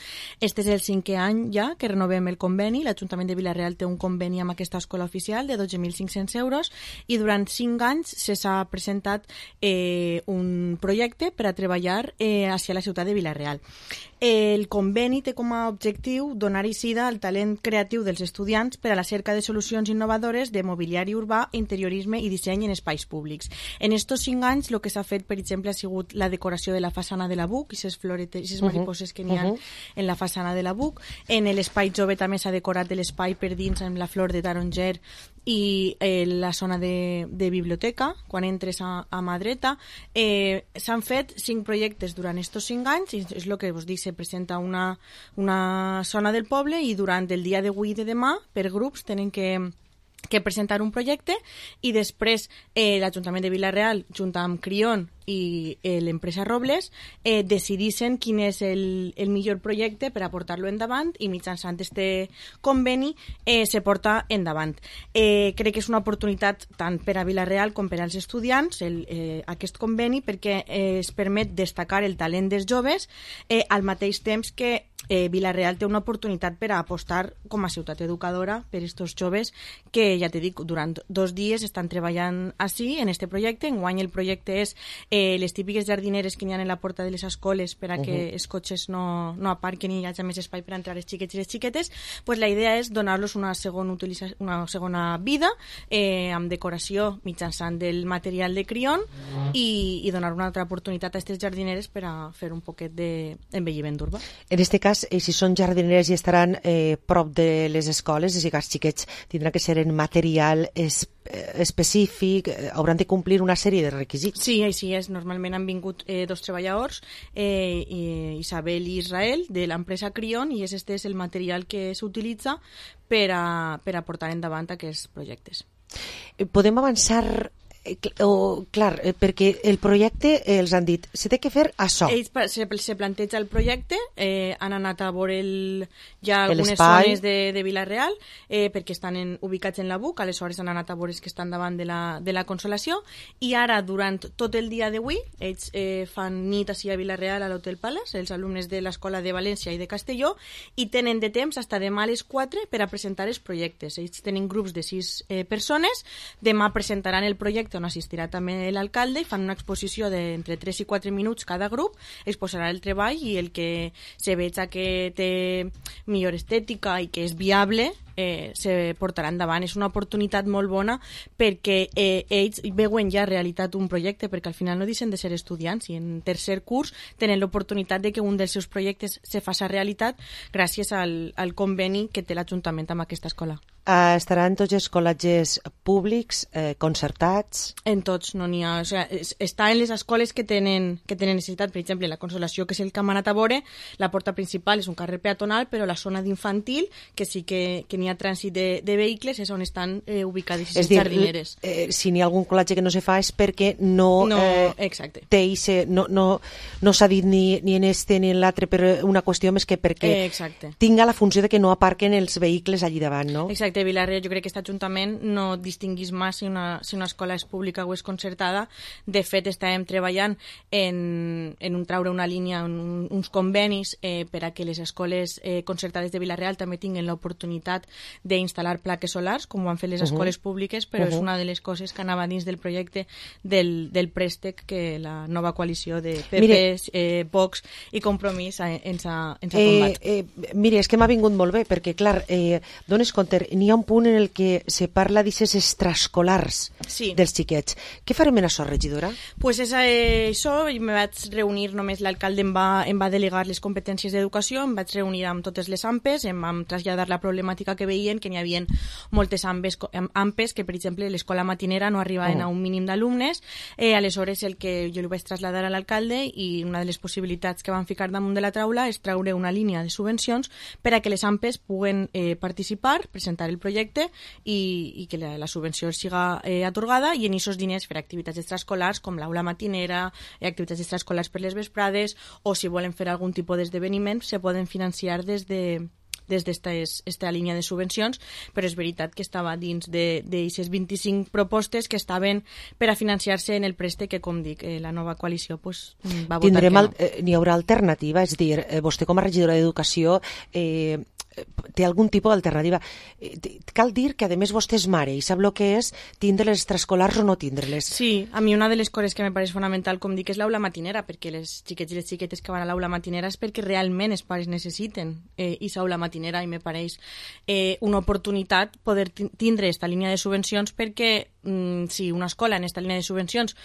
Este és el cinquè any ja que renovem el conveni. L'Ajuntament de Vila-real té un conveni amb aquesta escola oficial de dotze mil cinc-cents euros i durant cinc anys se s'ha presentat eh, un projecte per a treballar eh, hacia la ciutat de Vila-real. El conveni té com a objectiu donar eixida al talent creatiu dels estudiants per a la cerca de solucions innovadores de mobiliari urbà, interiorisme i disseny en espais públics. En estos cinc anys el que s'ha fet, per exemple, ha sigut la decoració de la façana de la B U C, i aquestes floretes, aquestes mariposes que n'hi ha uh -huh. en la façana de la B U C. En l'espai jove també s'ha decorat l'espai per dins amb la flor de taronger i eh, la zona de, de biblioteca, quan entres a, a mà dreta. Eh, s'han fet cinc projectes durant estos cinc anys, i és el que vos dic, se presenta una, una zona del poble i durant el dia d'avui i de demà, per grups, tenen que que presentar un projecte i després eh, l'Ajuntament de Vila-real, junt amb Crion i eh, l'empresa Robles, eh, decidissin quin és el, el millor projecte per a portar-lo endavant i mitjançant este conveni eh, se porta endavant. Eh, crec que és una oportunitat tant per a Vila-real com per als estudiants el, eh, aquest conveni, perquè eh, es permet destacar el talent dels joves eh, al mateix temps que eh, Vila-real té una oportunitat per a apostar com a ciutat educadora per aquests joves que ja te dic, durant dos dies estan treballant així, en este projecte. Enguany el projecte és eh, les típiques jardineres que n'hi ha en la porta de les escoles per a que uh -huh. els cotxes no, no aparquen i hi hagi més espai per entrar els xiquets i les xiquetes. Pues la idea és donar-los una segona, utilitza una segona vida eh, amb decoració mitjançant del material de Crion i, i donar una altra oportunitat a aquestes jardineres per a fer un poquet d'envelliment urbà. En aquest cas, eh, si són jardineres i estaran eh, prop de les escoles, és a dir, els xiquets tindran que ser en material es, eh, específic, eh, hauran de complir una sèrie de requisits. Sí, així és. Normalment han vingut eh, dos treballadors, eh, Isabel i Israel, de l'empresa Crion, i aquest és el material que s'utilitza per a, per a portar endavant aquests projectes. Podem avançar... O, clar, perquè el projecte eh, els han dit, se té que fer això. Ells se, se planteja el projecte, eh, han anat a veure el, ja algunes zones de, de Vila-real, eh, perquè estan en, ubicats en la B U C, aleshores han anat a veure que estan davant de la, de la Consolació, i ara, durant tot el dia d'avui, ells eh, fan nit així a Vila-real, a l'Hotel Palace, els alumnes de l'Escola de València i de Castelló, i tenen de temps fins demà a les quatre per a presentar els projectes. Ells tenen grups de sis eh, persones, demà presentaran el projecte on assistirà també l'alcalde i fan una exposició d'entre tres i quatre minuts cada grup, exposarà el treball i el que se veja que té millor estètica i que és viable eh, se portarà endavant. És una oportunitat molt bona perquè eh, ells veuen ja realitat un projecte, perquè al final no deixen de ser estudiants i en tercer curs tenen l'oportunitat de que un dels seus projectes se faci realitat gràcies al, al conveni que té l'Ajuntament amb aquesta escola. Uh, estaran tots els col·legis públics, eh, concertats? En tots, no n'hi ha. O sea, es, està en les escoles que tenen, que tenen necessitat. Per exemple, la Consolació, que és el que hem anat a veure, la porta principal és un carrer peatonal, però la zona d'infantil, que sí que, que n'hi ha trànsit de, de vehicles, és on estan eh, ubicades les jardineres. Eh, si n'hi ha algun col·legi que no se fa és perquè no, no eh, exacte. té ise, no, no, no s'ha dit ni, ni en este ni en l'altre per una qüestió més que perquè eh, tinga la funció de que no aparquen els vehicles allí davant, no? Exacte. Vila-real, jo crec que aquest Ajuntament no distinguís més si una, si una escola és pública o és concertada. De fet, estàvem treballant en, en un traure una línia, un, uns convenis eh, per a que les escoles eh, concertades de Vila-real també tinguin l'oportunitat d'instal·lar plaques solars, com ho han fet les escoles uh -huh. públiques, però uh -huh. és una de les coses que anava dins del projecte del, del préstec que la nova coalició de P P, eh, Vox i Compromís ens ha, ens ha tombat. Eh, eh, mire, és que m'ha vingut molt bé, perquè, clar, eh, dones compte, n'hi ha un punt en el que se parla d'aixes extraescolars sí. dels xiquets. Què farem en això, regidora? Pues és eh, això, me vaig reunir, només l'alcalde em va, em va delegar les competències d'educació, em vaig reunir amb totes les A M P Es, em vam traslladar la problemàtica que veien, que n'hi havia moltes A M P Es, que per exemple l'escola matinera no arribaven oh. a un mínim d'alumnes, eh, aleshores el que jo li vaig traslladar a l'alcalde i una de les possibilitats que van ficar damunt de la taula és treure una línia de subvencions per a que les A M P Es puguen eh, participar, presentar el projecte i, i que la, la subvenció siga eh, atorgada i en aquests diners fer activitats extraescolars com l'aula matinera, eh, activitats extraescolars per les vesprades o si volen fer algun tipus d'esdeveniment se poden financiar des de des d'esta línia de subvencions, però és veritat que estava dins d'aquestes vint-i-cinc propostes que estaven per a financiar-se en el préstec que, com dic, eh, la nova coalició pues, va votar Tindrem que no. Eh, n'hi haurà alternativa? És a dir, eh, vostè com a regidora d'Educació eh, té algun tipus d'alternativa. Cal dir que, a més, vostè és mare i sap el que és tindre les extraescolars o no tindre-les. Sí, a mi una de les coses que me pareix fonamental, com dic, és l'aula matinera, perquè les xiquets i les xiquetes que van a l'aula matinera és perquè realment els pares necessiten eh, aquesta aula matinera i me pareix eh, una oportunitat poder tindre aquesta línia de subvencions perquè mm, si una escola en aquesta línia de subvencions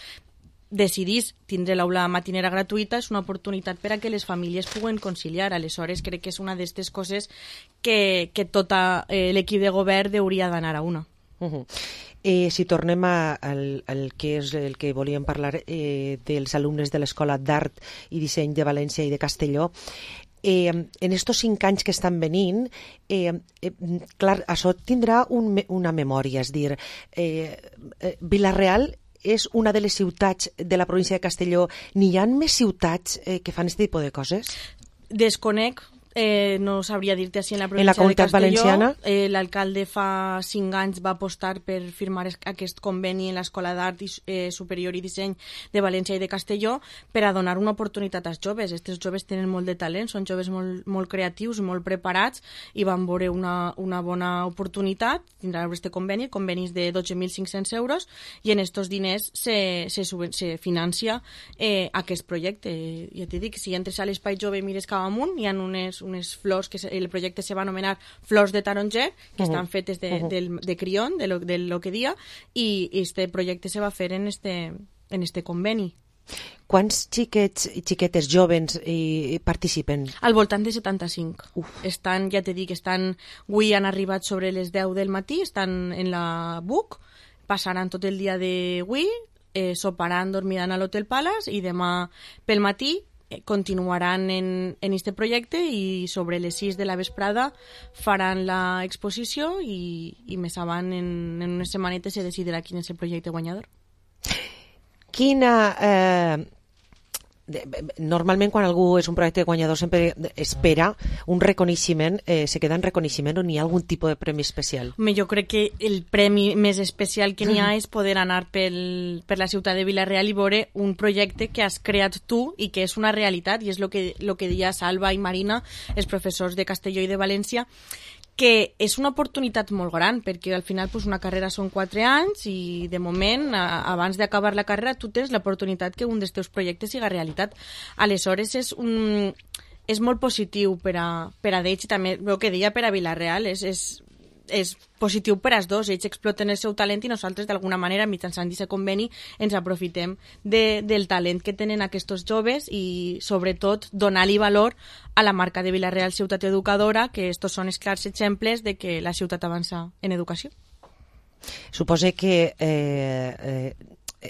decidís tindre l'aula matinera gratuïta és una oportunitat per a que les famílies puguen conciliar. Aleshores, crec que és una d'aquestes coses que, que tot eh, l'equip de govern hauria d'anar a una. Uh -huh. eh, si tornem a, al, al que és el que volíem parlar eh, dels alumnes de l'Escola d'Art i Disseny de València i de Castelló, Eh, en estos cinc anys que estan venint, eh, eh, clar, això tindrà un, una memòria, és dir, eh, eh, Vila-real és una de les ciutats de la província de Castelló. N'hi ha més ciutats eh, que fan aquest tipus de coses? Desconec eh, no sabria dir-te així en la En província la Comunitat de Castelló. Valenciana? Eh, L'alcalde fa cinc anys va apostar per firmar es- aquest conveni en l'Escola d'Art i, eh, Superior i Disseny de València i de Castelló per a donar una oportunitat als joves. Aquests joves tenen molt de talent, són joves molt, molt creatius, molt preparats i van veure una, una bona oportunitat. Tindran aquest conveni, el conveni és de dotze mil cinc-cents euros i en aquests diners se, se, suben, se financia eh, aquest projecte. Ja t'he dit, si entres a l'Espai Jove i mires cap amunt, hi ha unes, unes flors, que se, el projecte se va anomenar Flors de Taronger, que Uh-huh. estan fetes de, Uh-huh. del, de crión, de lo, de lo que dia, i este projecte se va fer en este, en este conveni. Quants xiquets i xiquetes jovens hi participen? Al voltant de setanta-cinc. Uf. Estan, ja t'he dit, estan, avui han arribat sobre les deu del matí, estan en la B U C, passaran tot el dia d'avui, eh, soparan, dormiran a l'Hotel Palace i demà pel matí eh, continuaran en, en este projecte i sobre les sis de la vesprada faran l'exposició i, i més avant, en, en unes setmanetes, se decidirà quin és el projecte guanyador. Quina... Eh, normalment quan algú és un projecte guanyador sempre espera un reconeixement, eh, se queda en reconeixement o n'hi ha algun tipus de premi especial? Home, jo crec que el premi més especial que n'hi ha és poder anar pel, per la ciutat de Vila-real i veure un projecte que has creat tu i que és una realitat, i és el que, lo que deia Salva i Marina, els professors de Castelló i de València, que és una oportunitat molt gran, perquè al final pues, una carrera són quatre anys i de moment, a, abans d'acabar la carrera, tu tens l'oportunitat que un dels teus projectes siga realitat. Aleshores, és un... és molt positiu per a, per a d'ells i també el que deia per a Vila-real és, és, és positiu per als dos, ells exploten el seu talent i nosaltres d'alguna manera mitjançant aquest conveni ens aprofitem de, del talent que tenen aquests joves i sobretot donar-li valor a la marca de Vila-real Ciutat Educadora, que estos són els clars exemples de que la ciutat avança en educació. Supose que eh, eh,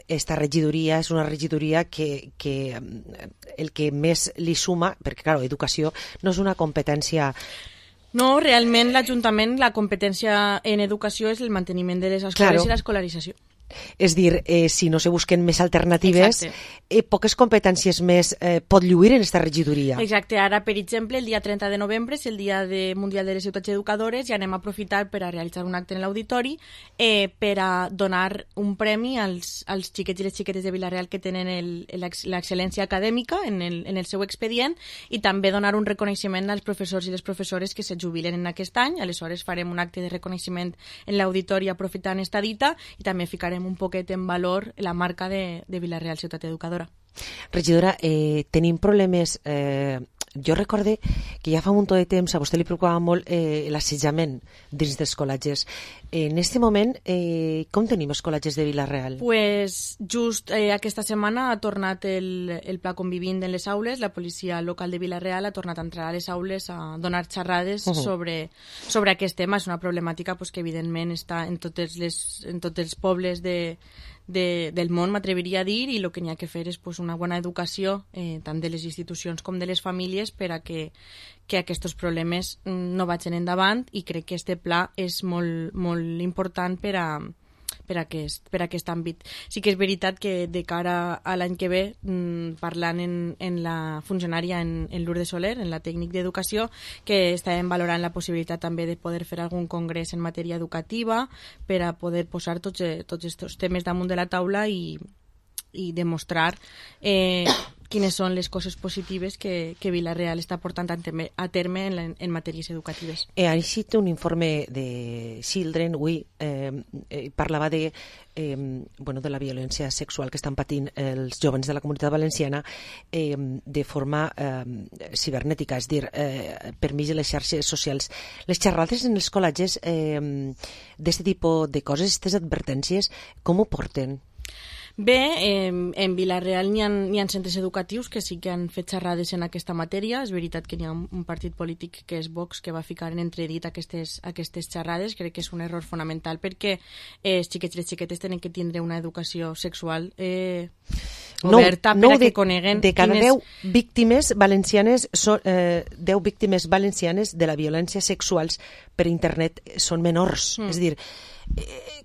esta regidoria és una regidoria que, que el que més li suma, perquè clar, educació no és una competència. No, realment l'Ajuntament, la competència en educació és el manteniment de les escoles Claro. i l'escolarització. És dir, eh, si no se busquen més alternatives, eh, poques competències més eh, pot lluir en esta regidoria. Exacte, ara, per exemple, el dia trenta de novembre és el dia de Mundial de les Ciutats Educadores i anem a aprofitar per a realitzar un acte en l'auditori eh, per a donar un premi als, als xiquets i les xiquetes de Vila-real que tenen l'excel·lència acadèmica en el, en el seu expedient i també donar un reconeixement als professors i les professores que se jubilen en aquest any. Aleshores farem un acte de reconeixement en l'auditori aprofitant esta dita i també ficarem un poquet en valor la marca de, de Vila-real Ciutat Educadora. Regidora, eh, tenim problemes... Eh, jo recorde que ja fa un munt de temps a vostè li preocupava molt eh, l'assetjament dins dels col·legis. En aquest moment, eh, com tenim els col·legis de Vila-real? Pues just eh, aquesta setmana ha tornat el, el pla convivint en les aules, la policia local de Vila-real ha tornat a entrar a les aules a donar xerrades Uh-huh. sobre, sobre aquest tema. És una problemàtica pues, que evidentment està en, totes les, en tots els pobles de, de, del món, m'atreviria a dir, i el que n'hi ha que fer és pues, una bona educació eh, tant de les institucions com de les famílies per a que, que aquests problemes no vagin endavant, i crec que este pla és molt, molt important per a per a, aquest, per a aquest àmbit. Sí que és veritat que de cara a l'any que ve, mmm, parlant en, en la funcionària en, en Lourdes Soler, en la tècnic d'educació, que estàvem valorant la possibilitat també de poder fer algun congrés en matèria educativa per a poder posar tots, tots aquests temes damunt de la taula i, i demostrar eh, quines són les coses positives que, que Vila-real està portant a terme, a terme en, la, en matèries educatives. Eh, ha eixit un informe de Children, avui eh, eh, parlava de, eh, bueno, de la violència sexual que estan patint els joves de la Comunitat Valenciana eh, de forma eh, cibernètica, és dir, eh, per mig de les xarxes socials. Les xerrades en els col·legis eh, d'aquest tipus de coses, aquestes advertències, com ho porten? Bé, eh, en Vila-real n'hi ha, n'hi ha centres educatius que sí que han fet xerrades en aquesta matèria. És veritat que n'hi ha un partit polític que és Vox que va ficar en entredit aquestes, aquestes xerrades. Crec que és un error fonamental perquè eh, els xiquets i les xiquetes tenen que tindre una educació sexual eh, oberta no, per no, a que de, coneguen de cada quines... deu víctimes valencianes són, eh, deu víctimes valencianes de la violència sexuals per internet són menors. Mm. És dir, eh,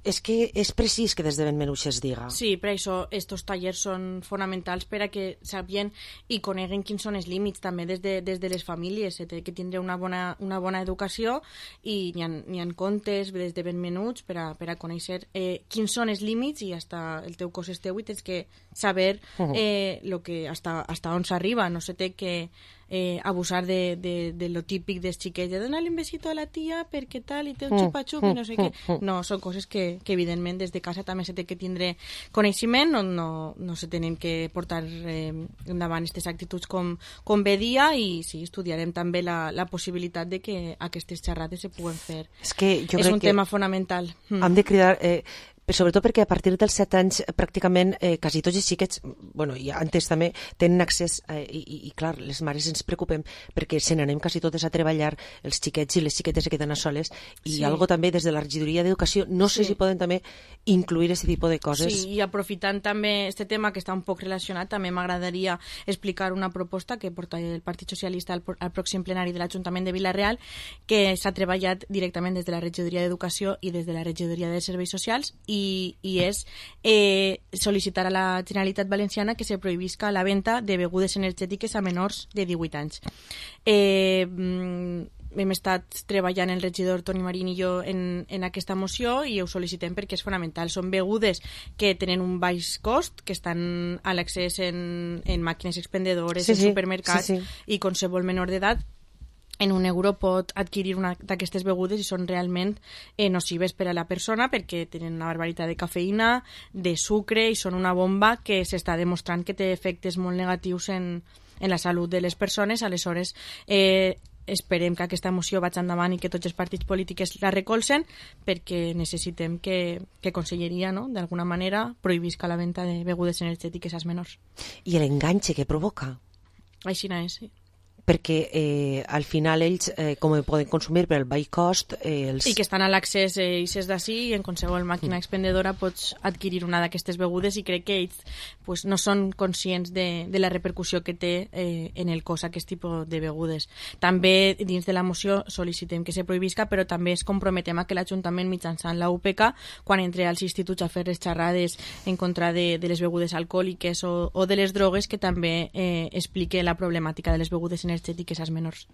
és que és precís que des de ben menuix es diga. Sí, per això estos tallers són fonamentals per a que sapien i coneguen quins són els límits també des de, des de les famílies, se té que tindre una bona, una bona educació i n'hi ha, n'hi ha contes des de ben menuts per a, per a conèixer eh, quins són els límits i hasta el teu cos és teu i tens que saber eh, lo que hasta, hasta on s'arriba, no se té que eh, abusar de, de, de lo típic dels xiquets, de donar-li un besito a la tia perquè tal i té un xupa-xup i no sé què. No, són coses que, que evidentment des de casa també se té que tindre coneixement, no, no, no se tenen que portar eh, endavant aquestes actituds com, com bé dia i sí, estudiarem també la, la possibilitat de que aquestes xerrades se puguen fer. És que jo és crec un que tema fonamental. Hem de cridar... Eh, sobretot perquè a partir dels set anys pràcticament eh, quasi tots els xiquets, bueno, i antes també tenen accés eh, i, i, i clar, les mares ens preocupem perquè se n'anem quasi totes a treballar els xiquets i les xiquetes se queden a soles i Sí. algo també des de la regidoria d'educació, no sé Sí. si poden també incluir aquest tipus de coses. Sí, i aprofitant també este tema que està un poc relacionat, també m'agradaria explicar una proposta que porta el Partit Socialista al, al pròxim plenari de l'Ajuntament de Vila-real, que s'ha treballat directament des de la regidoria d'Educació i des de la regidoria de Serveis Socials i, i és eh, sol·licitar a la Generalitat Valenciana que se prohibisca la venda de begudes energètiques a menors de divuit anys. Eh, hem estat treballant el regidor Toni Marín i jo en, en aquesta moció i ho sol·licitem perquè és fonamental. Són begudes que tenen un baix cost, que estan a l'accés en, en màquines expendedores, Sí, en sí, supermercats, sí, sí. i qualsevol menor d'edat en un euro pot adquirir una d'aquestes begudes i són realment eh, nocives per a la persona perquè tenen una barbaritat de cafeïna, de sucre i són una bomba que s'està demostrant que té efectes molt negatius en, en la salut de les persones. Aleshores, eh, esperem que aquesta moció vagi endavant i que tots els partits polítics la recolzen perquè necessitem que, que Conselleria, no?, d'alguna manera prohibisca la venda de begudes energètiques als menors. I l'enganxe que provoca. Així no és, sí. Perquè eh, al final ells, eh, com poden consumir per el baix cost, eh, els... I que estan a l'accés eh, i ses d'ací i en qualsevol màquina expendedora pots adquirir una d'aquestes begudes i crec que ells pues, no són conscients de, de la repercussió que té eh, en el cos aquest tipus de begudes. També dins de la moció sol·licitem que se prohibisca, però també es comprometem a que l'Ajuntament mitjançant la U P C, quan entre als instituts a fer les xerrades en contra de, de les begudes alcohòliques o, o de les drogues, que també eh, explique la problemàtica de les begudes energètiques energètiques als menors.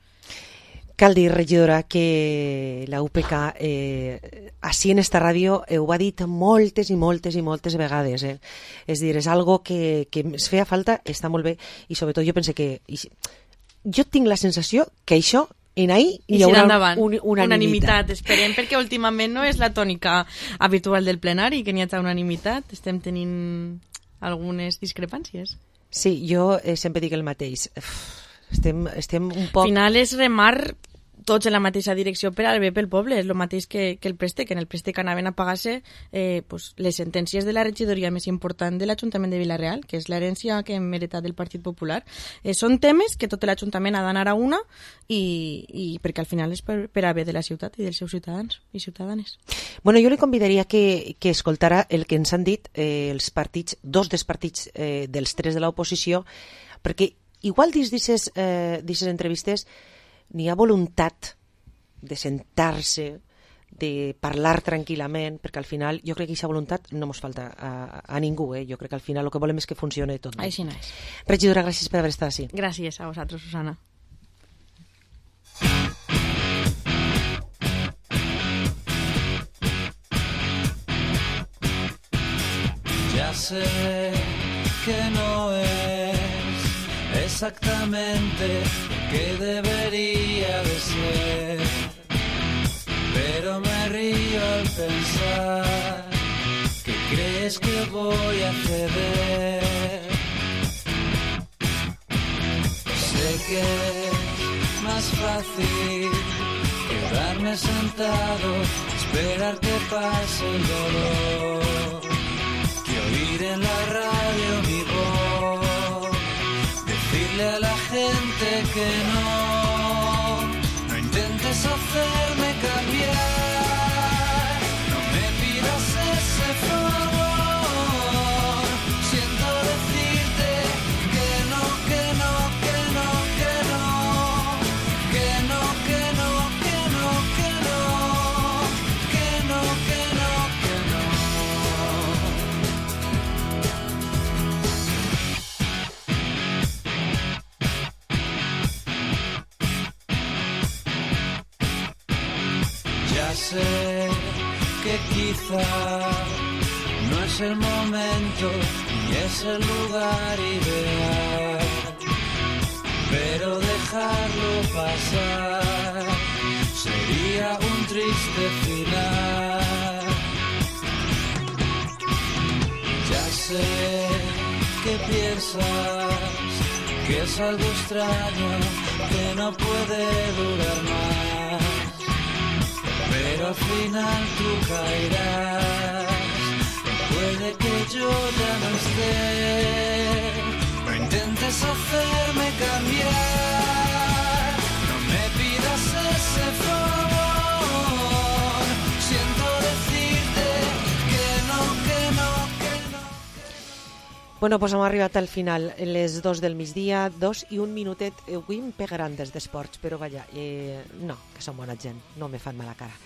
Cal dir, regidora, que la U P C eh, així en esta ràdio ho ha dit moltes i moltes i moltes vegades. Eh? És dir, és algo que, que es feia falta, està molt bé, i sobretot jo pense que... I, jo tinc la sensació que això en ahir hi haurà un, un, unanimitat. Esperem, perquè últimament no és la tònica habitual del plenari, que n'hi ha unanimitat. Estem tenint algunes discrepàncies. Sí, jo eh, sempre dic el mateix. Estem, estem un poc... Al final és remar tots en la mateixa direcció per al bé pel poble, és el mateix que, que el préstec, que en el préstec anaven a pagar-se eh, pues, les sentències de la regidoria més important de l'Ajuntament de Vila-real, que és l'herència que hem heretat del Partit Popular. Eh, són temes que tot l'Ajuntament ha d'anar a una i, i perquè al final és per, per a bé de la ciutat i dels seus ciutadans i ciutadanes. Bueno, jo li convidaria que, que escoltara el que ens han dit eh, els partits, dos dels partits eh, dels tres de l'oposició, perquè igual dins d'aquestes eh, entrevistes n'hi ha voluntat de sentar-se, de parlar tranquil·lament, perquè al final jo crec que aquesta voluntat no ens falta a, a ningú. Eh? Jo crec que al final el que volem és que funcioni tot bé. Així no és. Regidora, gràcies per haver estat així. Gràcies a vosaltres, Susana. Ya sé que no es exactamente lo que debería de ser, pero me río al pensar que crees que voy a ceder. Sé que es más fácil quedarme sentado, esperar que pase el dolor, que oír en la radio mi voz, decirle a la gente que no, no intentes hacerme cambiar, no me pidas ese favor, siento decirte que no, que no, que no, que no, que no, que no, que no, que no, que no, que no, que no. Ya sé que quizá no es el momento ni es el lugar ideal, pero dejarlo pasar sería un triste final. Ya sé que piensas que es algo extraño, que no puede durar más, pero al final tú caerás. Puede que yo ya no esté, no intentes hacerme cambiar, no me pidas ese favor. Siento decirte que no, que no, que no. Bueno, doncs hem arribat al final, les dos del migdia, dos i un minutet. Avui em pegaran des d'esports, però vaja, eh, no, que són bona gent, no me fan mala cara.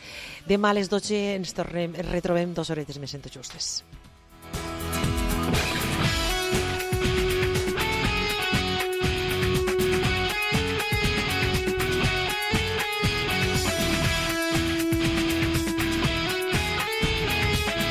Demà a les dotze ens tornem, ens retrobem dues horetes més en Tot Justes.